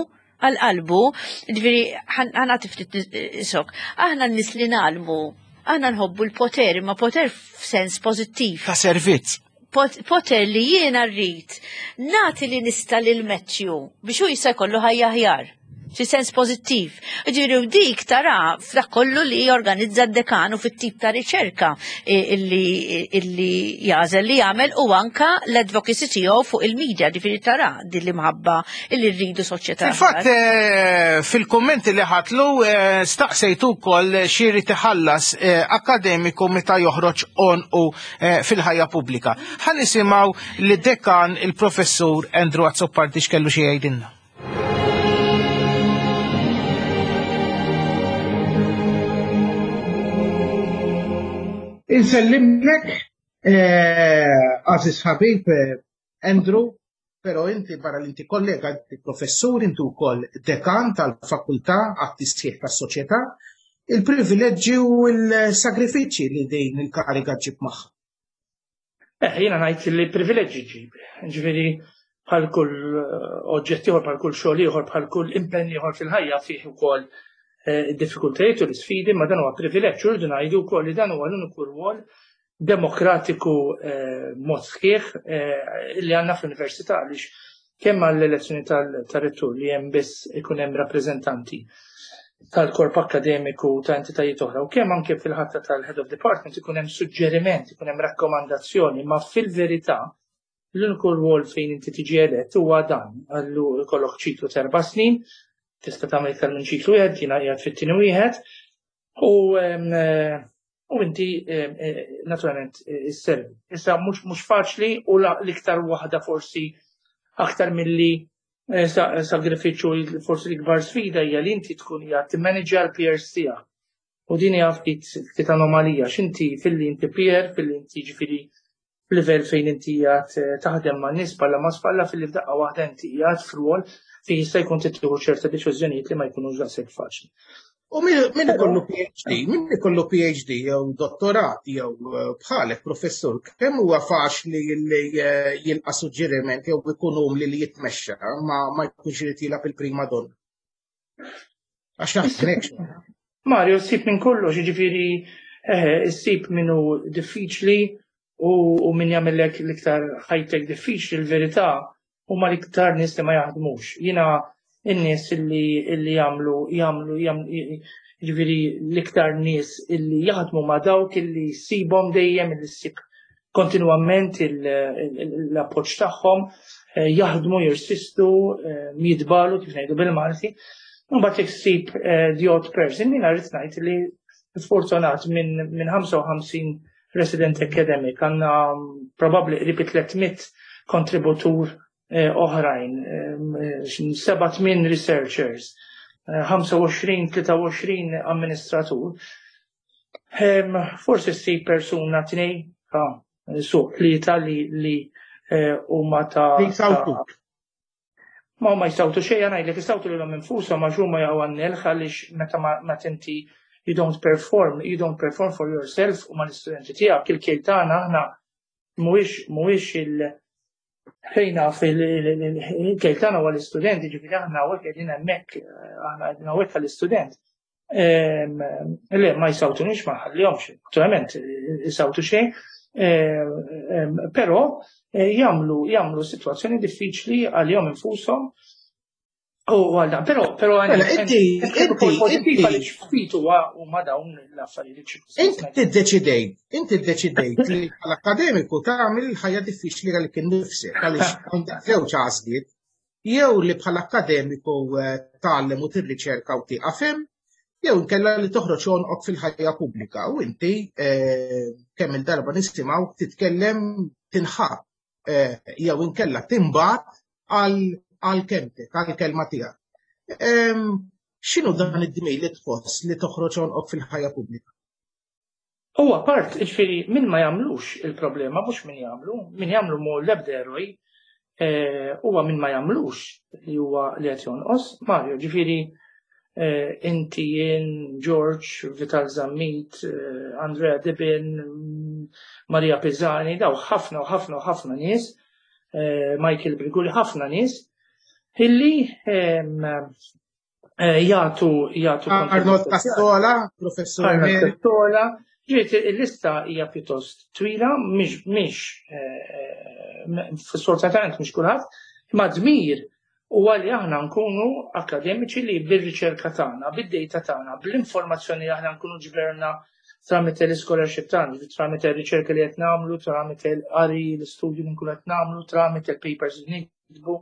[SPEAKER 14] għal-qalbu, ġifieri, ħa nagħti ftit sok, aħna n-nies li ngħallmu, aħna nħobbu l-poter, imma poter f'sens pozittiv.
[SPEAKER 2] Ta' servizz.
[SPEAKER 14] Poter li jiena rrid nagħti li nista' lil Matthew biex hu jista' jkollu ħajja aħjar. Fi sens pozittiv. Ġifieri u dik tara f'dak kollu li jorganizza d-dekan u fit-tip ta' riċerka illi, illi jagħżel li jagħmel u anka l-advocacy tiegħu fuq il-media, ġifieri tara din l-imħabba illi rridu soċjetà.
[SPEAKER 2] Fil-fatt, eh, fil-kommenti li ħatlu, eh, staqsejtu wkoll x'irid iħallas eh, akademiku meta joħroġ on u fil-ħajja pubblika. Ħa nisimgħu lid-dekan il-professur Andrew Azzopardi x'kellu xi jgħidilna. Insellimlek, għażiż ħabib Andrew, pero inti barra li inti kollega, inti professur, inti wkoll dekan tal-fakultà għat-tisħiħ tas-soċjetà, il-privileġġi u l-sagrifiċċji li din il-kariga ġib magħha.
[SPEAKER 17] Eh, jiena ngħid li privileġġi ġib. Ġifieri bħal kull oġġett ieħor, bħal kull xogħol ieħor, bħal kull impenn ieħor fil-ħajja fih ukoll id-diffikultajiet u l-isfidi, ma dan huwa privileġġ u rridu ngħidu wkoll li dan huwa l-uniku rwol demokratiku mod sħiħ li għandna fl-università, għaliex kemm għall-elezzjoni tal-rettur li hemm biss ikun hemm rappreżentanti tal-korp akademiku ta' entitajiet oħra, u kemm anke fil-ħatta tal-head of department ikun hemm suġġeriment, ikun hemm rakkomandazzjoni, ma fil-verità l-uniku rwol fejn inti tiġi elett huwa dan, għallu jkollok ċiklu ta' erba' snin, tista' tagħmel iktar minn ċiklu wieħed, jiena qiegħed fit-tieni wieħed, u u inti naturalment isservi. Issa mhux mhux faċli u l-iktar waħda forsi aktar milli sagrifiċċju, forsi l-ikbar sfida hija li inti tkun hija timmanagja l-peers tiegħek. U din hija ftit ftit anomalija, x'inti filli inti peer, filli inti ġifieri f'livell fejn inti qiegħed taħdem ma' nies palla ma' spalla, filli f'daqqa waħda inti qiegħed f'rwol fejn jista' jkun tieħu ċerta deċiżjonijiet li ma jkunux daqshekk faċli.
[SPEAKER 2] U min ikollu P H D, min ikollu P H D jew dottorat jew bħalek professur, kemm huwa faċli li jilqa' suġġeriment jew ikun umli li jitmexxa ma ma jkunx irid jilgħab il-prima donna? Għax naħseb hekk.
[SPEAKER 17] Mario, ssib minn kollox, jiġifieri ssib min hu diffiċli u min jagħmellek l-iktar ħajtek diffiċli, l-verità huma l-iktar nies li ma jaħdmux. Jiena in-nies illi illi jagħmlu jagħmlu jiġifieri l-iktar nies illi jaħdmu ma' dawk illi ssibhom dejjem, illi ssib kontinwament l-appoġġ tagħhom, jaħdmu, jirsistu, jitbalu kif ngħidu bil-Malti. Mbagħad jekk ssib the odd person, jiena rrid ngħid li sfortunat minn min ħamsa u ħamsin resident academic għandna probabbli qrib tliet mitt kontributur oħrajn, seba' tmien researchers, ħamsa u għoxrin, tlieta u għoxrin amministratur. Forsi ssib persuna tnej, su tlieta li li huma ta' Ma ma jistawtu xejn, ngħidlek jistawtu lilhom infushom għax huma jaqgħu għan-nelħ, għaliex meta ma tinti you don't perform, you don't perform for yourself u mal-istudenti tiegħek. Il-kejl tagħna aħna mhuwiex mhuwiex il Ħejna fil-kejl tagħna huwa l-istudent, ġifieri aħna hawnhekk qegħdin hemmhekk, aħna qegħdin hawnhekk għall-istudent. Le, ma jsawtunix, ma nħallihomx, naturalment isawtu xejn, però jagħmlu jagħmlu sitwazzjoni diffiċli għalihom infushom u għal dan. Però però
[SPEAKER 2] Mela, inti inti inti
[SPEAKER 17] għaliex ftit huwa huma dawn l-affarijiet.
[SPEAKER 2] Inti ddeċidejt, inti ddeċidejt li bħala akkademiku tagħmel il-ħajja diffiċli għalik innifsek, għaliex għandek żewġ għażliet: jew li bħala akkademiku tgħallem u tirriċerka u tieqaf hemm, jew inkella li toħroġ għonqok fil-ħajja pubblika u inti kemm il-darba nisimgħu titkellem, tinħab jew inkella tinbagħat għal għal kelmtek, għal kelma tiegħek. X'inhu dan id-dmir li tħoss li toħroġ għonqok fil-ħajja pubblika?
[SPEAKER 17] Huwa part, ġifieri min ma jagħmlux il-problema, mhux min jagħmlu, min jagħmlu mu l-ebda eroj, huwa min ma jagħmlux li huwa li qed jonqos. Mario, ġifieri inti, jien, George, Vital Zammit, Andrea Dibin, Maria Pisani, daw ħafna u ħafna u ħafna nies, Michael Briguli, ħafna nies illi jagħtu jagħtu
[SPEAKER 2] Arnold Cassola, professur
[SPEAKER 17] Arnold Cassola. Ġiet il-lista hija pjuttost twila, mhix mhix sfortunatament mhix kulħadd, imma dmir huwa li aħna nkunu akademiċi li bir-riċerka tagħna, bid-data tagħna, bl-informazzjoni li aħna nkunu ġberna tramite l-scholarship tagħna, tramite r-riċerka li qed nagħmlu, tramite l-qari, l-istudju li nkunu qed nagħmlu, tramite l-papers li nikdbu,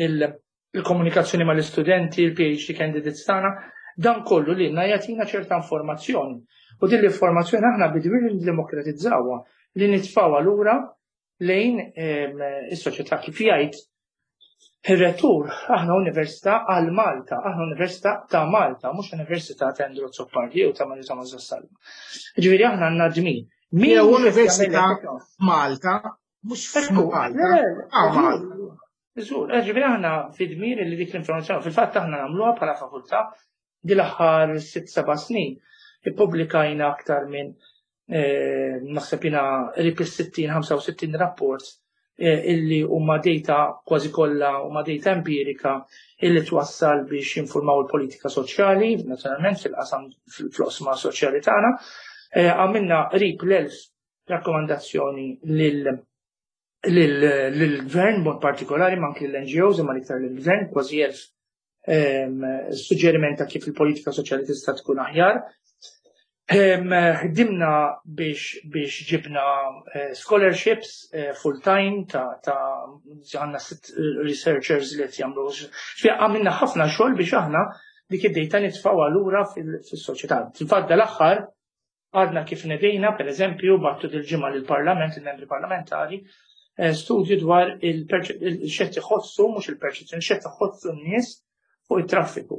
[SPEAKER 17] il-komunikazzjoni mal-istudenti, il-P H D candidates tagħna, dan kollu li jagħtina ċerta informazzjoni. U din l-informazzjoni aħna bidwir li demokratizzawha, li nitfgħuha lura lejn is-soċjetà. Kif jgħid ir-rettur, aħna università għal Malta, aħna università ta' Malta, mhux università ta' Andrew Azzopardi jew ta' Mario Thomas Vassallo. Ġifieri aħna għandna dmir.
[SPEAKER 2] Jew università Malta, mhux f'Malta. Malta.
[SPEAKER 17] Żgur, ġifieri aħna fi dmir li dik l-informazzjoni, fil-fatt aħna nagħmluha bħala fakultà di l-aħħar sitt seba' snin. Ippubblikajna aktar minn naħseb jiena qrib is-sittin, ħamsa u sittin rapport illi huma data kważi kollha huma data empirika illi twassal biex jinformaw il-politika soċjali, naturalment fil-qasam fl-oqsma soċjali tagħna. Għamilna qrib l-elf rakkomandazzjoni lil lill-gvern mod partikolari, ma anki l-N G Os, imma l-iktar lill-gvern, kważi elf suġġeriment ta' kif il-politika soċjali tista' tkun aħjar. Ħdimna biex biex ġibna scholarships full-time ta' ta' għandna sitt researchers li qed jagħmlu. Għamilna ħafna xogħol biex aħna dik id-data nitfgħuha lura fis-soċjetà. Fil-fatt dal-aħħar għadna kif nedejna, per eżempju, bgħattu dil-ġimgħa lill-Parlament, il-membri parlamentari, studju dwar il-x'qed iħossu, mhux il-perċezzjoni, x'qed iħossu n-nies fuq it-traffiku.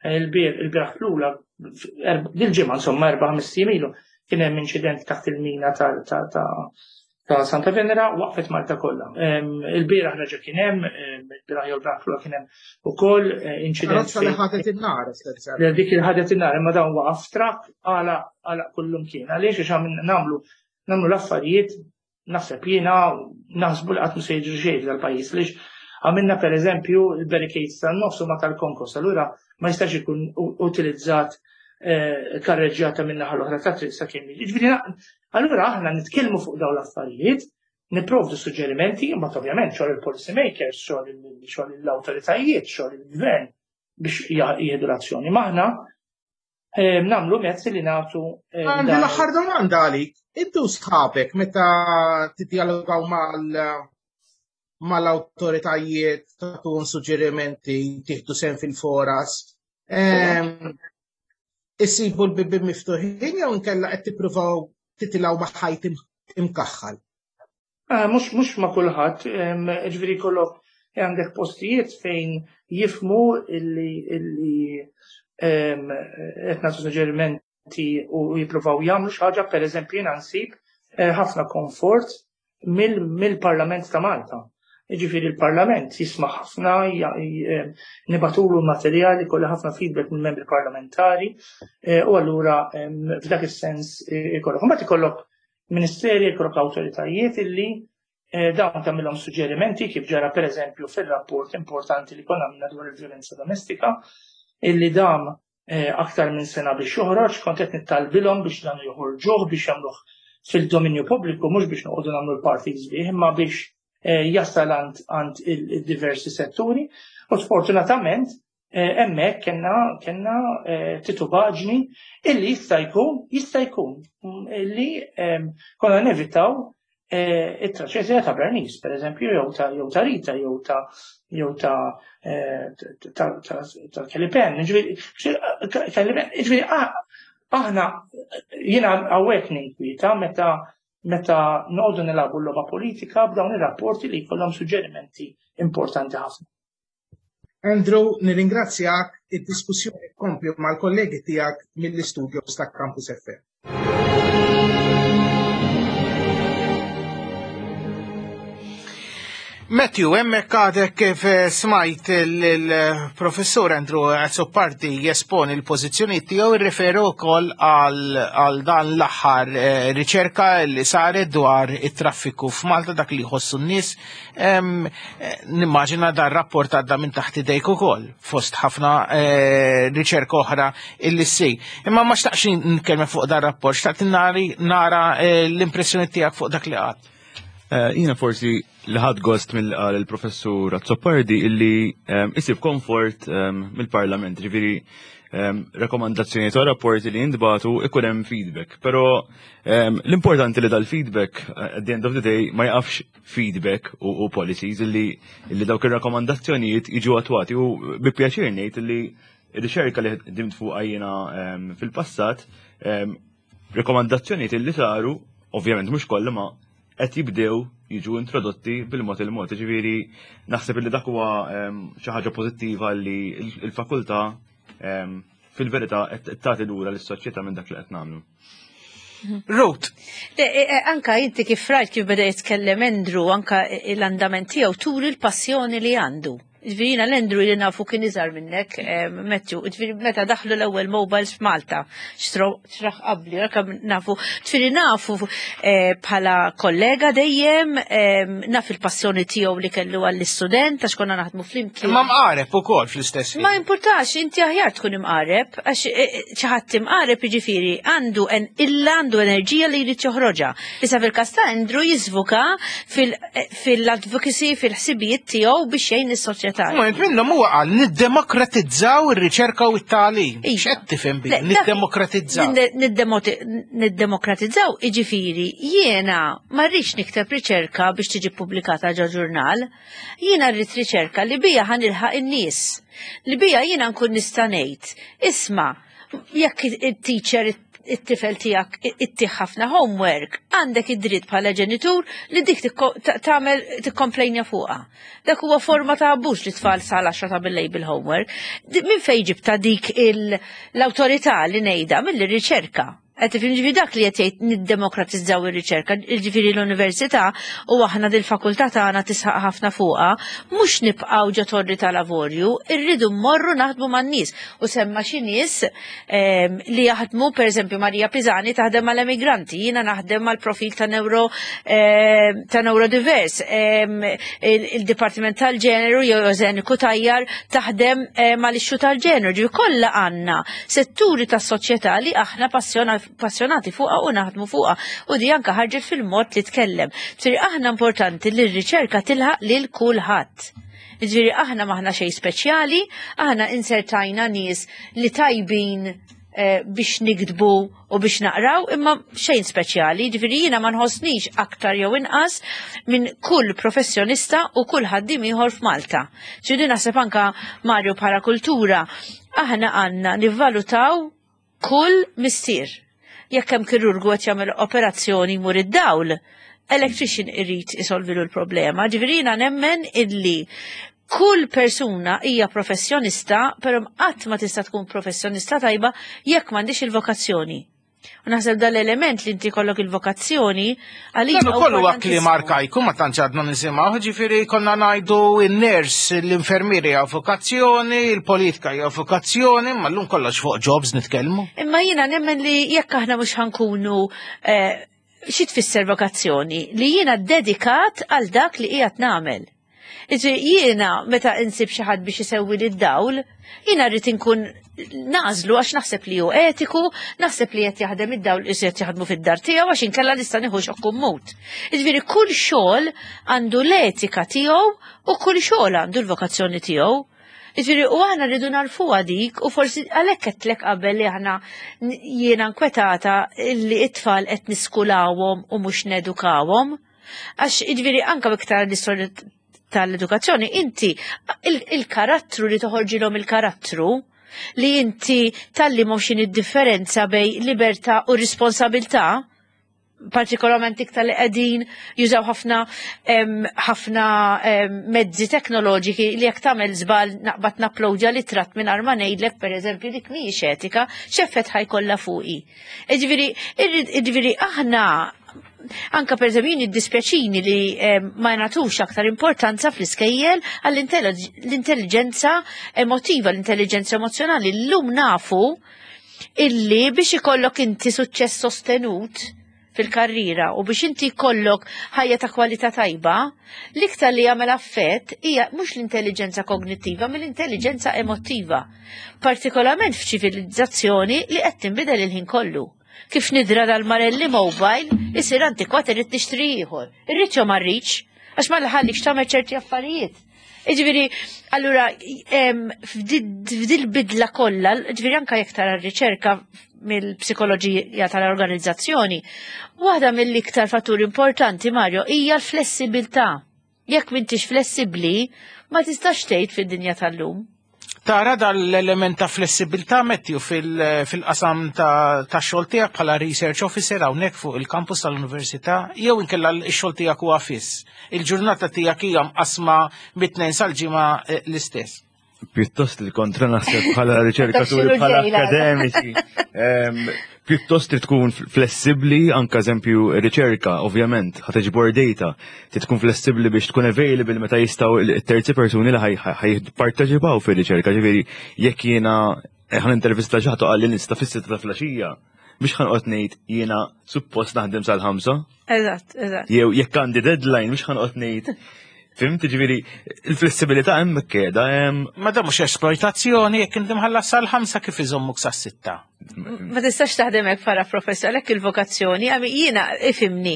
[SPEAKER 17] Il-bieraħ l-ula, dil-ġimgħa insomma, erba' ħames ilu, kien hemm inċident taħt il-mina ta' Santa Venera, waqfet Malta kollha. Il-bieraħ reġa' kien hemm, il-bieraħ jew il-bieraħ l kien hemm ukoll inċident.
[SPEAKER 2] Karozza li ħadet in-nar.
[SPEAKER 17] Dik il ħadet in-nar, imma dawn waqaf trakk għala għala kullum kien. Għaliex? Għax nagħmlu nagħmlu l-affarijiet, naħseb jiena, naħsbu li qatt se jiġri xejn dal-pajjiż, lix għamilna per eżempju il-barricades tan-nofs huma tal-konkos, allura ma jistax ikun utilizzat karreġġjata minn naħa l-oħra ta' triq sakemm. Ġifieri allura aħna nitkellmu fuq dawn l-affarijiet, nipprovdu suġġerimenti, imma ovvjament xogħol il-policy makers, xogħol l-awtoritajiet, xogħol il-gvern biex jieħdu l-azzjoni. Ma aħna nagħmlu mezzi li nagħtu.
[SPEAKER 2] Għandi l-aħħar domanda għalik. Intu sħabek meta tiddialogaw mal mal-awtoritajiet, tagħtuhom suġġerimenti, tieħdu sehem fil-foras, issibu l-bibien miftuħin jew inkella qed tippruvaw titilgħu ma' ħajt imkaħħal?
[SPEAKER 17] Mhux mhux ma' kulħadd, ġifieri kollok għandek postijiet fejn jifhmu illi illi qed nagħtu suġġerimenti u jippruvaw jagħmlu xi ħaġa. Pereżempju, jiena nsib ħafna komfort mill-Parlament ta' Malta. Ġifieri il-Parlament jisma' ħafna, nibagħtulu materjali, kolli ħafna feedback minn membri parlamentari, u allura f'dak is-sens ikollok. Mbagħad ikollok ministeri, ikollok awtoritajiet illi eh, dawn tagħmilhom suġġerimenti kif ġara pereżempju fir-rapport importanti li konna għamilna dwar il-vjolenza domestika, illi dam eh, aktar minn sena biex joħroġ, kont qed nittalbilhom biex dan joħorġuh biex jagħmluh fil-dominju pubbliku, mhux biex noqogħdu nagħmlu l-parties bih, imma biex eh, jasal għand il-diversi setturi. U sfortunatament hemmhekk kellna kellna titubaġni illi jista' jkun jista' jkun illi konna nevitaw it-traċedja ta' Bernice, per eżempju, jew ta' jew ta' Rita, jew ta' jew ta' ta' Kelly Penn. Ġifieri aħna jiena hawnhekk ninkwieta meta meta noqogħdu nilagħbu l-logħba politika b'dawn ir-rapporti li jkollhom suġġerimenti importanti ħafna.
[SPEAKER 2] Andrew, nirringrazzjak, id-diskussjoni tkompli mal-kollegi tiegħek mill-istudios ta' Campus F M. Matthew, hemmhekk għadek kif smajt il-professur Andrew Azzopardi jesponi l-pożizzjoni tiegħu, irreferu wkoll għal dan l-aħħar riċerka li saret dwar it-traffiku f'Malta, dak li jħossu n-nies. Nimmaġina dan rapport għadda minn taħt idejk ukoll fost ħafna riċerka oħra illi ssir. Imma ma xtaqx nitkellem fuq dan rapport, xtaqt nara l-impressjoni tiegħek fuq dak li qatt.
[SPEAKER 15] Jiena forsi li ħadd gost mill-qal il-professur Azzopardi illi isib komfort mill-Parlament, ġifieri rekomandazzjoni ta' rapporti li jintbatu ikun hemm feedback. Però l-importanti li dal-feedback at the end of the day ma jaqafx feedback u policies illi dawk ir-rakkomandazzjonijiet jiġu attwati, u bi pjaċir ngħid illi r-riċerka li ħdimt fuqha jiena fil-passat, rekomandazzjonijiet illi saru, ovvjament mhux kollha, ma qed jibdew jiġu introdotti bil-mod il-mod. Ġifieri naħseb li dak huwa xi ħaġa pożittiva li l-fakultà fil-verità qed tagħti lura lis-soċjetà minn dak li qed nagħmlu.
[SPEAKER 2] Ruth.
[SPEAKER 14] Anka inti kif rajt kif beda jitkellem Andrew, anka l-andament tiegħu turi l-passjoni li għandu. Ġifieri jiena l-Andrew li nafu kien iżgħar minnek, Matthew, ġifieri meta daħlu l-ewwel mobiles f'Malta, xtraħ qabli, anke nafu, ġifieri nafu bħala kollega dejjem, naf il-passjoni tiegħu li kellu għall-istudent għax konna naħdmu flimkien.
[SPEAKER 2] Imma mqareb ukoll fl-istess ħin.
[SPEAKER 14] Ma importax, inti aħjar tkun imqareb, għax xi ħadd imqareb jiġifieri għandu illa għandu enerġija li jrid joħroġha. Issa fil-każ ta' Andrew jiżvuka fil-advocacy, fil-ħsibijiet tiegħu biex jgħin is-soċjetà.
[SPEAKER 2] Moment minnhom huwa qal niddemokratizzaw ir-riċerka u t-tagħlim. X'qed tifhem bi niddemokratizzaw?
[SPEAKER 14] Niddemokratizzaw jiġifieri jiena ma rridx nikteb riċerka biex tiġi ppubblikata ġo ġurnal. Jiena rrid riċerka li bija ħa nilħaq in-nies. Li bija jiena nkun nista' ngħid. Isma' jekk it-teacher it-tifel tiegħek ittih ħafna homework, għandek id-dritt bħala ġenitur li dik tagħmel tikkomplejnja fuqha. Dak huwa forma ta' abbuż li tfal sal għaxra ta' bil-lejl bil-homework. Minn fejn ġibta dik l-awtorità li ngħidha mill-riċerka? Qed tifhem, ġifieri dak li qed jgħid niddemokratizzaw ir-riċerka, ġifieri l-università u aħna dil-fakultà tagħna tisħaq ħafna fuqha, mhux nibqgħu ġo torri tal-avorju, irridu mmorru naħdmu man-nies. U semma xi nies li jaħdmu, pereżempju Marija Pisani taħdem mal-emigranti, jiena naħdem mal-profil ta' neuro ta' neurodivers, il-Dipartiment tal-Ġeneru jew Eżen Kutajjar taħdem mal-ixxu tal-ġeneru, ġifieri kollha għandna setturi tas-soċjetà li aħna passjonati fuqha u naħdmu fuqha, u di anka ħarġet fil-mod li tkellem. Ġifieri aħna importanti li r-riċerka tilħaq lil kulħadd. Ġifieri aħna m'aħna xejn speċjali, aħna insertajna nies li tajbin biex nikdbu u biex naqraw, imma xejn speċjali. Ġifieri jiena ma nħossnix aktar jew inqas minn kull professjonista u kull ħaddiem ieħor f'Malta. Ġifieri naħseb anka Mario bħala kultura aħna għandna nivvalutaw kull missier. Jekk hemm kirurgu qed jagħmel operazzjoni jmur id-dawl, electrician irid isolvilu l-problema. Ġifieri jiena nemmen illi kull persuna hija professjonista, però qatt ma tista' tkun professjonista tajba jekk m'għandix il-vokazzjoni. U naħseb dal-element li inti kollok il-vokazzjoni għalija.
[SPEAKER 2] Dan ukoll huwa kliem arkajku ma tantx għadna nisimgħu, ġifieri konna ngħidu n-ners, l-infermieri hija vokazzjoni, il-politika hija vokazzjoni, ma llum kollox fuq jobs nitkellmu.
[SPEAKER 14] Imma jiena nemmen li jekk aħna mhux ħankunu Xi tfisser vokazzjoni? Li jiena dedikat għal dak li qiegħed nagħmel. Iġi jiena meta insib xi ħadd biex isewwi lid-dawl, jiena rrid inkun nagħżlu għax naħseb li hu etiku, naħseb li qed jaħdem id-dawl qed jaħdmu fid-dar tiegħu għax inkella nista' nieħu xokk u mmut. Jiġifieri kull xogħol għandu l-etika tiegħu u kull xogħol għandu l-vokazzjoni tiegħu. Jiġifieri u aħna rridu narfuha dik u forsi għalhekk qedtlek qabel li aħna jiena nkwetata li t-tfal qed niskulawhom u mhux nedukawhom. Għax jiġifieri anke iktar l-istorja tal-edukazzjoni, inti il-karattru li toħorġilhom il-karattru li inti tgħallimhom x'inhi d-differenza bejn libertà u responsabilità, partikolarment iktar li qegħdin jużaw ħafna ħafna mezzi teknoloġiki li jekk tagħmel żball naqbad napplowdja ritratt minn ma ngħidlek pereżempju dik mhijiex etika, x'effett ħa jkollha fuqi. Jiġifieri jiġifieri aħna anka per eżempju jien iddispjaċini li ma nagħtux aktar importanza fl-iskejjel għall-intelligenza emotiva, l-intelligenza emozjonali. Llum nafu illi biex ikollok inti suċċess sostenut fil-karriera u biex inti jkollok ħajja ta' kwalità tajba, l-iktar li jagħmel affett hija mhux l-intelligenza kognittiva, mill-intelligenza emotiva. Partikolarment f'ċivilizzazzjoni li qed tinbidel il-ħin kollu. Kif nidra dal-Marelli mobile, isir antikwat irrid nixtri ieħor. Irrid jew ma rridx, għax ma ħallikx tagħmel ċerti affarijiet. Jiġifieri, allura, f'dil bidla kollha, jiġifieri anka jekk tara r-riċerka mill-psikoloġija tal-organizzazzjoni, waħda mill-iktar fatturi importanti, Mario, hija l-flessibilità. Jekk m'intix flessibbli, ma tistax tgħid fid-dinja tal-lum.
[SPEAKER 2] Tara dal-element ta' flessibilità, Matthew, fil-qasam ta' xogħol tiegħek bħala research officer hawnhekk fuq il-campus tal-università jew inkella x-xogħol tiegħek huwa fiss? Il-ġurnata tiegħek hija mqasma mit-tnejn sal-ġimgħa eh, l-istess.
[SPEAKER 15] Pjuttost il-kontra naħseb bħala riċerkaturi, bħala akademiċi. Pjuttost trid tkun flessibbli, anka eżempju riċerka, ovvjament, ħa tiġbor data, trid tkun flessibbli biex tkun available meta jistgħu terzi persuni li ħa jipparteċipaw fir-riċerka. Ġifieri jekk jiena ħa nintervista xi ħadd qalli nista' fis-sitta ta' filgħaxija, biex ħa noqgħod ngħid jiena suppost naħdem sal-ħamsa.
[SPEAKER 14] Eżatt, eżatt.
[SPEAKER 15] Jew jekk għandi deadline biex ħa noqgħod ngħid. Fhimt, ġifieri, il-flessibilità hemm qiegħda hemm.
[SPEAKER 2] Ma da mhux esploitazzjoni jekk inti mħallas sal-ħamsa kif iżommuk sas-sitta?
[SPEAKER 14] Ma tistax taħdem hekk bħala professor, għalhekk il-vokazzjoni, għami jiena ifhimni,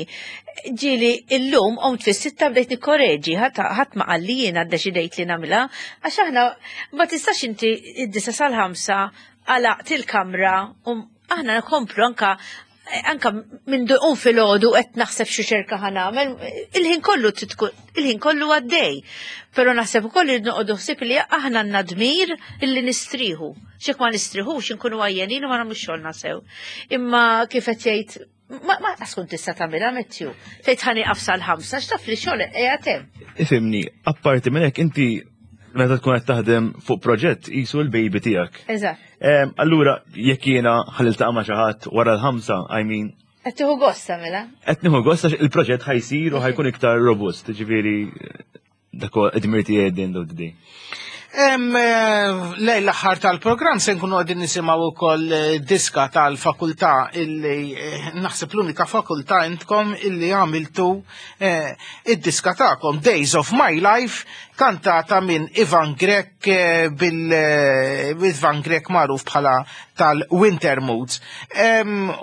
[SPEAKER 14] ġieli illum qomt fis-sitta bdejt nikkoreġi, ħadd ma qalli jiena ddeċidejt li nagħmilha, għax aħna ma tistax inti id-disa sal-ħamsa għalaqt il-kamra u aħna nkomplu anka anka minn duqum fil-ħodu qed naħseb xi ċerka ħa nagħmel, il-ħin kollu titkun, il-ħin kollu għaddej. Però naħseb ukoll li noqogħdu ħsieb li aħna għandna dmir illi nistriħu. Xek ma nistriħux inkunu għajjenin u ma nagħmlux xogħolna sew. Imma kif qed jgħid ma ma tkun tista' tagħmilha Matthew. Tgħid ħa nieqaf sal-ħamsa x'taf li xogħol qiegħed hemm.
[SPEAKER 15] Ifhimni, apparti minn hekk inti meta tkun qed taħdem fuq proġett qisu l-baby tiegħek.
[SPEAKER 14] Eżatt.
[SPEAKER 15] Allura jekk jiena ħa niltaqa' ma' xi ħadd wara l-ħamsa, I mean,
[SPEAKER 14] Qed tieħu gost tagħmilha.
[SPEAKER 15] Qed nieħu gost għax il-proġett ħa jsir u ħa jkun iktar robust, ġifieri dak huwa id-dmir tiegħi at the end of the day.
[SPEAKER 2] Lejn l-aħħar tal-programm se nkunu qegħdin nisimgħu wkoll eh, diska tal-fakultà illi eh, naħseb l-unika fakultà intkom illi għamiltu eh, id-diska tagħkom Days of My Life kantata minn Ivan Grech bil Ivan Grech magħruf bħala tal-Winter Moods.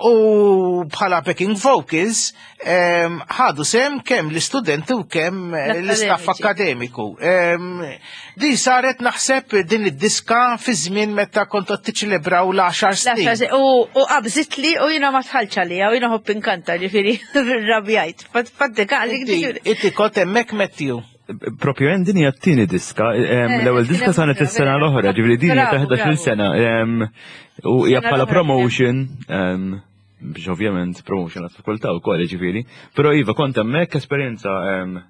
[SPEAKER 2] U bħala backing vocals ħadu sehem kemm l-istudenti u kemm l-istaff akademiku. Din saret naħseb din id-diska fi żmien meta kontu tiċċelebraw l-għaxar snin.
[SPEAKER 14] U qabżit li u jiena ma dħaltx għalija u jiena nħobb inkanta ġifieri rrabjajt. Faddika
[SPEAKER 2] Inti kont hemmhekk Matthew.
[SPEAKER 15] Propju hemm din hija t-tieni diska, eh, l-ewwel diska saret is-sena l-oħra, ġifieri din hija ta' ħdax-il sena u hija bħala promotion biex ovvjament promotion għat-fakultà wkoll ġifieri. Però iva kont hemmhekk esperjenza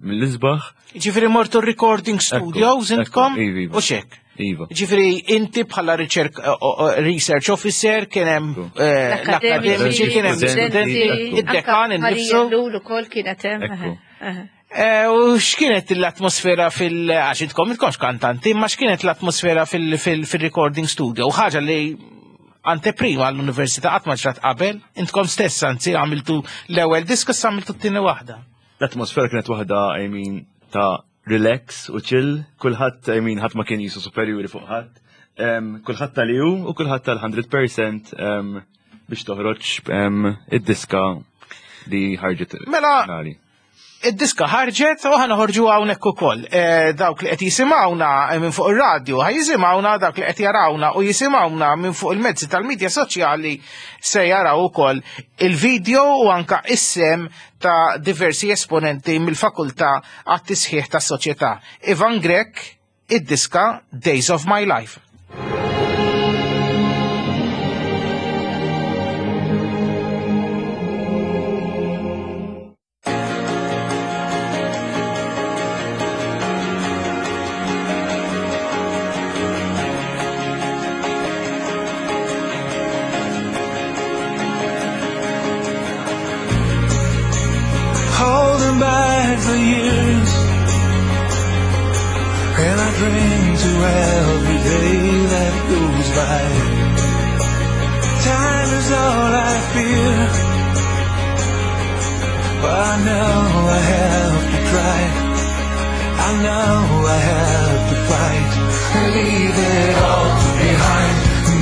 [SPEAKER 15] mill-isbaħ.
[SPEAKER 2] Ġifieri mortu recording studios intkom
[SPEAKER 15] iva, iva.
[SPEAKER 2] u xek.
[SPEAKER 15] Iva.
[SPEAKER 2] Ġifieri inti bħala research officer kien hemm eh, l-akademiċi, kien hemm studenti, id-dekan innifsu.
[SPEAKER 14] L ukoll kienet hemm.
[SPEAKER 2] Eh, u x'kienet l-atmosfera fil- għax intkom intkomx kantanti, ma x'kienet l-atmosfera fil-recording studio? U ħaġa li anteprima għall-università qatt ma ġrat qabel, intkom stess anzi għamiltu l-ewwel diska issa għamiltu t-tieni waħda.
[SPEAKER 15] L-atmosfera kienet waħda, I mean, ta' relax u chill, kulħadd, I mean, ħadd ma kien qisu superjuri fuq ħadd. Em, Kulħadd tal-ju u kulħadd tal-mija fil-mija em, biex toħroġ em, id-diska li ħarġet
[SPEAKER 2] Mela,
[SPEAKER 15] finali.
[SPEAKER 2] Id-diska ħarġet u ħa noħorġu hawnhekk ukoll. E, dawk li qed jisimgħuna minn fuq ir-radju ħa jisimgħuna, dawk li qed jarawna u jisimgħuna minn fuq il-mezzi tal-medja soċjali se jaraw ukoll il-video u anka is-sehem ta' diversi esponenti mill-fakultà għat-tisħiħ tas-soċjetà. Ivan Grech, id-diska Days of My Life.
[SPEAKER 10] Holding back the years, and I drink to every day that goes by. Time is all I fear, but I know I have to try. I know I have to fight and leave it all behind.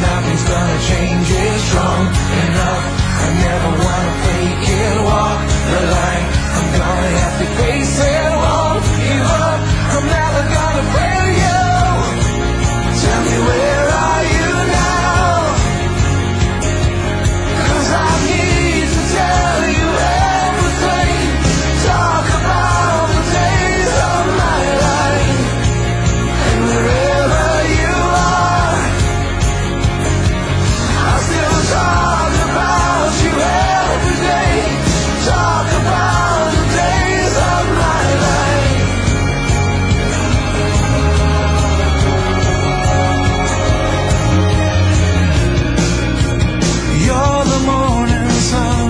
[SPEAKER 10] Nothing's gonna change it strong enough. I never wanna fake it, walk the line. I'm gonna have to face it, won't give up. I'm never gonna fail you. Tell me, where are you now? 'Cause I need to tell you everything. Talk about the days of my life. And wherever you are, I still talk about you every day. Talk about the days of my life. You're the morning sun.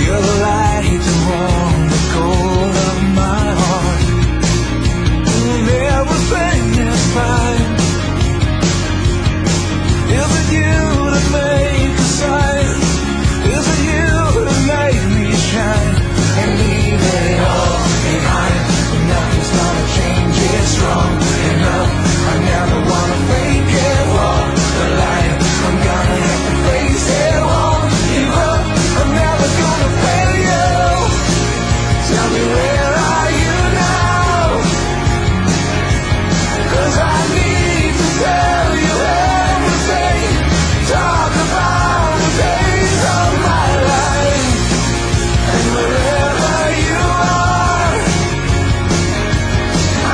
[SPEAKER 10] You're the light to warm the cold of my heart. And everything is fine. Is it you that make a sign? Is it you that make me shine? And leave it all behind. Nothing's gonna change it strong enough. I never wanna fake it, walk the line. I'm gonna have to face it, won't give up. I'm never gonna fail you. Tell me, where are you now? 'Cause I need to tell you everything. Talk about the days of my life. And wherever you are,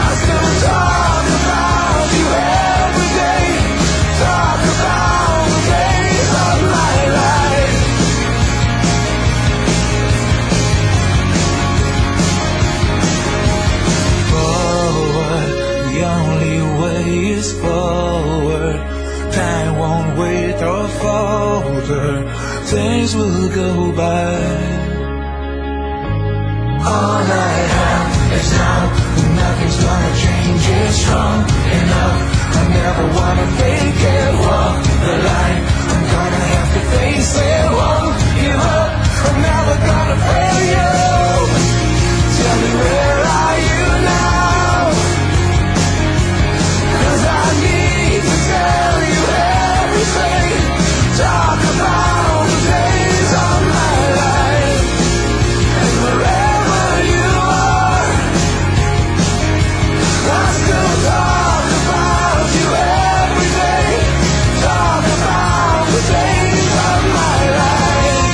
[SPEAKER 10] I still talk about you every day. Talk about the days of my life. Forward, the only way is forward. Time won't wait or falter. Things will go by. All I have is now. Nothing's gonna change it strong enough. I never wanna fake it, walk the line. I'm gonna have to face it, won't give up. I'm never gonna fail you. Tell me, where are you now? 'Cause I need to tell you everything. Talk about the days of my life. And wherever you are, I still talk about you every day. Talk about the days of my life.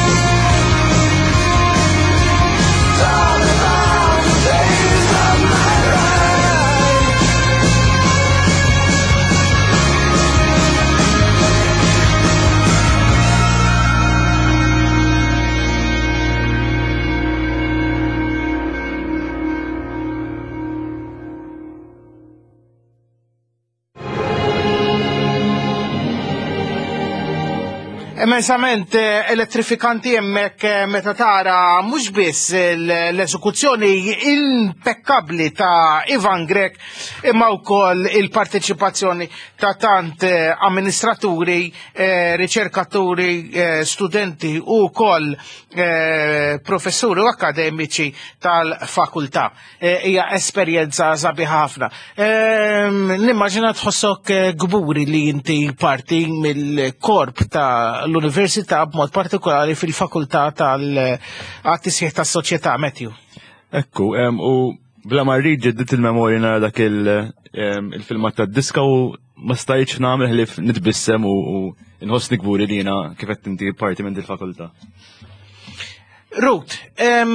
[SPEAKER 2] Immensament eh, elettrifikanti hemmhekk eh, meta tara mhux biss l-eżekuzzjoni impeccabli ta' Ivan Grech imma wkoll il-parteċipazzjoni ta' tant eh, amministraturi, riċerkaturi, studenti u wkoll professuri u akademiċi tal-fakultà. Hija esperjenza sabiħa ħafna. Ehm, nimmaġina tħossok kburi li inti parti mill-korp ta' l-Università, b'mod partikolari fil-fakultà tal-għat-tisħiħ tas-soċjetà, Matthew.
[SPEAKER 15] Ekku, u bla ma rrid ġeddidt il-memorja nara dak il-filmat tad-diska u ma stajtx nagħmel ħlief nitbissem u nħossni kburi li jiena, kif qed inti, parti minn dil-fakultà.
[SPEAKER 2] Ruth, eh,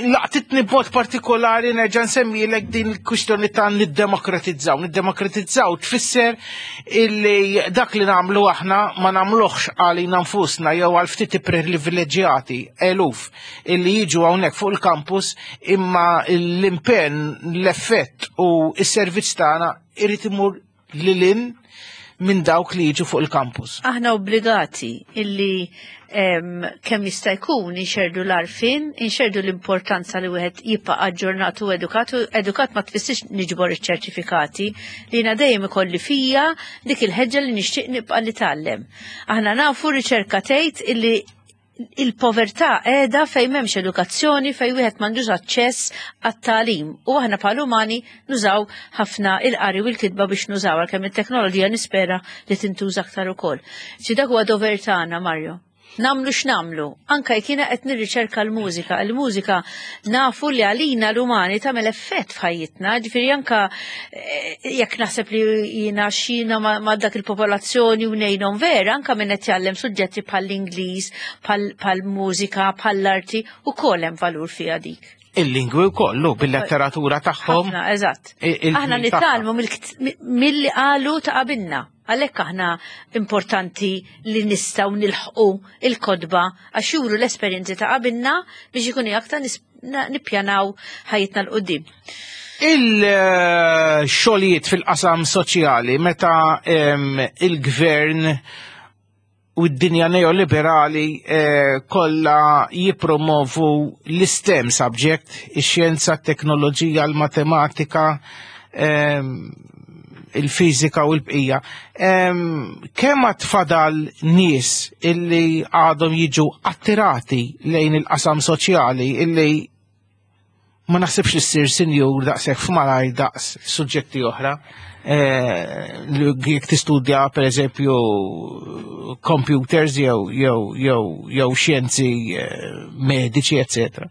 [SPEAKER 2] laqtitni b'mod partikolari, nerġa' nsemmilek din il-kwistjoni ta' niddemokratizzaw. Niddemokratizzaw tfisser illi dak li nagħmlu aħna ma nagħmluhx għalina nfusna jew għal ftit privileġġjati eluf illi jiġu hawnhekk fuq il-campus, imma l-impenn, l-effett u s-servizz tagħna irid imur lil hinn minn dawk li jiġu fuq il-campus.
[SPEAKER 14] Aħna obbligati illi kemm jista' jkun inxerdu l-għarfien, inxerdu l-importanza li wieħed jibqa' aġġornat u edukat. Edukat ma tfissirx niġbor iċ-ċertifikati, li jiena dejjem ikolli fija dik il-ħeġġa li nixtieq nibqa' nitgħallem. Aħna nafu, riċerka tgħid illi il-povertà qiegħda fejn m'hemmx edukazzjoni, fejn wieħed m'għandux aċċess għat-tagħlim. U aħna bħal umani nużaw ħafna il-qari u l-kitba biex nużaw, għalkemm it-teknoloġija nispera li tintuża aktar ukoll. Ġi dak huwa dover tagħna, Mario. Nagħmlu x'nagħmlu, anka jekk jiena qed nirriċerka l-mużika, il-mużika nafu li għalina l-umani tagħmel effett f'ħajjitna, ġifieri anka eh, jekk naħseb li jiena xina ma' dak il-popolazzjoni u ngħinhom vera, anka minn qed jgħallem suġġetti bħall-Ingliż, bħall-mużika, bħall-arti, ukoll hemm valur fiha dik.
[SPEAKER 2] Il-lingwi wkoll bil-letteratura tagħhom.
[SPEAKER 14] Eżatt. Aħna nitgħallmu milli qalu ta' qabilna. Għalhekk aħna importanti li nistgħu nilħqu il-kotba għax juru l-esperjenzi ta' qabilna biex ikun aktar nippjanaw ħajjitna 'l quddiem.
[SPEAKER 2] Il-xogħlijiet fil-qasam soċjali, meta il-gvern u d-dinja neoliberali eh, kollha jipromovu l-STEM subject, ix-xjenza, t-teknoloġija, l-matematika, il-fizika u l-bqija. Kemm għad fadal nies illi għadhom jiġu attirati lejn il-qasam soċjali, illi ma naħsibx li ssir sinjur daqshekk f'malaj daqs suġġetti oħra? Eh, li jekk tistudja per eżempju computers jew jew jew jew xjenzi eh, mediċi, eccetera.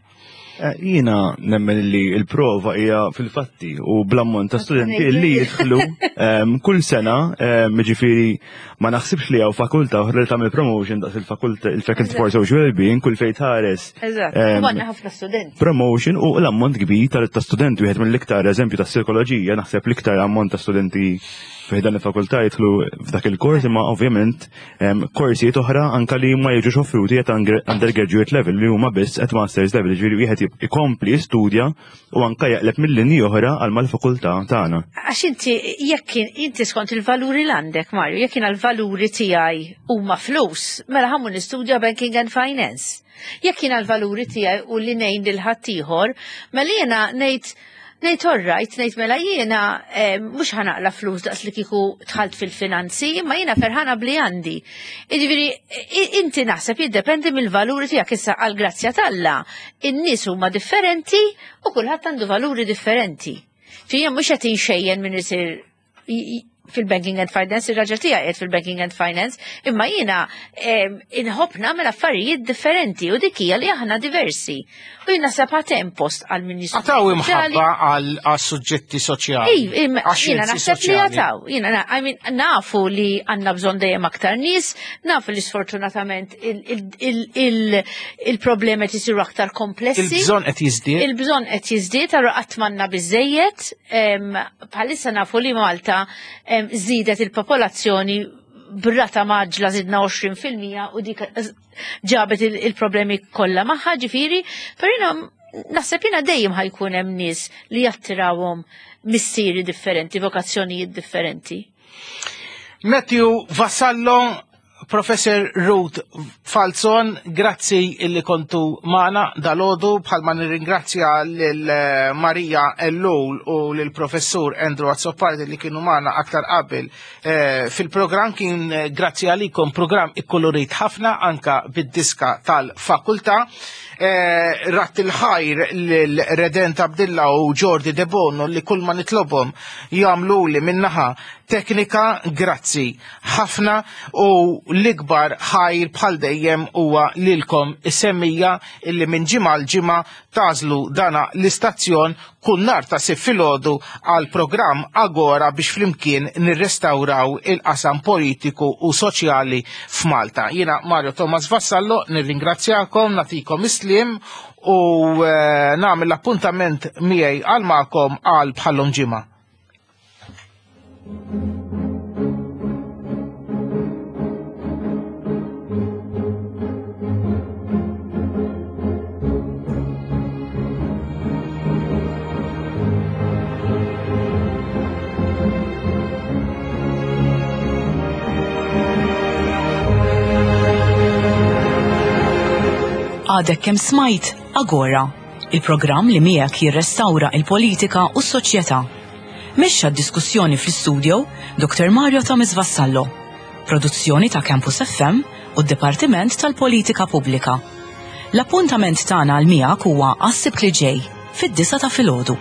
[SPEAKER 15] Eh, Jiena nemmen li il-prova hija fil-fatti u bl-ammont ta' studenti li jidħlu em, kull sena, em, ġifieri ma naħsibx li hawn fakultà oħra li tagħmel promotion daqs il-fakultà, il-Faculty for Social Wellbeing, kull fejn tħares.
[SPEAKER 14] Eżatt,
[SPEAKER 15] em,
[SPEAKER 14] u għandna ħafna studenti.
[SPEAKER 15] Promotion u l-ammont kbir ta' ta' studenti, wieħed mill-iktar eżempju ta' psikoloġija, naħseb l-iktar ammont ta' studenti fi dan il-fakultà jidħlu f'dak il-kors, imma ovvjament em, korsijiet oħra anka li ma jiġux offruti at undergraduate level, li huma biss at masters level, ġifieri wieħed ikompli studja u anka jaqleb mill-linji oħra għal mal-fakultà tagħna.
[SPEAKER 14] Għax inti, jekk inti skont il-valuri l għandek, Mario, jekk jiena l-valuri tiegħi huma flus, mela ħa mmur nistudja banking and finance. Jekk jiena l-valuri tiegħi u li ngħin lil ħaddieħor, mela jiena ngħid ngħid all right, ngħid mela jiena eh, mhux ħa naqla' flus daqs li kieku dħalt fil-finanzi, imma jiena ferħana bli għandi. Jiġifieri inti naħseb jiddependi mill-valuri tiegħek. Issa, għal grazzja t'Alla, in-nies huma differenti u kulħadd għandu valuri differenti. Fija mhux qed inxejjen min isir fil-banking and finance, il-raġel tiegħi qiegħed fil-banking and finance, imma jiena inħobb nagħmel affarijiet differenti u dik hija li aħna diversi. U jiena naħseb hemm post għal min
[SPEAKER 2] Għad hawn imħabba għal suġġetti soċjali.
[SPEAKER 14] Jiena naħseb li għad hawn. Jiena, I mean, nafu li għandna bżonn dejjem aktar nies, nafu li sfortunatament il-problemi qed isiru aktar komplessi.
[SPEAKER 2] Il-bżonn qed jiżdied.
[SPEAKER 14] Il-bżonn qed jiżdied, allura qatt m'għandna biżejjed. Bħalissa nafu li Malta żiedet il-popolazzjoni b'rata mgħaġġla, żidna għoxrin fil-mija u dik ġabet il-problemi kollha magħha, ġifieri, però jiena naħseb jiena dejjem ħa jkun hemm nies li jattirawhom missieri differenti, vokazzjonijiet differenti.
[SPEAKER 2] Matthew Vassallo, Professor Ruth Falzon, grazzi illi kontu magħna dalgħodu, bħalma nirringrazzja lil eh, Maria Ellul u lil Professur Andrew Azzopardi li kienu magħna aktar qabel eh, fil-programm. Kien eh, grazzi għalikom programm ikkolorit ħafna anka bid-diska tal-fakultà. Eh, Radd il-ħajr lil Redent Abdilla u Jordi De Bono li kull ma nitlobhom jagħmlu li minnaħa teknika, grazzi ħafna, u l-ikbar ħajr bħal dejjem huwa lilkom is-semmiegħa illi minn ġimgħa l ġimgħa tagħżlu dana l-istazzjon kull nhar ta' Sibt filgħodu għal programm Agora biex flimkien nirrestawraw il-qasam politiku u soċjali f'Malta. Jiena Mario Thomas Vassallo nirringrazzjakom, nagħtikom is-sliem u eh, nagħmel l-appuntament miegħi għal magħkom għal bħal-lum ġimgħa.
[SPEAKER 1] Għadek kemm smajt Agora, il-programm li miegħek jirrestawra il-politika u s-soċjetà. Mexxa d-diskussjoni fl-istudio Doktor Mario Thomas Vassallo. Produzzjoni ta' Campus F M u d-Dipartiment tal-Politika Pubblika. L-appuntament tagħna għal miegħek huwa għas-Sibt li ġej fid-disgħa ta' filgħodu.